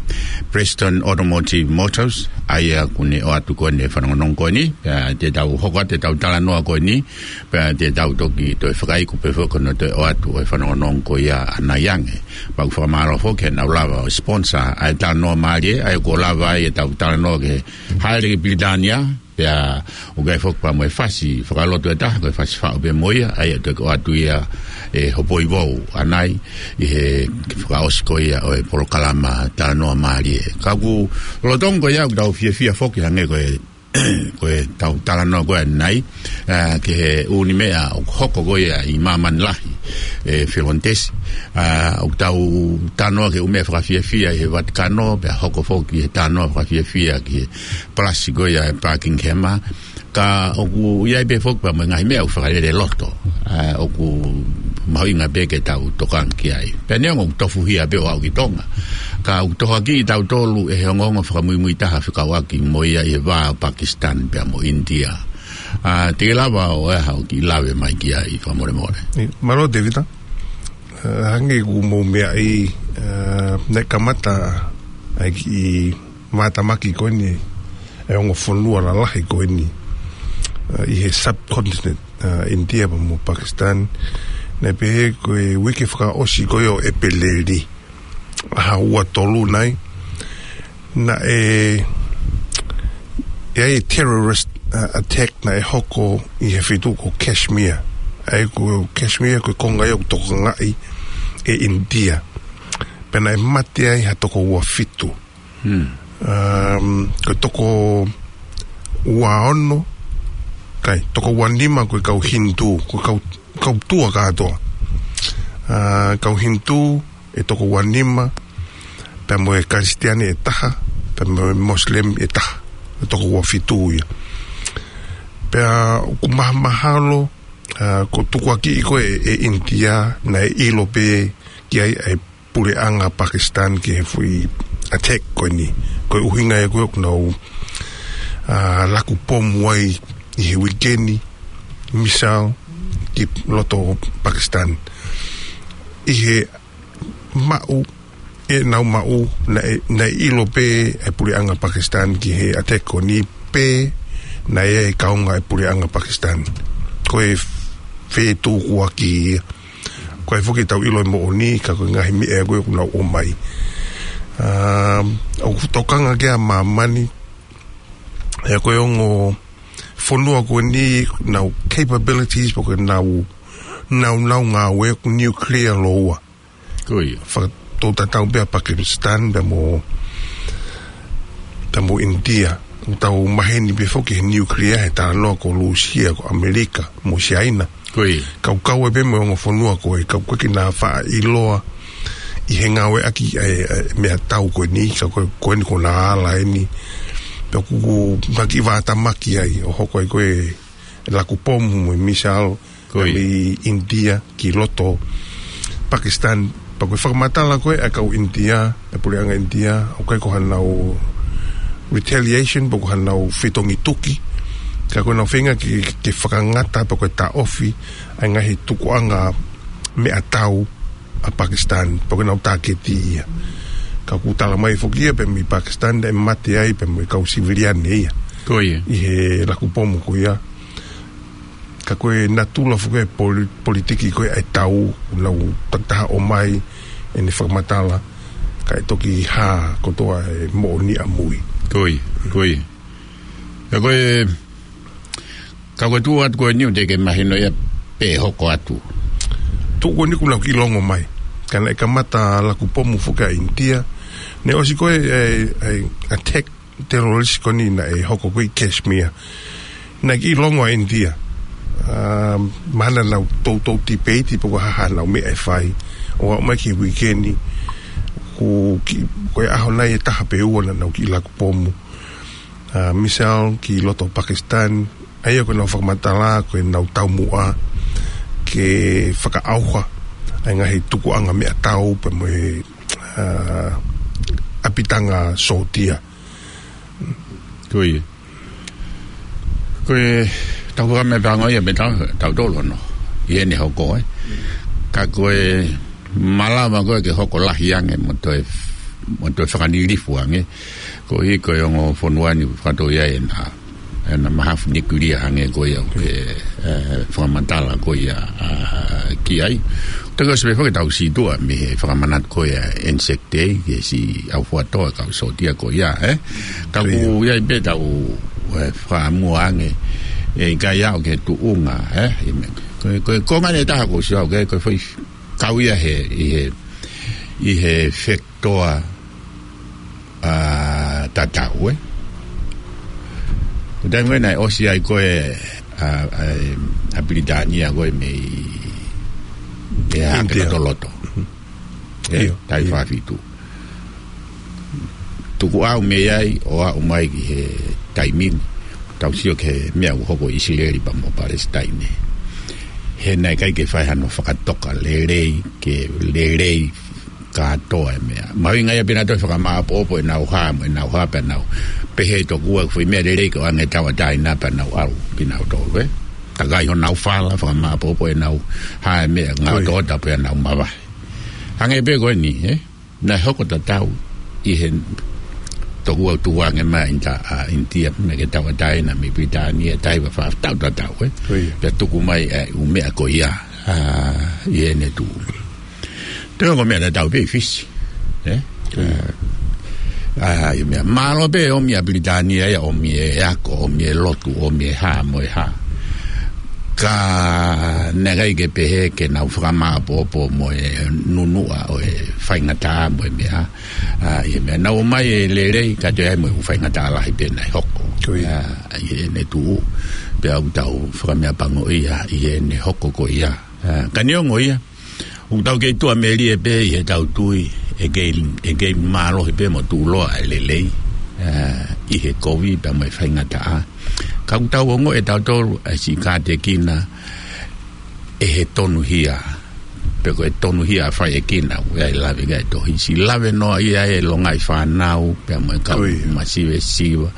Preston Automotive Motors, ʻa ia ʻoku ne ʻoatu ko eni e fanongonongo ko eni, pea te tau hoko atu ʻetau talanoa ko eni, pea te tau toki toe fakaiku pē foki hono toe ʻoatu ʻo e fanongonongo ko ia ʻanai ange. Pea ʻoku fakamālō foki heʻenau lava ʻo sponsor ʻa e Talanoa Mālie, ʻa ia ʻoku lava ai ʻetau talanoa ki he hāʻele ki Pilitānia, pea ʻoku ʻi ai foki pea mo e fasi fakalotu ʻe taha, ko e fasi faʻu pē mo ia, ʻa ia ʻe toki ʻoatu ia ʻe Hopoi Vou ʻanai, ʻi he fakaʻosi ko ia ʻo e polokalama Talanoa Mālie. Ka ʻoku lolotonga ko ia ʻoku tau fiefia foki hangē ko e, ko ʻetau talanoa ko ē ʻanai, ā, ki he ʻū meʻa ʻoku hoko ko ia ʻi māmani lahi, ʻe Filontesi. Ā, ʻoku tau talanoa ki he ʻū meʻa fakafiefia ʻi he Vatikano, pea hoko foki he talanoa fakafiefia ki he palasi ko ia ʻe Buckingham, ka ʻoku ʻi ai pē foki pea mo e ngaahi meʻa ʻoku fakalele loto, ā, ʻoku mahuʻinga pē ke tau tokanga ki ai. Pea neongo ʻoku tofuhia pē ʻo aʻu ki Tonga, ka ʻoku tohoakiʻi kitautolu ʻe he ongoongo fakamuimui taha fekauʻaki mo ia ʻi he vā ʻo Pakistan pea mo India. Ā, te ke lava ʻo ʻai haʻo kiʻi lave mai ki ai fakamolemole. ʻIo, mālō Tēvita. Ā, hangē ʻoku mou meaʻi, ā, naʻe kamata ʻa e kiʻi vātamaki ko eni ʻa e ongo fonua lalahi ko eni, ā, ʻi he subcontinent, ā, India pea mo Pakistan. Naʻe pehē ko e uike fakaʻosi ko ia ʻo ʻEpeleli, ʻaho ua tolu nai, naʻe, ʻi ai e terrorist, ā, attack naʻe hoko ʻi he feituʻu ko Kashmir. ʻA ia ko Kashmir ko e konga ia ʻoku tokangaʻi ʻe India. Pea naʻe mate ai ha toko ua fitu. Hmm. Um, ko e toko ua ono, kai, toko ua nima ko e kau Hindu, ko e kau, kau tua kātoa. Ā, kau Hindu ʻe toko ua nima, pea mo e Kalisitiane ʻe taha, pea mo e Muslim ʻe taha, ʻe toko ua fitu ia. Pea ʻoku mahamahalo, ā, ko e tukuakiʻi ko ē ʻe, ʻe India, naʻe ʻilo pē ki ai ʻa e puleʻanga Pakistan ki he foʻi attack ko eni. Ko e ʻuhinga ia ko ē ʻoku nau, ā, laku pomu ai ʻi he uike ni, missile ki loto Pakistan. ʻI he maʻu, ʻenau maʻu, naʻe, naʻe ʻilo pē ʻe he puleʻanga Pakistan ki he attack ko eni pē naʻe ʻi ai e kaunga ʻo e puleʻanga Pakistan. Ko e fetukuakiʻi ia. ʻOku ʻi ai foki ʻetau ʻilo e moʻoni, ka ko e ngaahi meʻa ko ē ʻoku nau ʻomai. Um, ʻoku tokanga ki ai ʻa māmani, ʻa ia ko e ongo fonua ko eni, nau capabilities, pe ko ʻenau, nau, nau ngāue ʻoku nuclear lōua. Ko ia. Fakatau tatau pē ʻa Pakistan pea mo, pea mo India. Tau maheni pē foki he nuclear he talanoa ko Lūsia, ko ʻAmelika, mo Siaina. Ko ia. Kau kau ai pē mo e ongo fonua ko ē, kau ko ē ke na faʻa ʻiloa ʻi he ngāueʻaki ʻa e, ʻa e meʻatau ko eni, ka ko ē, ko eni ko ʻena ala eni. Pea ʻoku, ʻoku na kiʻi vātamaki ai, ʻo hoko ai ko ē laku pomu mo e missile, Ko ia. Mei ʻInitia ki loto Pakistan. Pea ko e fakamatala ko ē ʻa e kau ʻInitia, ʻa e puleʻanga ʻInitia, ʻoku ʻikai ko haʻanau retaliation, pe ko haʻanau fetongi tuki. Ka ko ʻenau feinga ke, ke fakangata, pe ko e taʻofi ʻa e ngaahi tukuʻanga meʻatau ʻa Pakistan, pe ko ʻenau tāketi ia. Ka ʻoku tala mai foki ia, pea mei Pakistan, naʻe mate ai, pea mo e kau siviliane ia. Ko ia. ʻI he laku pomu ko ia. Ka ko e natula foki e poli-, politiki ko ē ʻa e tau, ʻoku nau takitaha ʻomai ʻene fakamatala, kae toki hā kotoa e moʻoni ʻamui. Ko ia, ko ia. Ka ko e, ka ko e tuʻu atu ko eni ʻoku teʻeki ke mahino ia pe hoko atu. Tuʻu ko eni kuo nau kiʻi longo mai. Ka naʻe kamata laku pomu foki ʻa ʻInitia. Naʻe ʻosi ko ē, e, e, attack terrorist ko eni naʻe hoko ko ē ʻi Kashmir. Naʻe kiʻi longo ʻa ʻInitia. ʻA, mahalo naʻa nau toutou tipeiti pe ko e hā haʻanau meʻa ʻe fai. ʻO aʻu mai ki he uike ni, ko e kiʻi, ko e ʻaho nai ʻe taha pe ua naʻa nau kiʻi laku pomu. ʻA, missile ki loto Pakistan. ʻA ia ko ʻenau fakamatala, ko ʻenau taumuʻa ke fakaʻauha ʻa e ngaahi tukuʻanga meʻatau pea mo e, ʻa, ʻapitanga sōtia. Ko ia. Ko e tau fakameʻapango ia mei tau, tautolu ʻono. ʻI heʻene hoko, ē. Ka ko e malava ko ē ke hoko lahi ange mo toe, mo toe fakalilifu ange. Koeʻuhi ko e ongo fonua ni fakatau ia ʻena, ʻena mahafu nikulia ange ko ia ʻoku ke, e, fakamatala ko ia, ʻa, ki ai. Toki ʻosi pē foki ʻetau sītuʻa mei he fakamanatu ko ia ʻa e Anzac Day, ki he siʻi ʻaufuatoa kau sōtia ko ia, ē? Ka ʻoku ʻi ai pē ʻetau, e, fakamua ange, ʻe ʻikai aʻu ki he tuʻunga, ē? ʻI he meʻa. Ko e, ko e, ko e ngaahi taha ko sia, ko e, ko e foʻi kau ia he, ʻi he, ʻi he fekitoa, ʻa, tatau, ē? Ko e taimi ko ē naʻe ʻosi ai ko ē, ʻa, ʻa, ʻa Pilitānia ko ē mei, ʻe hake India. Lotoloto. Mhm. Ē, ʻIo, taʻu ʻio. Fā fitu. Tuku ʻau mei ai, ʻo aʻu mai ki he taimi ni. Tau sio ki he meʻa ʻoku hoko ʻi ʻIsileli pea mo Palesitaine. He naʻe ʻikai ke fai hano fakatoka lelei, ke lelei kātoa e meʻa. Mahuʻinga ia pē naʻa toe fakamāʻopoʻopo ʻenau hā, mo ʻenau hā pē nau. Pehē tokua ko e foʻi meʻa lelei ko e ʻoange tauʻatāina pea nau ʻalu pē nautolu, ē. Takai honau fala, fakamāʻopoʻopo ʻenau hā e meʻa, ngā Ko ia. Otoota pea nau mavahe. Hangē pē ko eni, ē. Naʻe hoko tatau ʻi he toku ʻau tukuange mai ʻInita-, ʻa, ʻInitia, meʻa ke tauʻatāina mei Pilitānia, taʻu fā, taʻu tatau, ē. Ko ia. Pea tuku mai, ē, ʻū meʻa ko ia, ʻa, ʻi heʻene tuʻu. Toe ongo meʻa tatau pē ʻi Fisi, ē? Ko ia. ʻA, ʻa, ʻi he meʻa mālō pē ʻomi ʻa Pilitānia ia, ʻomi e ako, ʻomi e lotu, ʻomi e hā mo e hā. Ka naʻe ʻikai ke pehē ke nau fakamāʻopoʻopo mo e nunuʻa ʻo e faingataʻa mo e meʻa. ʻA, ʻi he meʻa nau ʻomai e lelei ka toe ʻi ai mo e faingataʻa lahi pē naʻe hoko. Ko ia. ʻA, ʻi heʻene tuʻu, pea ʻoku tau fakameʻapangoʻia ʻi heʻene hoko ko ia. ʻA, ka neongo ia, ʻoku tau kei tuʻa melie pē ʻi heʻetau tui, ʻe kei, ʻe kei mālohi pē mo tuʻuloa e lelei, ʻa, ʻi he kovi pea mo e faingataʻa. Ka ʻoku tau ongoʻi ʻe tautolu ʻa e siʻi kātekina ʻe he tonuhia. Pe ko e tonuhia ʻa e faʻēkina, ʻoku ʻi ai e lave ki ai e tohi. Siʻi lave noa ia e longaʻi fānau, pea mo e kau Ko ia. Masivesiva.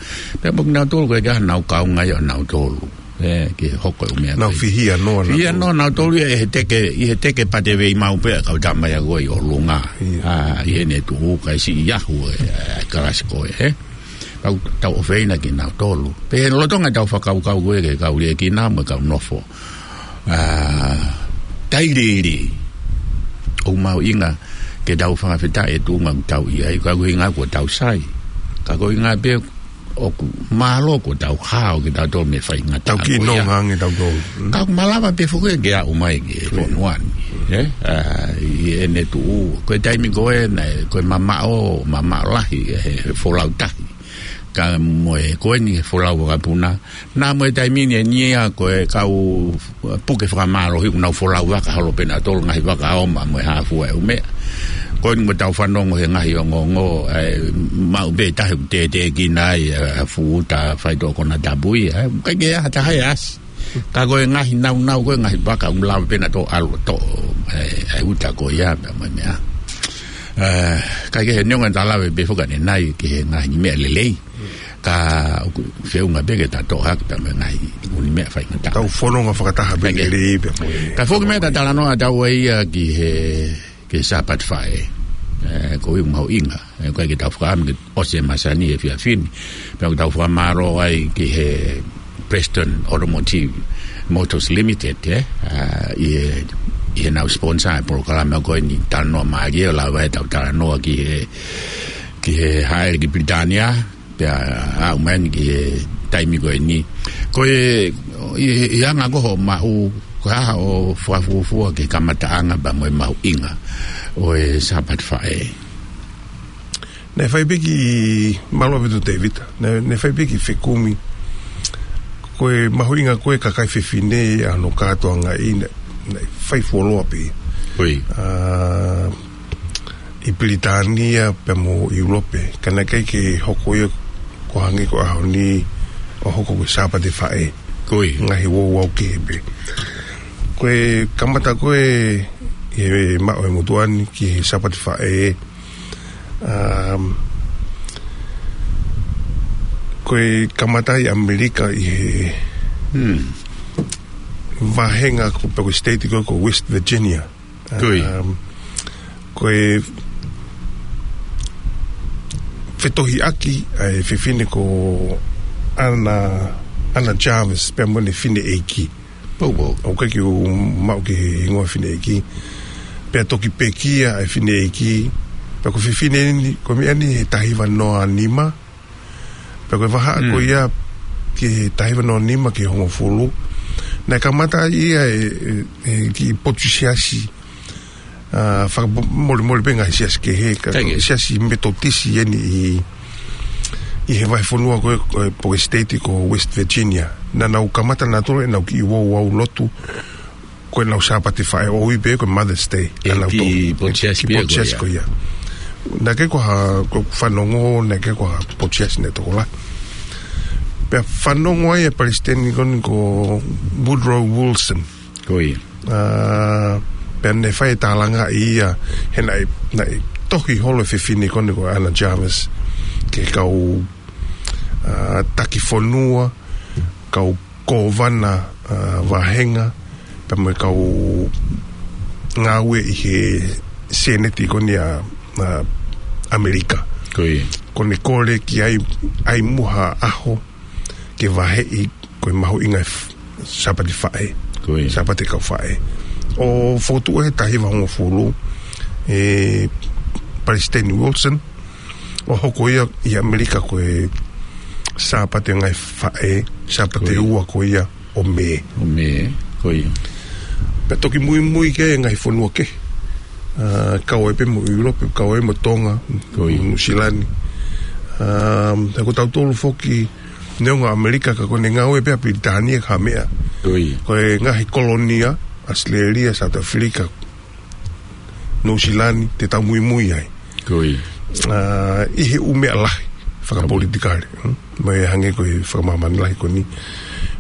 Pea mo kinautolu ko e ka nau kaunga ia ʻo nautolu. Ē, ke hoko e ʻū meʻa Nau ko ē. Fihia noa Fihia nautolu. Noa nautolu ia ʻi he teke, ʻi he teke pate vei mau pē, kau tama ia ko ē ʻi ʻolunga. Ia. ʻA, ʻi heʻene tuʻu, kae siʻi ahu e, e, kalasi ko ē, ē. Tau, tau ʻofeina kinautolu. Pea he lolotonga ʻetau fakakaukau ko ē ki he kau liʻekina mo e kau nofo. ʻA, tailiili. ʻOku mahuʻinga ke tau fakafetaʻi e tuʻunga ʻoku tau ʻi ai, ka ko e ʻuhinga kuo tau sai. Ka ko e ʻuhinga pē ʻoku mālō kuo tau hao kitautolu mei he faingataʻa Tau kiʻi ko ia. Nonga ange tautolu. Mm. Ka ʻoku malava pē foki ke aʻu mai ki he Ko ia. Fonua ni, ē? ʻA, ʻi heʻene tuʻu. Ko e taimi ko ē naʻe, ko e mamaʻo, mamaʻo lahi, he, he folau tahi. Ka mo e ko eni folau vakapuna. Naʻa mo e taimi ni eni ia ko e kau puke fakamālohi ʻoku nau folau vaka holo pē nautolu, ngaahi vaka ʻo ma mo e hā fua e ʻū meʻa. Ko eni mo tau fanongo he ngaahi ongoongo, ʻe, maʻu pē tahi ʻoku tētēkina ai, ʻe, fuʻu uta faitoʻo konatapu ia, ʻe, ʻikai ke ʻi ai ha taha ʻe ʻasi. Ka ko e ngaahi naunau, ko e ngaahi vaka ʻoku lava pē nautolu ʻalu ʻo toʻo, ʻe, ʻe uta ko ia pea mo e meʻa. ʻE, ʻikai ke he neongo ʻeta lave pē foki ʻanenai ki he ngaahi meʻa lelei. Ka ʻoku feʻunga pē ke ta toʻo hake pea mo e ngaahi ʻū meʻa faingataʻa. Tau fononga fakataha pē. ʻIkai ke lelei pea mo e. Ka foki meʻa ta talanoa atu ai ia ki he, ki he Sāpate Faʻē. ʻE, ko e mahuʻinga. ʻE, ko e ke tau fakaʻamu ke ʻosi e masani he efiafi ni. Pea ʻoku tau fakamālō ai ki he Prestone Automotive Motors Limited, ʻe, ʻa, ʻi he, ʻi heʻenau sponsor e polokalama ko eni, talanoa mālie ʻo lava ʻetau talanoa ki he, ki he hāʻele ki Pilitānia, pea aʻu mai eni ki he taimi ko eni. Ko e, ʻi, ʻi he anga ko hoʻo maʻu, ko e hā hoʻo fakafuofua ki he kamataʻanga pea mo e mahuʻinga ʻo e Sāpate Faʻē? Naʻe fai pē kiʻi, mālō ʻaupito Tēvita, naʻe, naʻe fai pē kiʻi fekumi. Ko e mahuʻinga ko e kakai fefine ʻa hono kātoangaʻi naʻe, naʻe fai fuoloa pē. Ko ia. ʻA, ʻi Pilitānia pea mo ʻIulope, ka naʻe ʻikai ke hoko ia ʻo hangē ko e ʻaho ni ʻo hoko ko e Sāpate Faʻē. Ko ia. Ngaahi ouau kehe pē. Ko e kamata ko e, ʻi he maʻu e motuʻa ni ki he Sāpate Faʻē, um, ko e kamata ʻi ʻAmelika ʻi he, hmm, vāhenga ko, pe ko e state ko, ko West Virginia. Ko ia. Um, ko e fetohiʻaki ʻa e fefine ko Anna, Anna Jarvis, pea mo ʻene fineʻeiki. Pou, pou. ʻOku ʻikai ke u maʻu ki he hingoa fineʻeiki. Pea toki pekia ʻa e fineʻeiki. Pea ko e fefine ni, ko e meʻa ni he taha hiva noa nima. Pea ko e vahaʻa ko ia ki he taha hiva noa nima ki he hongofulu. Naʻe kamata ia ʻe, ʻe, ʻe kiʻi potu siasi. ʻA, fakamolemole pē ngaahi siasi kehe, ka ko e siasi Metotisi eni ʻi, ʻi he vahefonua ko e, ko e, pe ko e state ko West Virginia. Naʻa nau kamata nautolu ʻenau kiʻi ouau lotu, ko ʻenau Sāpate Faʻē ʻoku ui pē ko e Mother's Day. ʻA nautolu. Kiʻi potu siasi pē ko ia. Naʻe ʻikai ko ha, ko e fanongo, naʻe ʻikai ko ha potu siasi naʻe tokolahi. Pea fanongo ai e palesiteni ko eni ko Woodrow Wilson. Ko ia. ʻA, pea ne fai e tālangaʻi ia, he naʻe, naʻe tohi holo e fefine ko eni ko Anna Jarvis ki he kau, ʻa, taki fonua, kau kōvana, ʻa, vāhenga, pea mo e kau ngāue ʻi he Sēneti ko eni ʻa, ʻa ʻAmelika. Ko ia. Ko ʻene kole ki ai, ʻai muʻa ha ʻaho, ke vaheʻi ko e mahuʻinga e f-, Sāpate Faʻē. Ko ia. Sāpate Kau Faʻē. ʻO fokotuʻu he taha hiva hongofulu ʻe Palesiteni Wilson, ʻo hoko ia ʻi ʻAmelika ko e Sāpate Ngaahi Faʻē, Sāpate ua ko ia ʻo Mē. ʻO Mē, ko ia. Pea toki muimui ki ai e ngaahi fonua kehe. ʻA, kau ai pē mo ʻIulope, kau ai mo Tonga, ko ia, Nuʻusila ni. ʻA, he ko tautolu foki, neongo ʻAmelika ka ko ʻene ngāue pē ʻa Pilitānia ka meʻa. Ko ia. Ko e ngaahi kolonia, ʻAositelēlia, South Africa, Nuʻusila ni, te tau muimui ai. Ko ia. ʻA, ʻi he ʻū meʻa lahi, fakapolitikale. Hmm? Mo e hangē ko e fakamāmani lahi ko eni.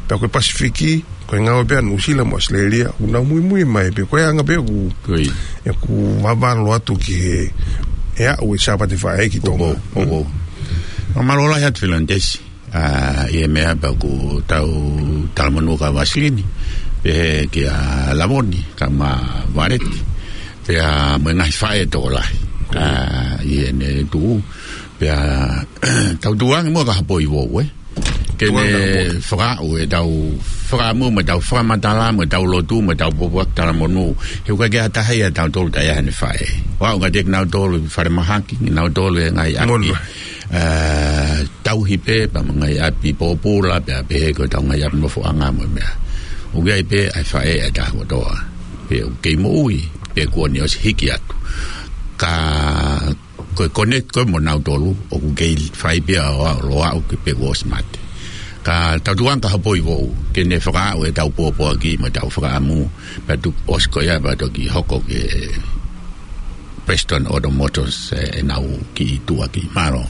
Pea ko e Pasifiki, ko e ngāue pē ʻa Nuʻusila mo ʻAositelēlia, ʻoku nau muimui mai pē, ko e anga pē ʻoku, ko ia, ʻoku vavalo atu ki he, ʻe aʻu e Sāpate Faʻē ki Tonga. Ko, ko, ko. Mālō lahi atu Filonitesi. ʻA, ʻi he meʻa pea ʻoku tau talamonū kia Vasilini, pehē kia Lavoni, kae ʻumaʻā Valeti, pea mo e ngaahi faʻē tokolahi. ʻA, ʻi heʻene tuʻu, pea tau tuʻu ange muʻa ki ha poʻi vou, ē? Ke ne fakaʻu ʻetau fakaʻamu mo ʻetau fakamatala mo ʻetau lotu mo ʻetau pōpoaki talamonū. He ʻoku ʻikai ke ʻi ai ha taha ia ʻiate kitautolu taʻe ʻi ai haʻane faʻē. ʻOku aʻu kiate kinautolu ʻi falemahaki, kinautolu ʻi he ngaahi ʻapi, ʻa, tauhi pē, pea mo e ngaahi ʻapi pōpula, pea pehē ko ʻetau ngaahi ʻapi nofoʻanga mo e meʻa. ʻOku ʻi ai pē ʻa e faʻē ʻe taha kotoa. Pe ʻoku kei moʻui, pe kuo ne ʻosi hiki atu. Ka Ko e connect ko ē mo nautolu, ʻoku kei fai pē ʻa e ʻalu ʻo aʻu ki he pē kuo ʻosi mate. Ka tau tuanga ka hopoi foʻou, ke ne fakaaʻu ʻetau pōpoaki mo ʻetau fakaʻamu, pea tuku ʻosi ko ia pea toki hoko ki he Prestone Automotive, ē, ʻenau kiʻi tuʻa ki mālō.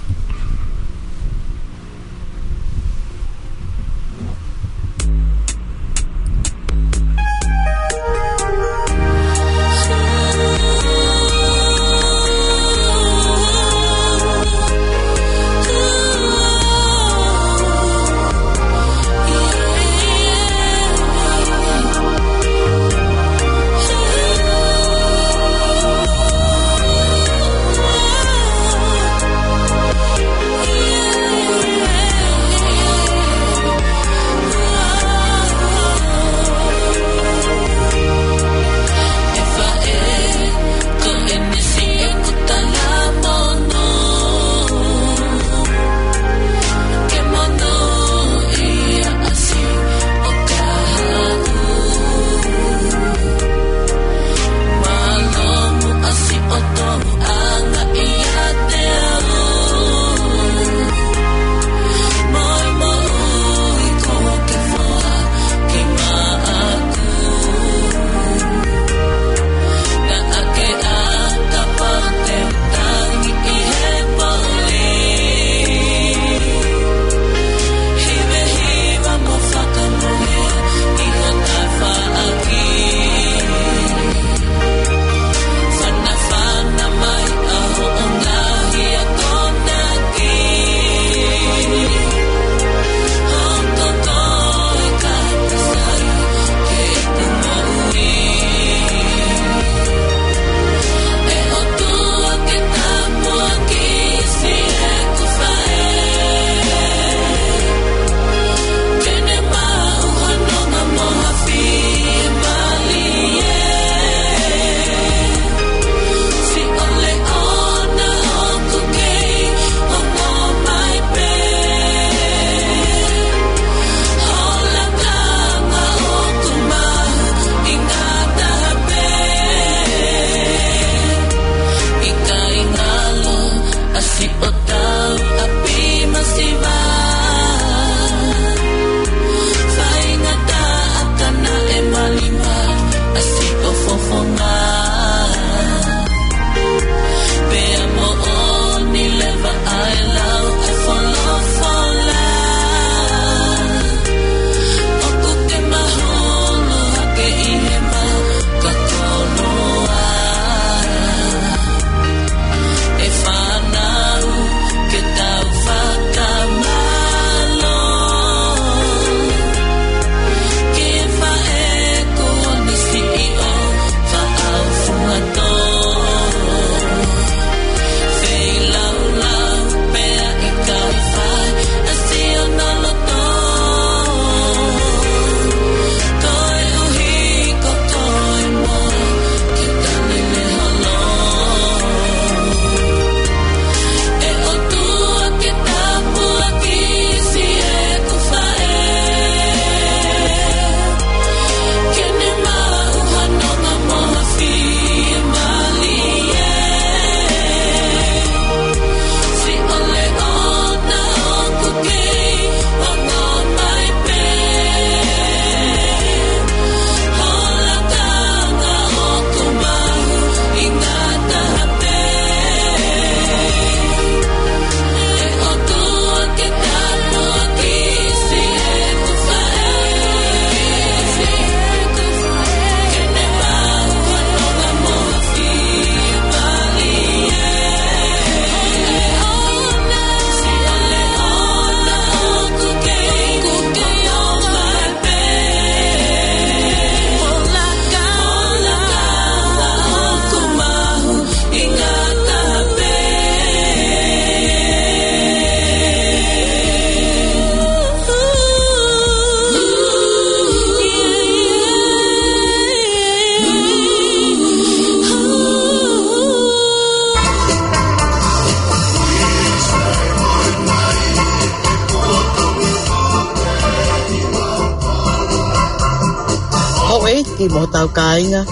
Houʻeiki mo hotau kāinga.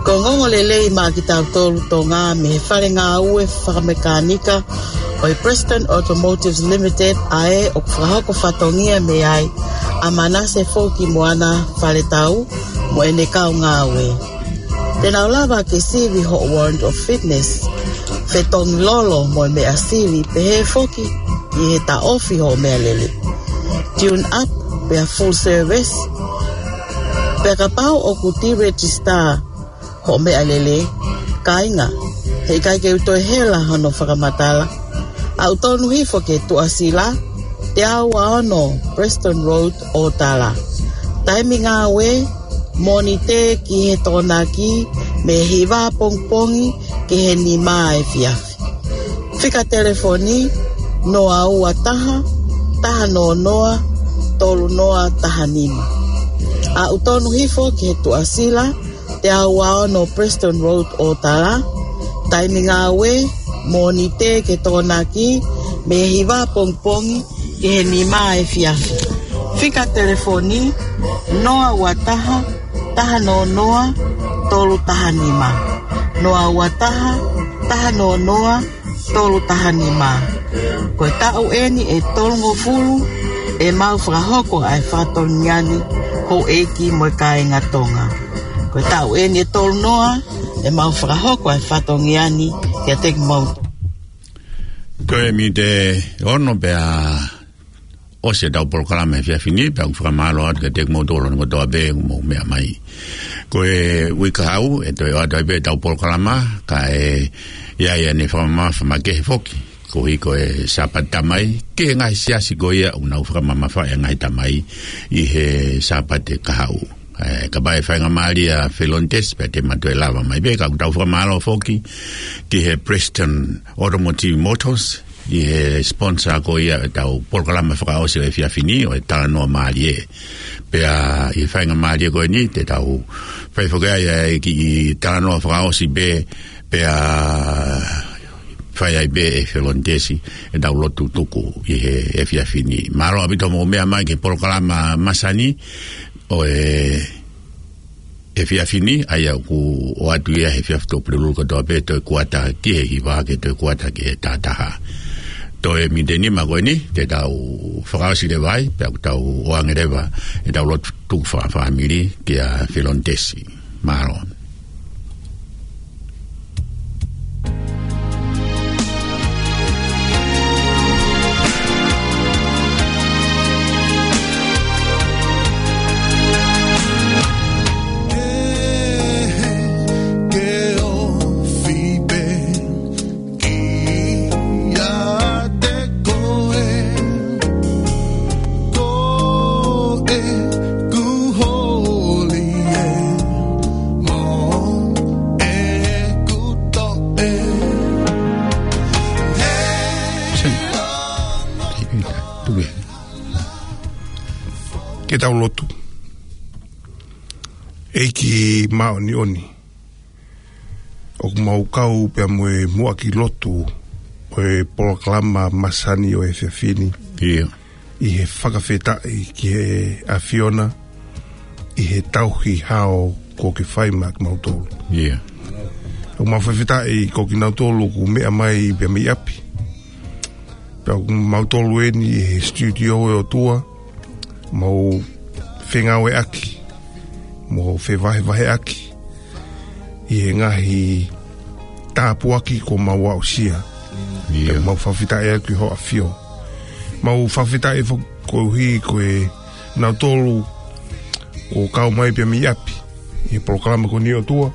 Ko e ongoongolelei maʻa kitautolu Tonga mei he fale ngāue fakamekānika ʻo e Preston Automotive Limited, ʻa ē ʻoku fakahoko fatongia mei ai ʻa Manase Foki Moana Faletau mo ʻene kau ngāue. Te nau lava ke sivi hoʻo warrant of fitness, fetongi lolo mo e meʻa sivi, pehē foki ki he taʻofi hoʻo meʻalele. Tune up, pea full service. Pea kapau ʻoku deregister hoʻo meʻalele, kāinga, heʻikai ke u toe hela hono fakamatala, aʻu tonu hifo ki he Tuʻasila, teau ua ono Preston Road, Ōtala. Taimi ngāue, Mōnite ki he Tokonaki, mei he hiva pongipongi ki he nima efiafi. Fika telefoni, noa ua taha, taha noa noa, tolu noa taha nima. Aʻu tonu hifo ki he Tuʻasila, teau ua ono Preston Road, Ōtala. Taimi ngāue, Mōnite ki he Tokonaki, mei he hiva pongipongi ki he nima efiafi. Fika telefoni, noa ua taha, taha noa noa, tolu taha nima. Noa ua taha, taha noa noa, tolu taha nima. Ko e taʻu eni ʻe tolungofulu ʻemau fakahoko ʻa e fatongia ni, houʻeiki mo e kāinga Tonga. Ko e taʻu eni ʻe tolunoa ʻemau fakahoko ʻa e fatongia ni kiate kimoutolu. Ko e miniti ʻe ono pea ʻosi ʻetau polokalama he efiafi ni, pea ʻoku fakamālō atu kiate kimoutolu hono kotoa pē ʻoku mou meʻa mai. Ko e uike kahaʻu ʻe toe ʻoatu ai pē ʻetau polokalama, kae ʻi ai ʻene fakamamafa makehe foki koeʻuhi ko e Sāpate Tamai, ki he ngaahi siasi ko ia ʻoku nau fakamamafaʻi ʻa e ngaahi tamai ʻi he Sāpate kahaʻu. ʻE, kapau ʻe faingamālie ʻa Felonitesi pea te ma toe lava mai pē, ka ʻoku tau fakamālō foki ki he Preston Automotive Motors, ʻi he sponsor ko ia ʻetau polokalama fakaʻosi ʻo e efiafi ni, ʻo e talanoa mālie. Pea ʻi he faingamālie ko eni, te tau fai foki ai ʻa e kiʻi talanoa fakaʻosi pē, pea fai ai pē ʻe Felonitesi ʻetau lotu tuku ʻi he efiafi ni. Mālō ʻaupito hoʻomou meʻa mai ki he polokalama masani ʻo e efiafi ni, ʻa ia ʻoku ʻoatu ia he efiafi Tuʻapulelulu kotoa pē, toe kuata ki he hiva, ke toe kuata ki he taha taha. Toe miniti ʻe nima ko eni, te tau fakaʻosi leva ai, pea ʻoku tau ʻoange leva ʻetau lotu tuku fakafāmili kia Felonitesi. Mālō. Kiate koe, ko ʻeku holi ē, mo ʻeku toʻe. Ke tau lotu. ʻEiki māʻoniʻoni, ʻoku mau kau pea mo e muʻaki lotu ʻo e polokalama masani ʻo e efiafi ni. ʻIo. ʻI he fakafetaʻi ki he ʻAfiona, ʻi he tauhi hao kuo ke fai maʻa kimautolu. ʻIo. ʻOku mau fakafetaʻi ko kinautolu ʻoku meʻa mai pea mei ʻapi. Pea ʻoku mautolu eni ʻi he studio ʻe ʻOtua, mau fengāueʻaki, mau fevahevaheʻaki ʻi he ngaahi tāpuaki kuo mau aʻusia. ʻIo. Pea mau fakafetaʻi atu ki hoʻo ʻAfio. Mau fakafetaʻi foki koeʻuhi ko kinautolu kuo kau mai pea mei ʻapi ʻi he polokalama ko eni ʻOtua.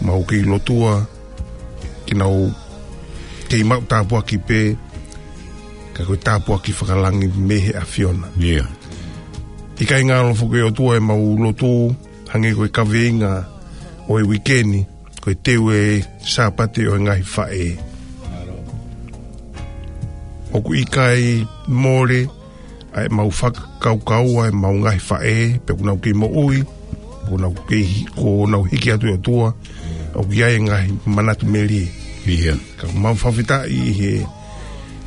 Mau kei lotua ke nau kei maʻu tāpuaki pē, ka ko e tāpuaki fakalangi mei he ʻAfiona. ʻIo. ʻIkai ngalo foki ʻOtua ʻemau lotu, hangē ko e kaveinga ʻo e uike ni, ko e teu e Sāpate ʻo e ngaahi faʻē. ʻOku ʻikai mole ʻa ʻemau fakakaukau ʻa ʻemau ngaahi faʻē, pe ʻoku nau kei moʻui, pe ʻoku nau kei hi-, ʻoku nau hiki atu ʻe ʻOtua, ʻoku ʻi ai e ngaahi manatu melie. ʻIo. Ka ʻoku mau fakafetaʻi ʻi he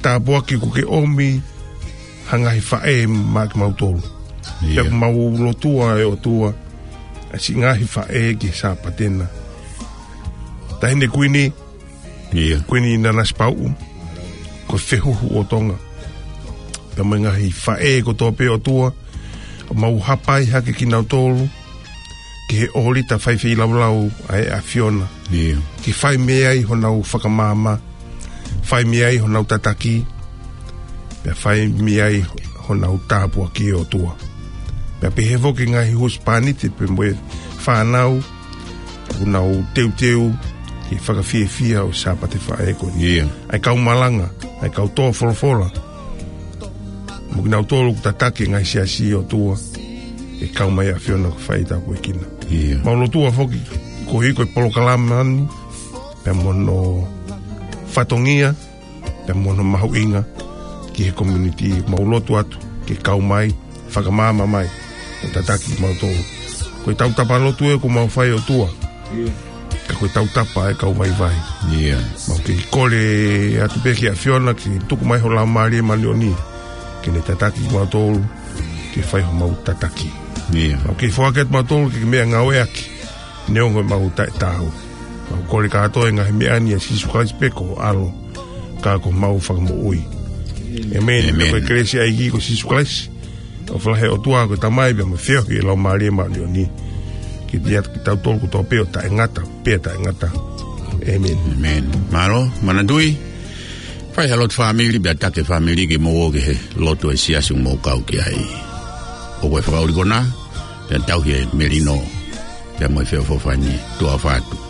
tāpuaki kuo ke ʻomi ha ngaahi faʻē maʻa kimautolu. ʻIo. Pea ʻoku mau lotua ʻe ʻOtua, siʻi ngaahi faʻē ki he Sāpate na. Taʻahine Kuini, Ia. Kuini Nanasipauʻu, ko e fehuhu ʻo Tonga. Pea mo e ngaahi faʻē kotoa pē ʻOtua, mau hapai hake kinautolu ki he ʻōlita faifeilaulau ʻa e ʻAfiona. Ia. Ke fai mei ai honau fakamaama, fai mei ai honau tataki, pea fai mei ai honau tāpuaki ʻOtua. Pea pehē foki ngaahi husepāniti pea mo e fānau, ʻoku nau teuteu ki he fakafiefia ʻo e Sāpate Faʻē ko eni. Ia. ʻA e kau malanga, ʻa e kau tō folofola, mo kinautolu ʻoku tataki e ngaahi siasi ʻOtua, ʻe kau mai ʻAfiona ke fai tāpuekina. Ia. Mau lotua foki koeʻuhi ko e polokalama ni, pea mo hono fatongia, pea mo hono mahuʻinga ki he community. Mau lotu atu ke kau mai, fakamaama mai, ʻo tataki kimautolu. Ko e tautapa lotu ē ʻoku mau fai ʻOtua. Ia. Ka ko e tautapa ʻa e kau vaivai. Ia. Mau kei kole atu pē ki he ʻAfiona ke tuku mai ho Laumālie Māʻoniʻoni ke ne tataki kimautolu ke fai homau tataki. Ia. Mau kei foaki atu kimautolu ke meʻangāueʻaki, neongo ʻemau taʻetaau. Mau kole kātoa e ngaahi meʻa ni ʻia Sīsū Kalaisi pē ko ho ʻAlo, ka ko homau Fakamoʻui. ʻĒmeni. ʻĒmeni. Ko e kelesi ʻa e ʻEiki ko Sīsū Kalaisi, ʻofa lahi ʻa e ʻOtua ko e Tamai, pea mo e feohi ʻa e Laumālie Māʻoniʻoni, ke ʻiate kitautolu kotoa pē ʻo taʻengata pea taʻengata. ʻĒmeni. ʻĒmeni. Mālō, manatuʻi, fai ha lotu fāmili, pea taki e fāmili ke mou ō ki he lotu ʻa e siasi ʻoku mou kau ki ai. ʻOku ʻi ai e fakaʻuli ko ena, pea tauhi e melino, pea mo e feʻofoʻofani. Tuʻa ʻofa atu.